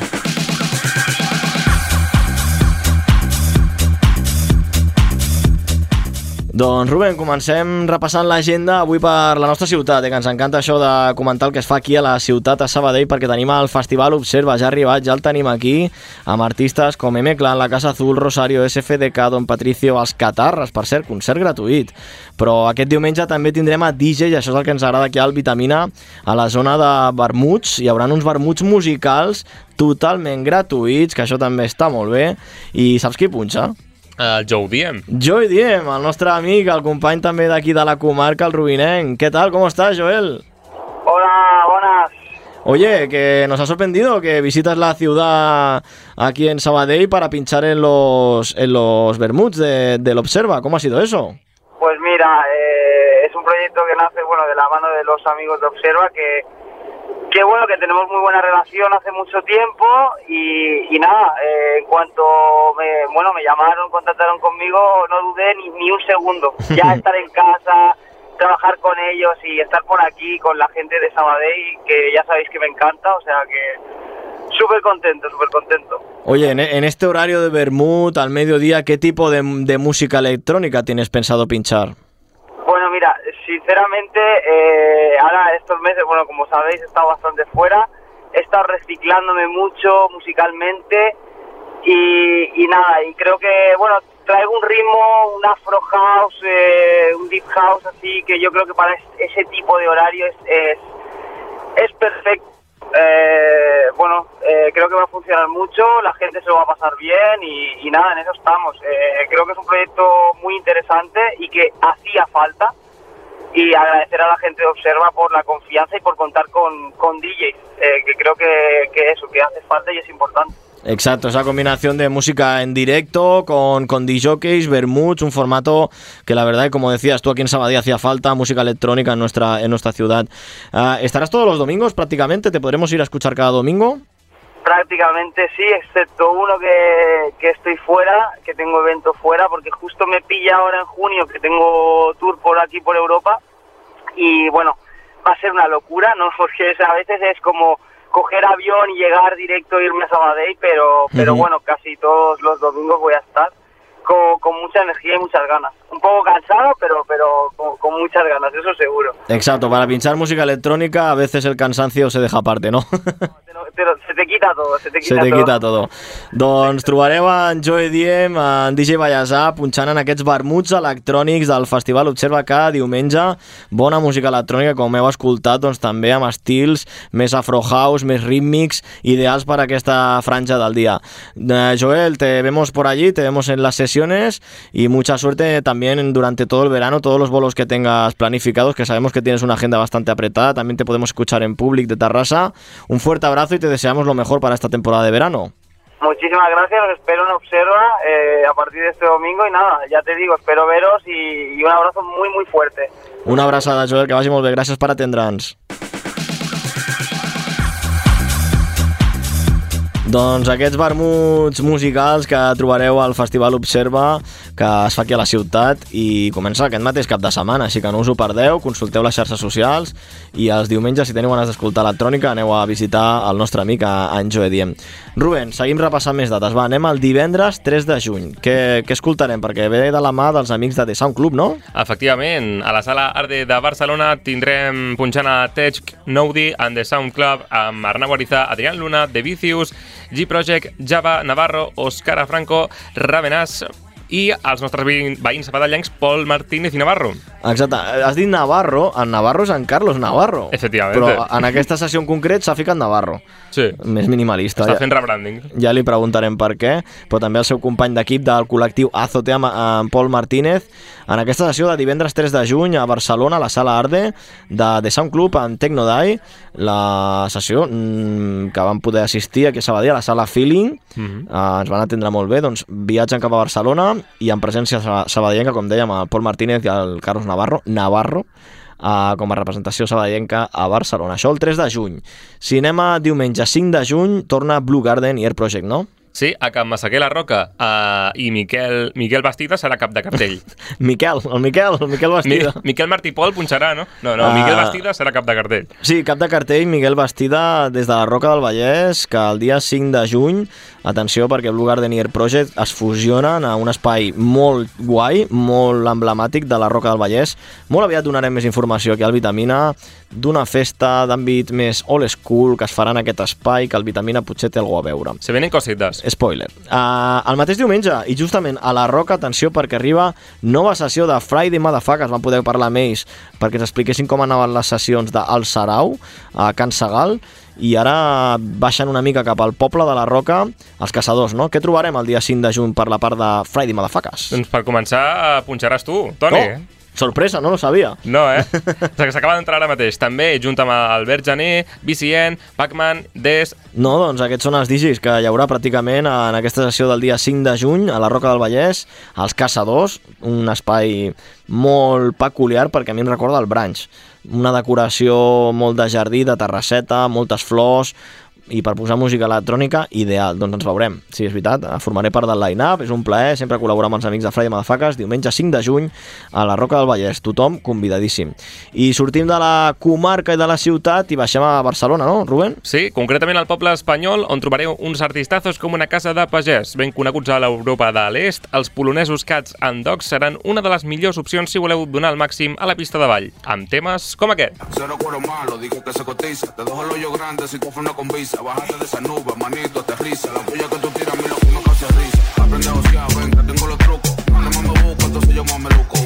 Doncs Rubén, comencem repassant l'agenda avui per la nostra ciutat, que ens encanta això de comentar el que es fa aquí a la ciutat, a Sabadell, perquè tenim el Festival Observa, ja ha arribat, ja el tenim aquí, amb artistes com M-Clan, La Casa Azul, Rosario, SFDK, Don Patricio, Els Catarres, per cert, concert gratuït. Però aquest diumenge també tindrem a DJ, i això és el que ens agrada aquí al Vitamina, a la zona de vermuts. Hi haurà uns vermuts musicals totalment gratuïts, que això també està molt bé. I saps qui punxa? El Joe Diem. Joe Diem, el nostre amic, el company també d'aquí de la comarca, el rubinenc. ¿Qué tal? ¿Cómo estás, Joel? Hola, buenas. Oye, que nos ha sorprendido que visitas la ciudad aquí en Sabadell para pinchar en los vermuts del Observa. ¿Cómo ha sido eso? Pues mira, es un proyecto que nace de la mano de los amigos de Observa, que bueno, que tenemos muy buena relación hace mucho tiempo y nada, en cuanto me llamaron, contactaron conmigo, no dudé ni un segundo. Ya estar en casa, trabajar con ellos y estar por aquí con la gente de Sabadell, que ya sabéis que me encanta, o sea que súper contento, súper contento. Oye, en este horario de vermut al mediodía, ¿qué tipo de música electrónica tienes pensado pinchar? Bueno, mira, sinceramente, ahora estos meses, como sabéis, he estado bastante fuera he estado reciclándome mucho musicalmente y nada, y creo que, bueno, traigo un ritmo, un afro house, un deep house, así que yo creo que para ese tipo de horario es perfecto. Creo que va a funcionar mucho, la gente se lo va a pasar bien y nada, en eso estamos. Creo que es un proyecto muy interesante y que hacía falta, y agradecer a la gente de Observa por la confianza y por contar con DJs, que creo que eso, que hace falta y es importante. Exacto, esa combinación de música en directo con DJs, vermuts, un formato que la verdad, como decías tú, aquí en Sabadell hacía falta, música electrónica en nuestra ciudad. ¿Estarás todos los domingos prácticamente? ¿Te podremos ir a escuchar cada domingo? Prácticamente sí, excepto uno que estoy fuera, que tengo evento fuera, porque justo me pilla ahora en junio que tengo tour por aquí, por Europa, y bueno, va a ser una locura, ¿no? Porque a veces es como coger avión y llegar directo e irme a Sabadell, pero bueno, casi todos los domingos voy a estar con mucha energía y muchas ganas. Un poco cansado, pero con muchas ganas, eso seguro. Exacto, para pinchar música electrónica a veces el cansancio se deja aparte, no? Se te quita todo, se te quita tot. Doncs trobareu en Joe Diem, en DJ Vallèsà, punxant en aquests vermuts electrònics del Festival Observa cada diumenge. Bona música electrònica, com heu escoltat, doncs també amb estils més afro house, més rítmics, ideals per aquesta franja del día. Joel, te vemos por allí, te vemos en las sesiones y mucha suerte también durante todo el verano, todos los bolos que tengas planificados, que sabemos que tienes una agenda bastante apretada. También te podemos escuchar en Public de Tarrasa. Un fuerte abrazo y te deseamos lo mejor para esta temporada de verano. Muchísimas gracias, os espero en Observa a partir de este domingo y nada, ya te digo, espero veros y un abrazo muy muy fuerte. Una abraçada, Joel, que vagi molt bé, gràcies per atendre'ns. Doncs aquests vermuts musicals que trobareu al Festival Observa, que es fa aquí a la ciutat i comença aquest mateix cap de setmana, així que no us ho perdeu, consulteu les xarxes socials i els diumenges, si teniu ganes d'escoltar electrònica, aneu a visitar el nostre amic en Joe Diem. Rubén, seguim repassant més dates. Va, anem al divendres 3 de juny. Què escoltarem? Perquè ve de la mà dels amics de The Sound Club, no? Efectivament, a la Sala Arde de Barcelona tindrem punxant a Tej Noudi and The Sound Club amb Arnau Ariza, Adrián Luna, The Vicious, G-Project, Java, Navarro, Òscar Franco, Ravenàs i els nostres veïns sabadellencs Pol Martínez i Navarro. Exacte, has dit Navarro, en Navarro és en Carlos Navarro. Efectivament. Però en aquesta sessió en concret s'ha ficat Navarro. Sí. Més minimalista. Està fent rebranding. Ja li preguntarem per què, però també el seu company d'equip del col·lectiu Azotea, en Pol Martínez, en aquesta sessió de divendres 3 de juny a Barcelona, a la Sala Arde de The Sound Club en Tecnodai, la sessió que vam poder assistir aquí a Sabadell, a la Sala Feeling, ens van atendre molt bé, doncs viatgen cap a Barcelona i en presència sabadellenca, com dèiem, el Pol Martínez i el Carlos Navarro, com a representació sabadellenca a Barcelona. Això el 3 de juny. Si anem a diumenge 5 de juny, torna Blue Garden i Air Project, no? Sí, a Can Massaquer la Roca i Miquel Bastida serà cap de cartell. El Miquel Bastida. Miquel Martí Pol punxarà, no? No, Miquel Bastida serà cap de cartell. Sí, cap de cartell, Miquel Bastida des de la Roca del Vallès, que el dia 5 de juny, atenció perquè Blue Garden i Air Project es fusionen a un espai molt guai, molt emblemàtic de la Roca del Vallès. Molt aviat donarem més informació aquí al Vitamina d'una festa d'àmbit més old school que es farà en aquest espai, que el Vitamina potser té alguna a veure. Se venen cosites. Spoiler. El mateix diumenge, i justament a la Roca, atenció, perquè arriba nova sessió de Friday Motherfuckers. Van poder parlar amb ells perquè ens expliquessin com anaven les sessions d'Al Sarau a Can Segal, i ara baixen una mica cap al poble de la Roca, els caçadors, no? Què trobarem el dia 5 de juny per la part de Friday Motherfuckers? Doncs per començar punxaràs tu, Toni. Oh. Sorpresa, no lo sabia. No, s'acaba d'entrar ara mateix. També, junt amb Albert Jané, BCN, Pac-Man, Des... No, doncs aquests són els DJs que hi haurà pràcticament en aquesta sessió del dia 5 de juny a la Roca del Vallès, els Caçadors, un espai molt peculiar perquè a mi em recorda el Branch. Una decoració molt de jardí, de terrasseta, moltes flors, i per posar música electrònica, ideal. Doncs ens veurem. Sí, és veritat, formaré part del line-up, és un plaer, sempre col·laborar amb els amics de Friday Motherfuckers, diumenge 5 de juny a la Roca del Vallès, tothom convidadíssim. I sortim de la comarca i de la ciutat i baixem a Barcelona, no, Rubén? Sí, concretament al poble espanyol, on trobareu uns artistazos com una casa de pagès, ben coneguts a l'Europa de l'Est. Els polonesos Cats and Dogs seran una de les millors opcions si voleu donar el màxim a la pista de ball, amb temes com aquest. Cero cuero malo, digo que se cotiza. Te dejo el hoyo grande si coges una convisa. Bájate de esa nube, manito, aterriza. La puya que tú tiras, mira que uno casi risa. Aprende a ociar, ven, que tengo los trucos. Mándame me busco, entonces yo más me luco.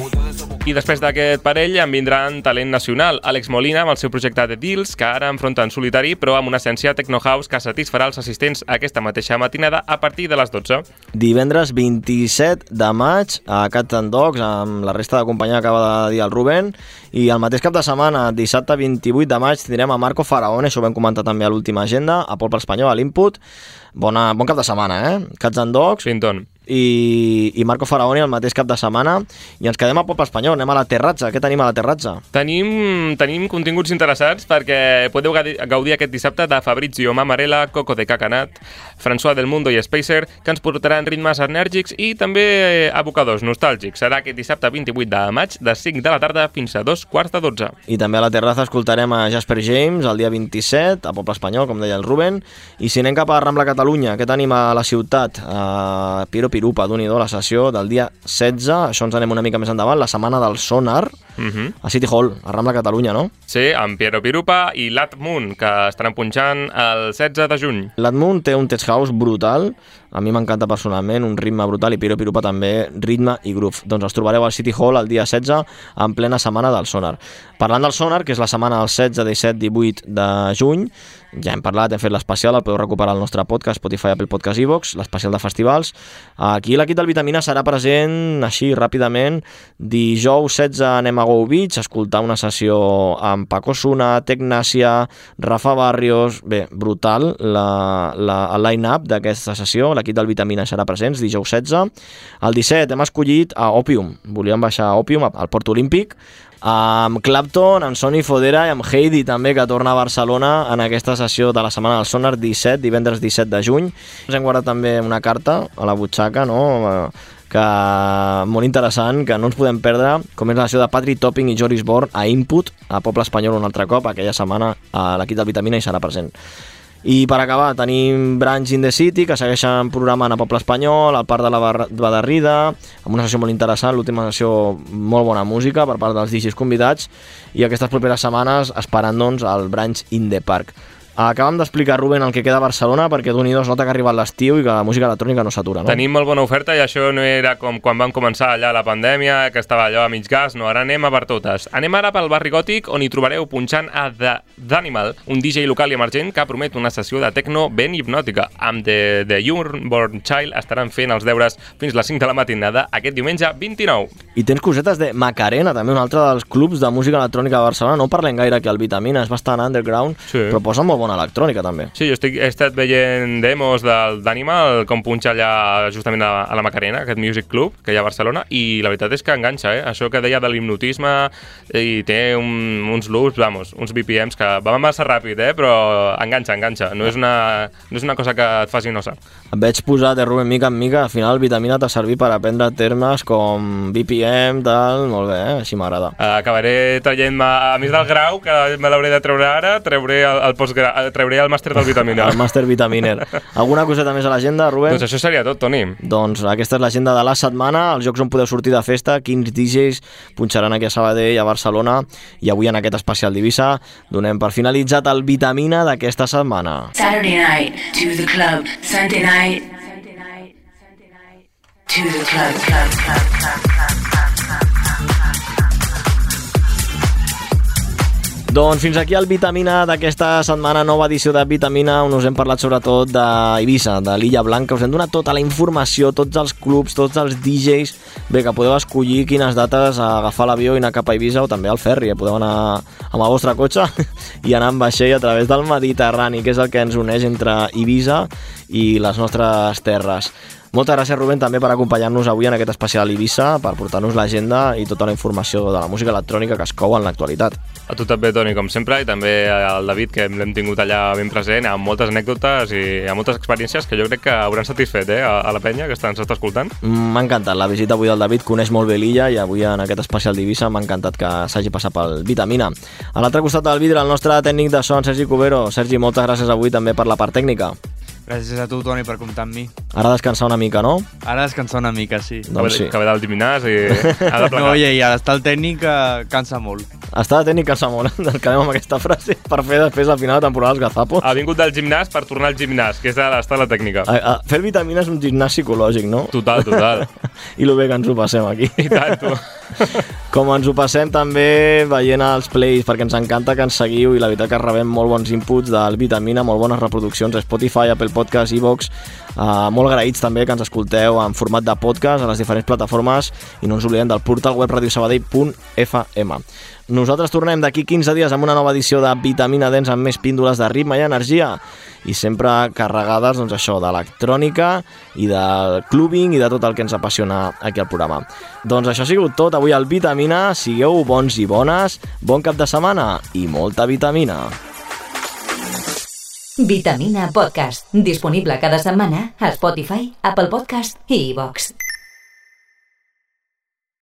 I després d'aquest parell en vindran talent nacional. Àlex Molina amb el seu projecte The Deals, que ara enfronta en solitari, però amb una essència techno-house que satisfarà els assistents aquesta mateixa matinada a partir de les 12. Divendres 27 de maig a Cats and Dogs, amb la resta de companyia que acaba de dir el Rubén, i el mateix cap de setmana, dissabte 28 de maig, tindrem a Marco Faraone, això ho vam comentar també a l'última agenda, a Poble Espanyol, a l'Input. Bon cap de setmana, Cats and Dogs. Pinton. I Marco Faraoni el mateix cap de setmana, i ens quedem a Poble Espanyol, anem a la Terratza. Què tenim a la Terratza? Tenim continguts interessants perquè podeu gaudir aquest dissabte de Fabrizio Mamarella, Coco de Cacanat, François del Mundo i Spacer, que ens portaran ritmes enèrgics i també abocadors nostàlgics. Serà aquest dissabte 28 de maig de 5 de la tarda fins a 2:15. I també a la Terratza escoltarem a Jasper James el dia 27 a Poble Espanyol, com deia el Rubén. I si anem cap a Rambla Catalunya, què tenim a la ciutat? Piero Pirupa, d'un-i-do, la sessió del dia 16, això ens anem una mica més endavant, la setmana del Sonar, a City Hall, a Rambla Catalunya, no? Sí, amb Piero Pirupa i Lat Moon, que estaran punxant el 16 de juny. Lat Moon té un tech house brutal, a mi m'encanta personalment, un ritme brutal, i Piero Pirupa també, ritme i groove. Doncs els trobareu al City Hall el dia 16, en plena setmana del Sonar. Parlant del Sonar, que és la setmana del 16, 17, 18 de juny, ja hem parlat, hem fet l'especial, el podeu recuperar al nostre podcast, Spotify, Apple Podcast, iVoox, l'especial de festivals. Aquí l'equip del Vitamina serà present, així, ràpidament. Dijous 16 anem a Go Beach, a escoltar una sessió amb Paco Suna, Tecnàcia, Rafa Barrios. Bé, brutal el line-up d'aquesta sessió. L'equip del Vitamina serà present, dijous 16. El 17 hem escollit a Opium. Volíem baixar a Opium, al Port Olímpic, amb Clapton, amb Sonny Fodera i amb Heidi també, que torna a Barcelona en aquesta sessió de la setmana del Sonar 17, divendres 17 de juny. Ens hem guardat també una carta a la butxaca, no?, que molt interessant, que no ens podem perdre, com és la sessió de Patrick Topping i Joris Born a Input, a Poble Espanyol un altre cop, aquella setmana l'equip del Vitamina hi serà present. I per acabar tenim Branch in the City, que segueixen programant a Poble Espanyol, al Parc de la Badarrida, amb una sessió molt interessant, l'última sessió molt bona música per part dels DJs convidats, i aquestes properes setmanes esperant doncs el Branch in the Park. Acabem d'explicar, Rubén, el que queda a Barcelona, perquè d'un-i-do es nota que ha arribat l'estiu i que la música electrònica no s'atura, no? Tenim molt bona oferta i això no era com quan vam començar allà la pandèmia, que estava allò a mig gas, no, ara anem a per totes. Anem ara pel barri gòtic, on hi trobareu punxant a The Animal, un DJ local i emergent que promet una sessió de techno ben hipnòtica. Amb The Unborn Child estaran fent els deures fins les 5 de la matinada aquest diumenge 29. I tens cosetes de Macarena, també un altre dels clubs de música electrònica de Barcelona. No parlem gaire aquí al Vitamina, és bastant underground, sí, però posa molt bona electrònica també. Sí, jo he estat veient demos d'Animal, com punxa allà justament a la Macarena, aquest music club que hi ha a Barcelona, i la veritat és que enganxa, això que deia de l'hipnotisme, i té uns loops, uns BPMs que van massa ràpid, però enganxa. No és una cosa que et faci nosa. Et veig posar de Rubén mica en mica, al final el Vitamina t'ha servit per aprendre termes com BPM, tal, molt bé, així m'agrada. Acabaré traient-me, a més del grau, que me l'hauré de treure ara, trauré el màster del Vitamina. El màster Vitaminer. Alguna coseta més a l'agenda, Rubén? Doncs això seria tot, Toni. Doncs aquesta és l'agenda de la setmana, els llocs on podeu sortir de festa, quins DJs punxaran aquí a Sabadell, a Barcelona, i avui en aquest especial d'Eivissa donem per finalitzat el Vitamina d'aquesta setmana. Saturday night to the club, Sunday night to the club. Doncs fins aquí el Vitamina d'aquesta setmana, nova edició de Vitamina, on us hem parlat sobretot d'Eivissa, de l'Illa Blanca. Us hem donat tota la informació, tots els clubs, tots els DJs, bé, que podeu escollir quines dates a agafar l'avió i anar cap a Eivissa, o també al ferri, podeu anar amb el vostre cotxe i anar amb vaixell a través del Mediterrani, que és el que ens uneix entre Eivissa i les nostres terres. Moltes gràcies, Rubén, també per acompanyar-nos avui en aquest especial Ibiza, per portar-nos l'agenda i tota la informació de la música electrònica que es cou en l'actualitat. A tu també, Toni, com sempre, i també al David, que l'hem tingut allà ben present, amb moltes anècdotes i amb moltes experiències que jo crec que hauran satisfet a la penya que ens està escoltant. M'ha encantat la visita avui del David, coneix molt bé l'illa i avui en aquest especial d'Ibiza m'ha encantat que s'hagi passat pel Vitamina. A l'altre costat del vidre, el nostre tècnic de son, Sergi Cubero. Sergi, moltes gràcies avui també per la part tècnica. Gràcies a tu, Toni, per comptar amb mi. Ara descansar una mica, no? Ara descansar una mica, sí. Doncs sí. Que ve del gimnàs i ha de plegar. No, i ara estar al tècnic cansa molt. Estar al tècnic cansa molt, acabem amb aquesta frase per fer després al final de temporada els gazapos. Ha vingut del gimnàs per tornar al gimnàs, que és estar a la tècnica. Fer el Vitamina és un gimnàs psicològic, no? Total. I lo bé que ens ho passem aquí. I tant, tu. Com ens ho passem també veient els plays, perquè ens encanta que ens seguiu i la veritat que rebem molt bons inputs del Vitamina, molt bones reproduccions a Spotify, Apple Podcast, iVoox, molt agraïts també que ens escolteu en format de podcast a les diferents plataformes i no ens oblidem del portal web radiosabadell.fm. Nosaltres tornem d'aquí 15 dies amb una nova edició de Vitamina Dance amb més píndoles de ritme i energia i sempre carregades, doncs això, d'electrònica i del clubbing i de tot el que ens apassiona aquí al programa. Doncs això ha sigut tot avui al Vitamina. Sigueu bons i bones, bon cap de setmana i molta vitamina. Vitamina Podcast, disponible cada setmana a Spotify, Apple Podcast i iVoox.